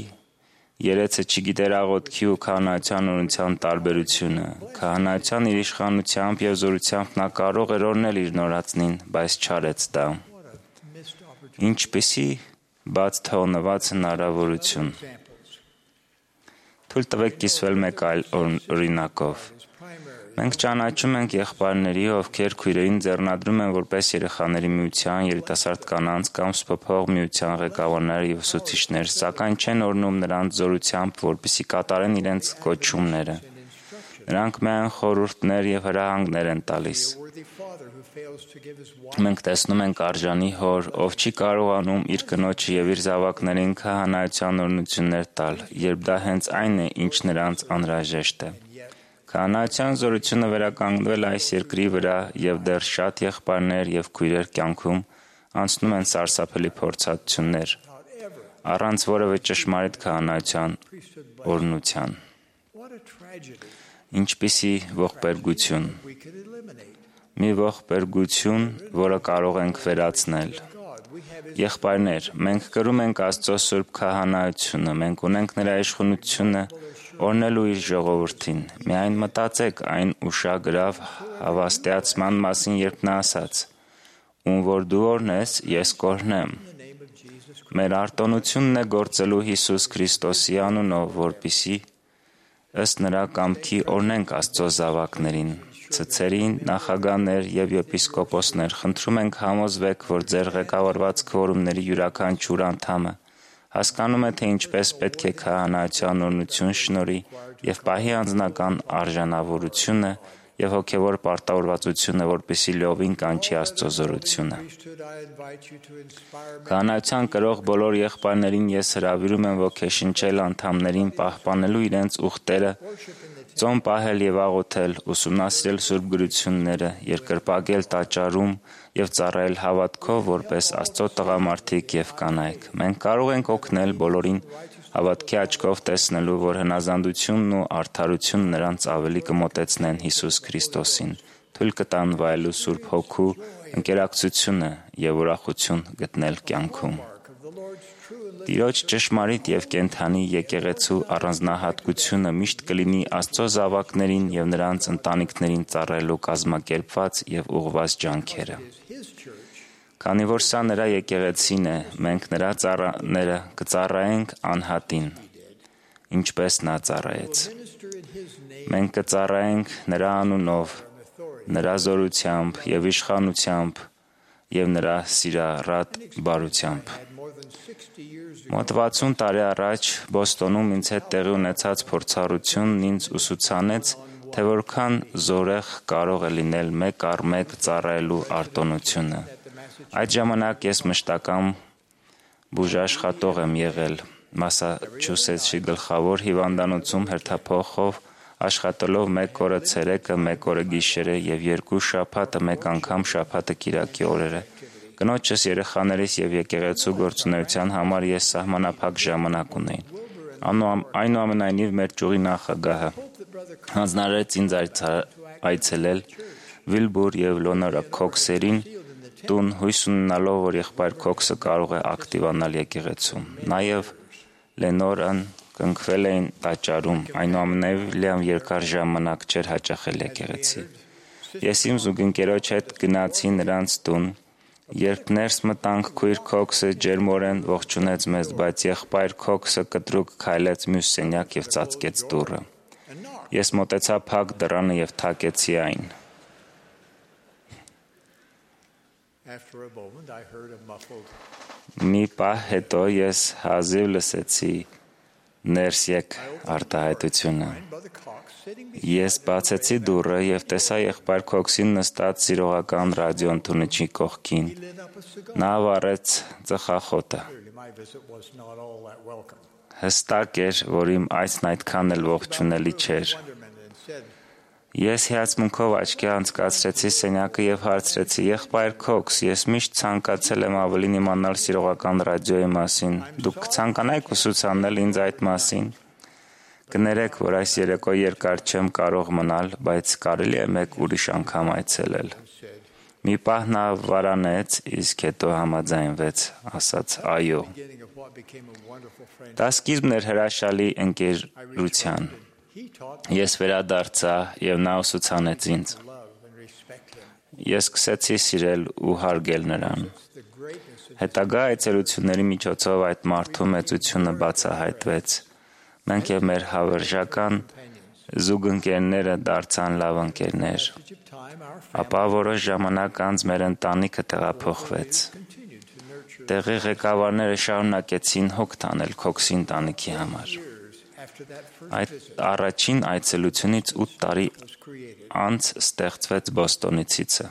երեցը չգիտեր աղոթքի ու քահանայության օրհնության տարբերությունը։ Քահանայության իր իշխանությամբ եւ զորությամբ նա կարող էր օրհնել իր նորածնին, բայց չարեց դա։ Ինչպիսի բաց թողնված հնարավորություն։ Թույլ տվեք կիսվել մեկ այլ օրինակով։ Մենք ճանաչում ենք եղբայրների, ովքեր քույրերին ձեռնադրում են որպես երեխաների միության, երիտասարդ կանանց կամ սփոփող միության ղեկավարներ եւ ուսուցիչներ, սակայն չեն օրհնում նրանց զորությամբ, որպեսզի կատարեն իրենց կոչումները։ Նրանք միայն խորհուրդներ եւ հրահանգներ են տալիս։ Մենք տեսնում ենք արժանի հոր, ով չի կարողանում իր կնոջը եւ իր զավակներին քահանայության օրհնություններ տալ, երբ դա հենց այն է, ինչ նրանց անհրաժեշտ է։ Քահանայության զորությունը վերականգնվել այս երկրի վրա եւ դեռ շատ եղբայրներ եւ քույրեր կյանքում անցնում են սարսափելի փորձառություններ առանց որևէ ճշմարիտ քահանայության օրհնության։ Ինչպիսի ողբերգություն։ Մի ողբերգություն, որը կարող ենք վերացնել։ Եղբայրներ, մենք կրում ենք Աստծո սուրբ քահանայությունը, մենք ունենք նրա իշխանությունը օրհնելու իր ժողովրդին։ Միայն մտածեք այն ուշագրավ հավաստիացման մասին, երբ նա ասաց. «Ում որ դու օրհնես, ես կօրհնեմ»։ Մեր արտոնությունն է գործելու Հիսուս Քրիստոսի անունով, որպեսզի ըստ նրա կամքի օրհնենք Աստծո զավակներին։ Ցցերին, նախագահներ եւ եպիսկոպոսներ, խնդրում ենք համոզվեք, որ ձեր ղեկավարված քվորումների յուրաքանչյուր անդամը հասկանում է, թե ինչպես պետք է քահանայության օրհնություն շնորհի եւ պահի անձնական արժանավորությունը եւ հոգեվոր պարտավորվածությունը, որպեսզի լիովին կանչի Աստծո զորությունը։ Քահանայության կրող բոլոր եղբայրներին ես հրավիրում եմ ոգեշնչել անդամներին պահպանելու իրենց ուխտերը, ծոմ պահել եւ աղոթել, ուսումնասիրել սուրբ գրությունները, երկրպագել տաճարում եւ ծառայել հավատքով որպես Աստծո տղամարդիկ եւ կանայք։ Մենք կարող ենք օգնել բոլորին հավատքի աչքով տեսնելու, որ հնազանդությունն ու արդարությունը նրանց ավելի կմոտեցնեն Հիսուս Քրիստոսին, թույլ կտան վայելու Սուրբ Հոգու ընկերակցությունը եւ ուրախություն գտնել կյանքում։ Տիրոջ ճշմարիտ եւ կենդանի եկեղեցու առանձնահատկությունը միշտ կլինի Աստծո զավակներին եւ նրանց ընտանիքներին ծառայելու կազմակերպված եւ ուղղված ջանքերը։ Քանի որ սա նրա եկեղեցին է, մենք նրա ծառաները կծառայենք անհատին, ինչպես նա ծառայեց։ Մենք կծառայենք նրա անունով, նրա զորությամբ եւ իշխանությամբ եւ նրա սիրառատ բարությամբ։ Մոտ 60 տարի առաջ Բոստոնում ինձ հետ տեղի ունեցած փորձառությունն ինձ ուսուցանեց, թե որքան զորեղ կարող է լինել մեկ առ մեկ ծառայելու արտոնությունը։ Այդ ժամանակ ես մշտական բուժաշխատող եմ եղել Մասաչուսեթսի գլխավոր հիվանդանոցում հերթափոխով աշխատելով 1 օրը ցերեկը, 1 օրը գիշերը եւ 2 շաբաթը մեկ անգամ շաբաթը կիրակի օրերը։ Կնոջս, երեխաներիս եւ եկեղեցու գործունեության համար ես սահմանափակ ժամանակ ունեի։ Այնուամենայնիվ մեր ճյուղի նախագահը հանձնարարեց ինձ այցելել Վիլբուր եւ Լոնորա Քոքսերին տուն, հույս ունենալով, որ եղբայր Քոքսը կարող է ակտիվանալ եկեղեցում։ Նաեւ Լենորան կնքվել էին տաճարում, այնուամենայնիվ Լիամ երկար ժամանակ չէր հաճախել եկեղեցի։ Ես իմ զուգընկերոջ հետ գնացի նրանց տուն, երբ ներս մտանք, քույր Քոքսը ջերմորեն ողջունեց մեզ, բայց եղբայր Քոքսը կտրուկ քայլեց մյուս սենյակ եւ ծածկեց դուռը։ Ես մոտեցա փակ դռանը եւ թակեցի այն։ Մի պահ հետո ես հազիվ լսեցի ներս եկ արտահայտությունը։ Ես բացեցի դուռը եւ տեսա եղբայր Քոքսին նստած սիրողական ռադիոընդունիչի կողքին։ Նա վառեց ծխախոտը։ Հստակ էր, որ իմ այցն այդքան էլ ողջունելի չէր։ Ես հիացմունքով աչքի անցկացրեցի սենյակը եւ հարցրեցի. «Եղբայր Քոքս, ես միշտ ցանկացել եմ ավելին իմանալ սիրողական ռադիոյի մասին։ Դուք կցանկանայիք ուսուցանել ինձ այդ մասին»։ Կներեք, որ այս երեկո երկար չեմ կարող մնալ, բայց կարելի է մեկ ուրիշ անգամ այցելել։ Մի պահ նա վարանեց, իսկ հետո համաձայնվեց, ասաց այո։ Դա սկիզբն էր հրաշալի ընկերության։ Ես վերադարձա եւ նա ուսուցանեց ինձ։ Ես սկսեցի սիրել ու հարգել նրան։ Հետագա այցելությունների միջոցով այդ մարդու մեծությունը բացահայտվեց։ Մենք եւ մեր հավերժական զուգընկերները դարձան լավ ընկերներ։ Ապա որոշ ժամանակ անց մեր ընտանիքը տեղափոխվեց։ Տեղի ղեկավարները շարունակեցին հոգ տանել Քոքսի ընտանիքի համար։ Այդ առաջին այցելությունից 8 տարի անց ստեղծվեց Բոստոնի ցիցը։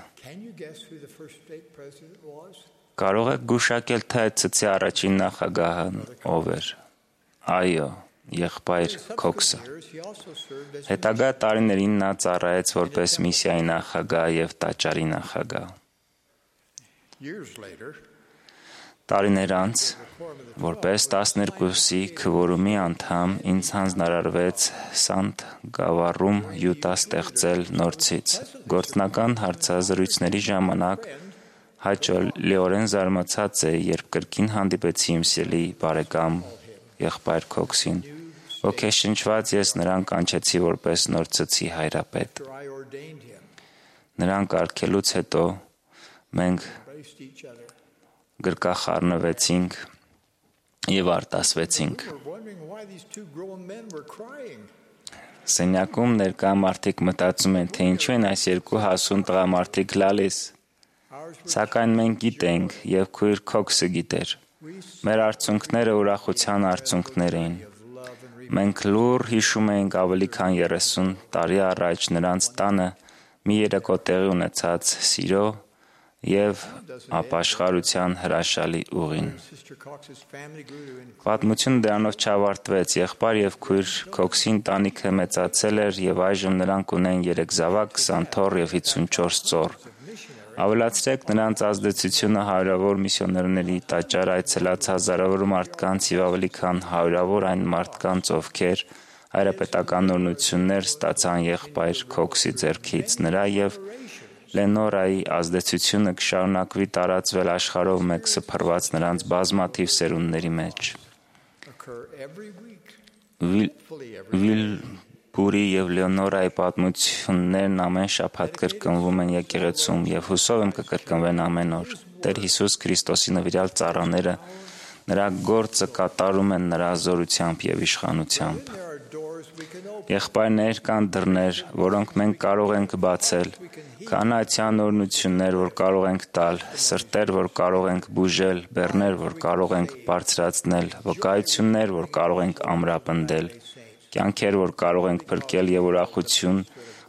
Կարող եք գուշակել, թե այդ ցցի առաջին նախագահն ով էր։ Այո, եղբայր Քոքսը։ Հետագա տարիներին նա ծառայեց որպես միսիայի նախագահ եւ տաճարի նախագահ։ Տարիներ անց, որպես 12-ի քվորումի անդամ, ինձ հանձնարարվեց Սանտ Գավառում Յուտա ստեղծել նորցից։ Գործնական հարցազրույցների ժամանակ հաճելիորեն զարմացած էի, երբ կրկին հանդիպեցի իմ սիրելի բարեկամ եղբայր Քոքսին։ Ոգեշնչված ես նրան կանչեցի որպես նորցցի հայրապետ։ Նրան կարգելուց հետո մենք գրկախառնվեցինք եւ արտասվեցինք։ Սենյակում ներկա մարդիկ մտածում են, թե ինչու են այս երկու հասուն տղամարդիկ լալիս։ Սակայն մենք գիտենք եւ քույր Քոքսը գիտեր։ Մեր արցունքները ուրախության արցունքներ էին։ Մենք լուռ հիշում էինք ավելի քան 30 տարի առաջ նրանց տանը մի երեկո տեղի ունեցած սիրո եւ ապաշխարության հրաշալի ուղին։ Պատմությունը դրանով չավարտվեց։ Եղբայր եւ քույր Քոքսի ընտանիքը մեծացել էր եւ այժմ նրանք ունեն 3 զավակ, 20 թոռ եւ 54 ծոռ։ Ավելացրեք նրանց ազդեցությունը հարյուրավոր միսիոներների տաճար այցելած հազարավոր մարդկանց եւ ավելի քան հարյուրավոր այն մարդկանց, ովքեր հայրապետական օրհնություններ ստացան եղբայր Քոքսի ձեռքից։ Նրա եւ Լենորայի ազդեցությունը կշարունակվի տարածվել աշխարհով մեկ սփռված նրանց բազմաթիվ սերունդների մեջ։ Վիլբուրի եւ Լենորայի պատմություններն ամեն շաբաթ կրկնվում են եկեղեցում եւ հուսով եմ կկրկնվեն ամեն օր։ Տեր Հիսուս Քրիստոսի նվիրյալ ծառաները նրա գործը կատարում են նրա զորությամբ եւ իշխանությամբ։ Եղբայրներ, կան դռներ, որոնք մենք կարող ենք բացել, կանացյան օրհնություններ, որ կարող ենք տալ, սրտեր, որ կարող ենք բուժել, բեռներ, որ կարող ենք բարձրացնել, վկայություններ, որ կարող ենք ամրապնդել, կյանքեր, որ կարող ենք փրկել եւ ուրախություն,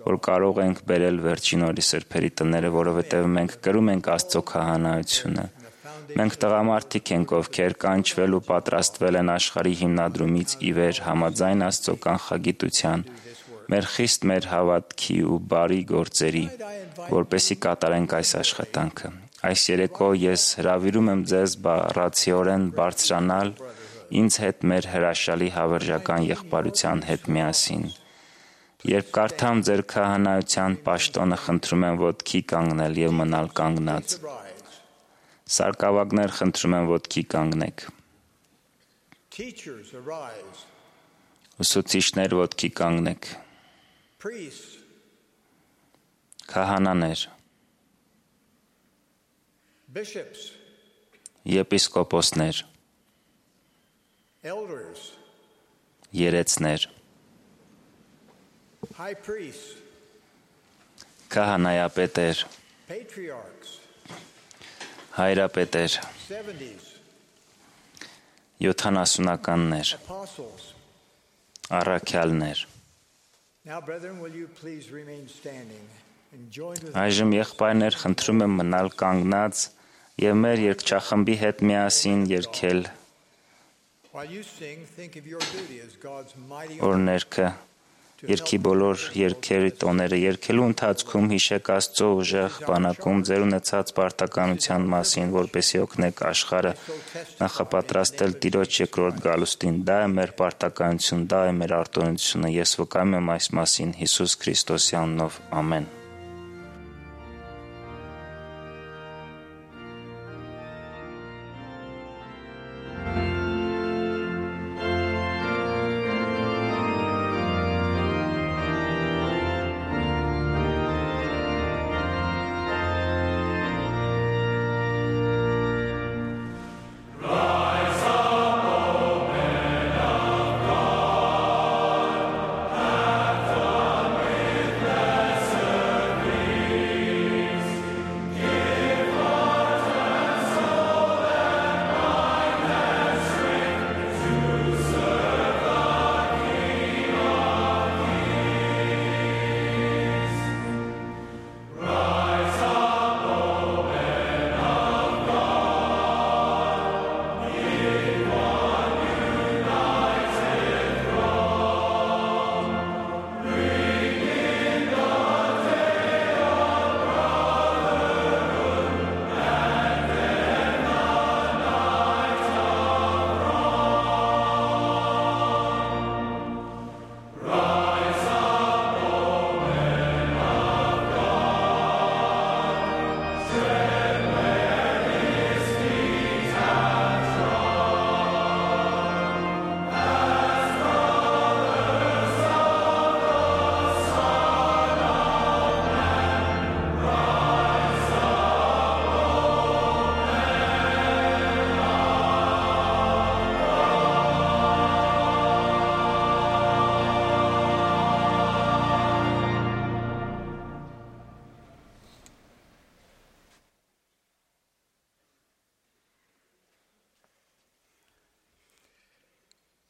որ կարող ենք բերել վերջին օրի սրբերի տները, որովհետեւ մենք կրում ենք Աստծո քահանայությունը։ Մենք տղամարդիկ ենք, ովքեր կանչվել ու պատրաստվել են աշխարհի հիմնադրումից ի վեր համաձայն Աստծո կանխագիտության, մեր խիստ մեր հավատքի ու բարի գործերի, որպեսզի կատարենք այս աշխատանքը։ Այս երեկո ես հրավիրում եմ ձեզ բառացիորեն բարձրանալ ինձ հետ մեր հրաշալի հավերժական եղբայրության հետ միասին։ Երբ կարդամ ձեր քահանայության պաշտոնը, խնդրում եմ ոտքի կանգնել եւ մնալ կանգնած։ Սարկավագներ, խնդրում եմ ոտքի կանգնեք։ Ուսուցիչներ, ոտքի կանգնեք։ Քահանաներ, եպիսկոպոսներ, երեցներ, քահանայապետեր, հայրապետեր, 70-ականներ, առաքյալներ։ Այժմ եղբայրներ, խնդրում եմ մնալ կանգնած եւ մեր երգչախմբի հետ միասին երգել օրներքը, երգի բոլոր երգերի տոները երգելու ընթացքում հիշեք Աստծո ուժեղ բանակում ձեր ունեցած պարտականության մասին, որպեսզի օգնեք աշխարհը նախապատրաստել Տիրոջ երկրորդ գալուստին։ Դա է մեր պարտականություն, դա է մեր արտոնությունը։ Ես վկայում եմ այս մասին Հիսուս Քրիստոսի անունով։ Ամեն։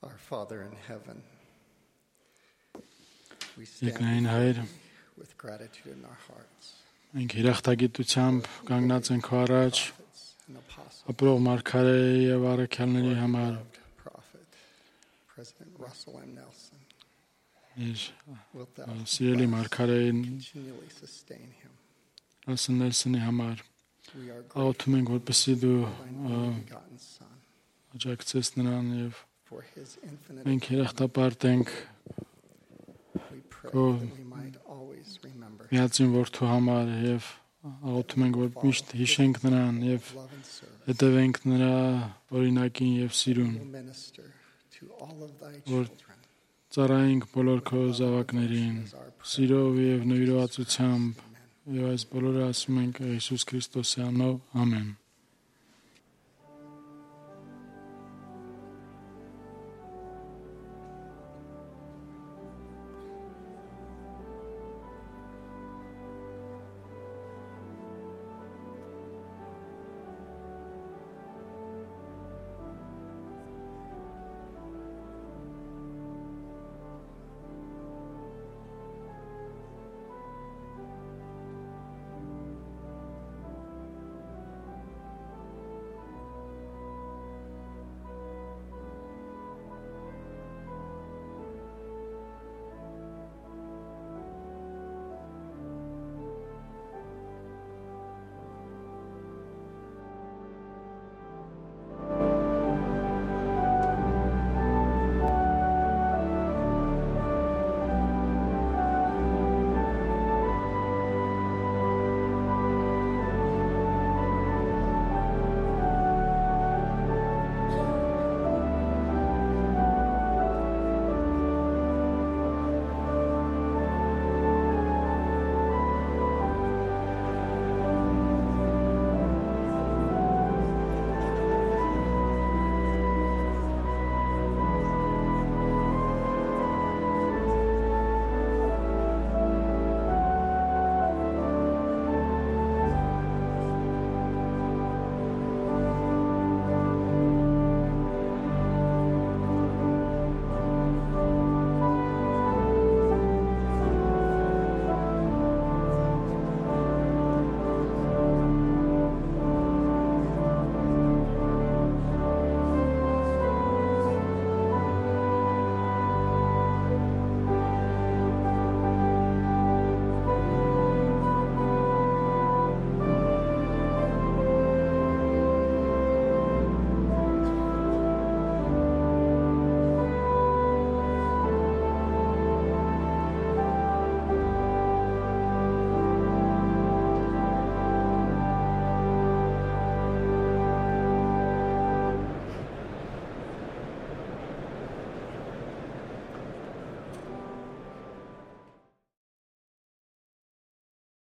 Our Father in heaven, we Երկնային stand Հայր, with gratitude in our hearts. մենք հիրախտագիտությամբ կանգնած ենք քո առաջ, And Apostle, ապրող մարգարեի եւ առաքյալների համար, Prophet, President Russell M. Nelson, իր wilt thou սիրելի մարգարեին continually sustain him? Նելսոնի համար We are աղոթում ենք, որպեսզի դու grateful for thy begotten Son, աջակցես նրան եւ for his infinite. մենք հիրախտապարտ ենք We pray Go. that we might always remember his միածին որդու համար եւ աղոթում ենք, որ միշտ հիշենք նրան եւ love and service. հետևենք նրա օրինակին եւ սիրուն, Will minister to all of thy Որ children ծառայենք բոլոր քո զավակներին as our prayer. սիրով եւ նվիրվածությամբ եւ այս բոլորը ասում ենք Հիսուս Քրիստոսի անունով ամեն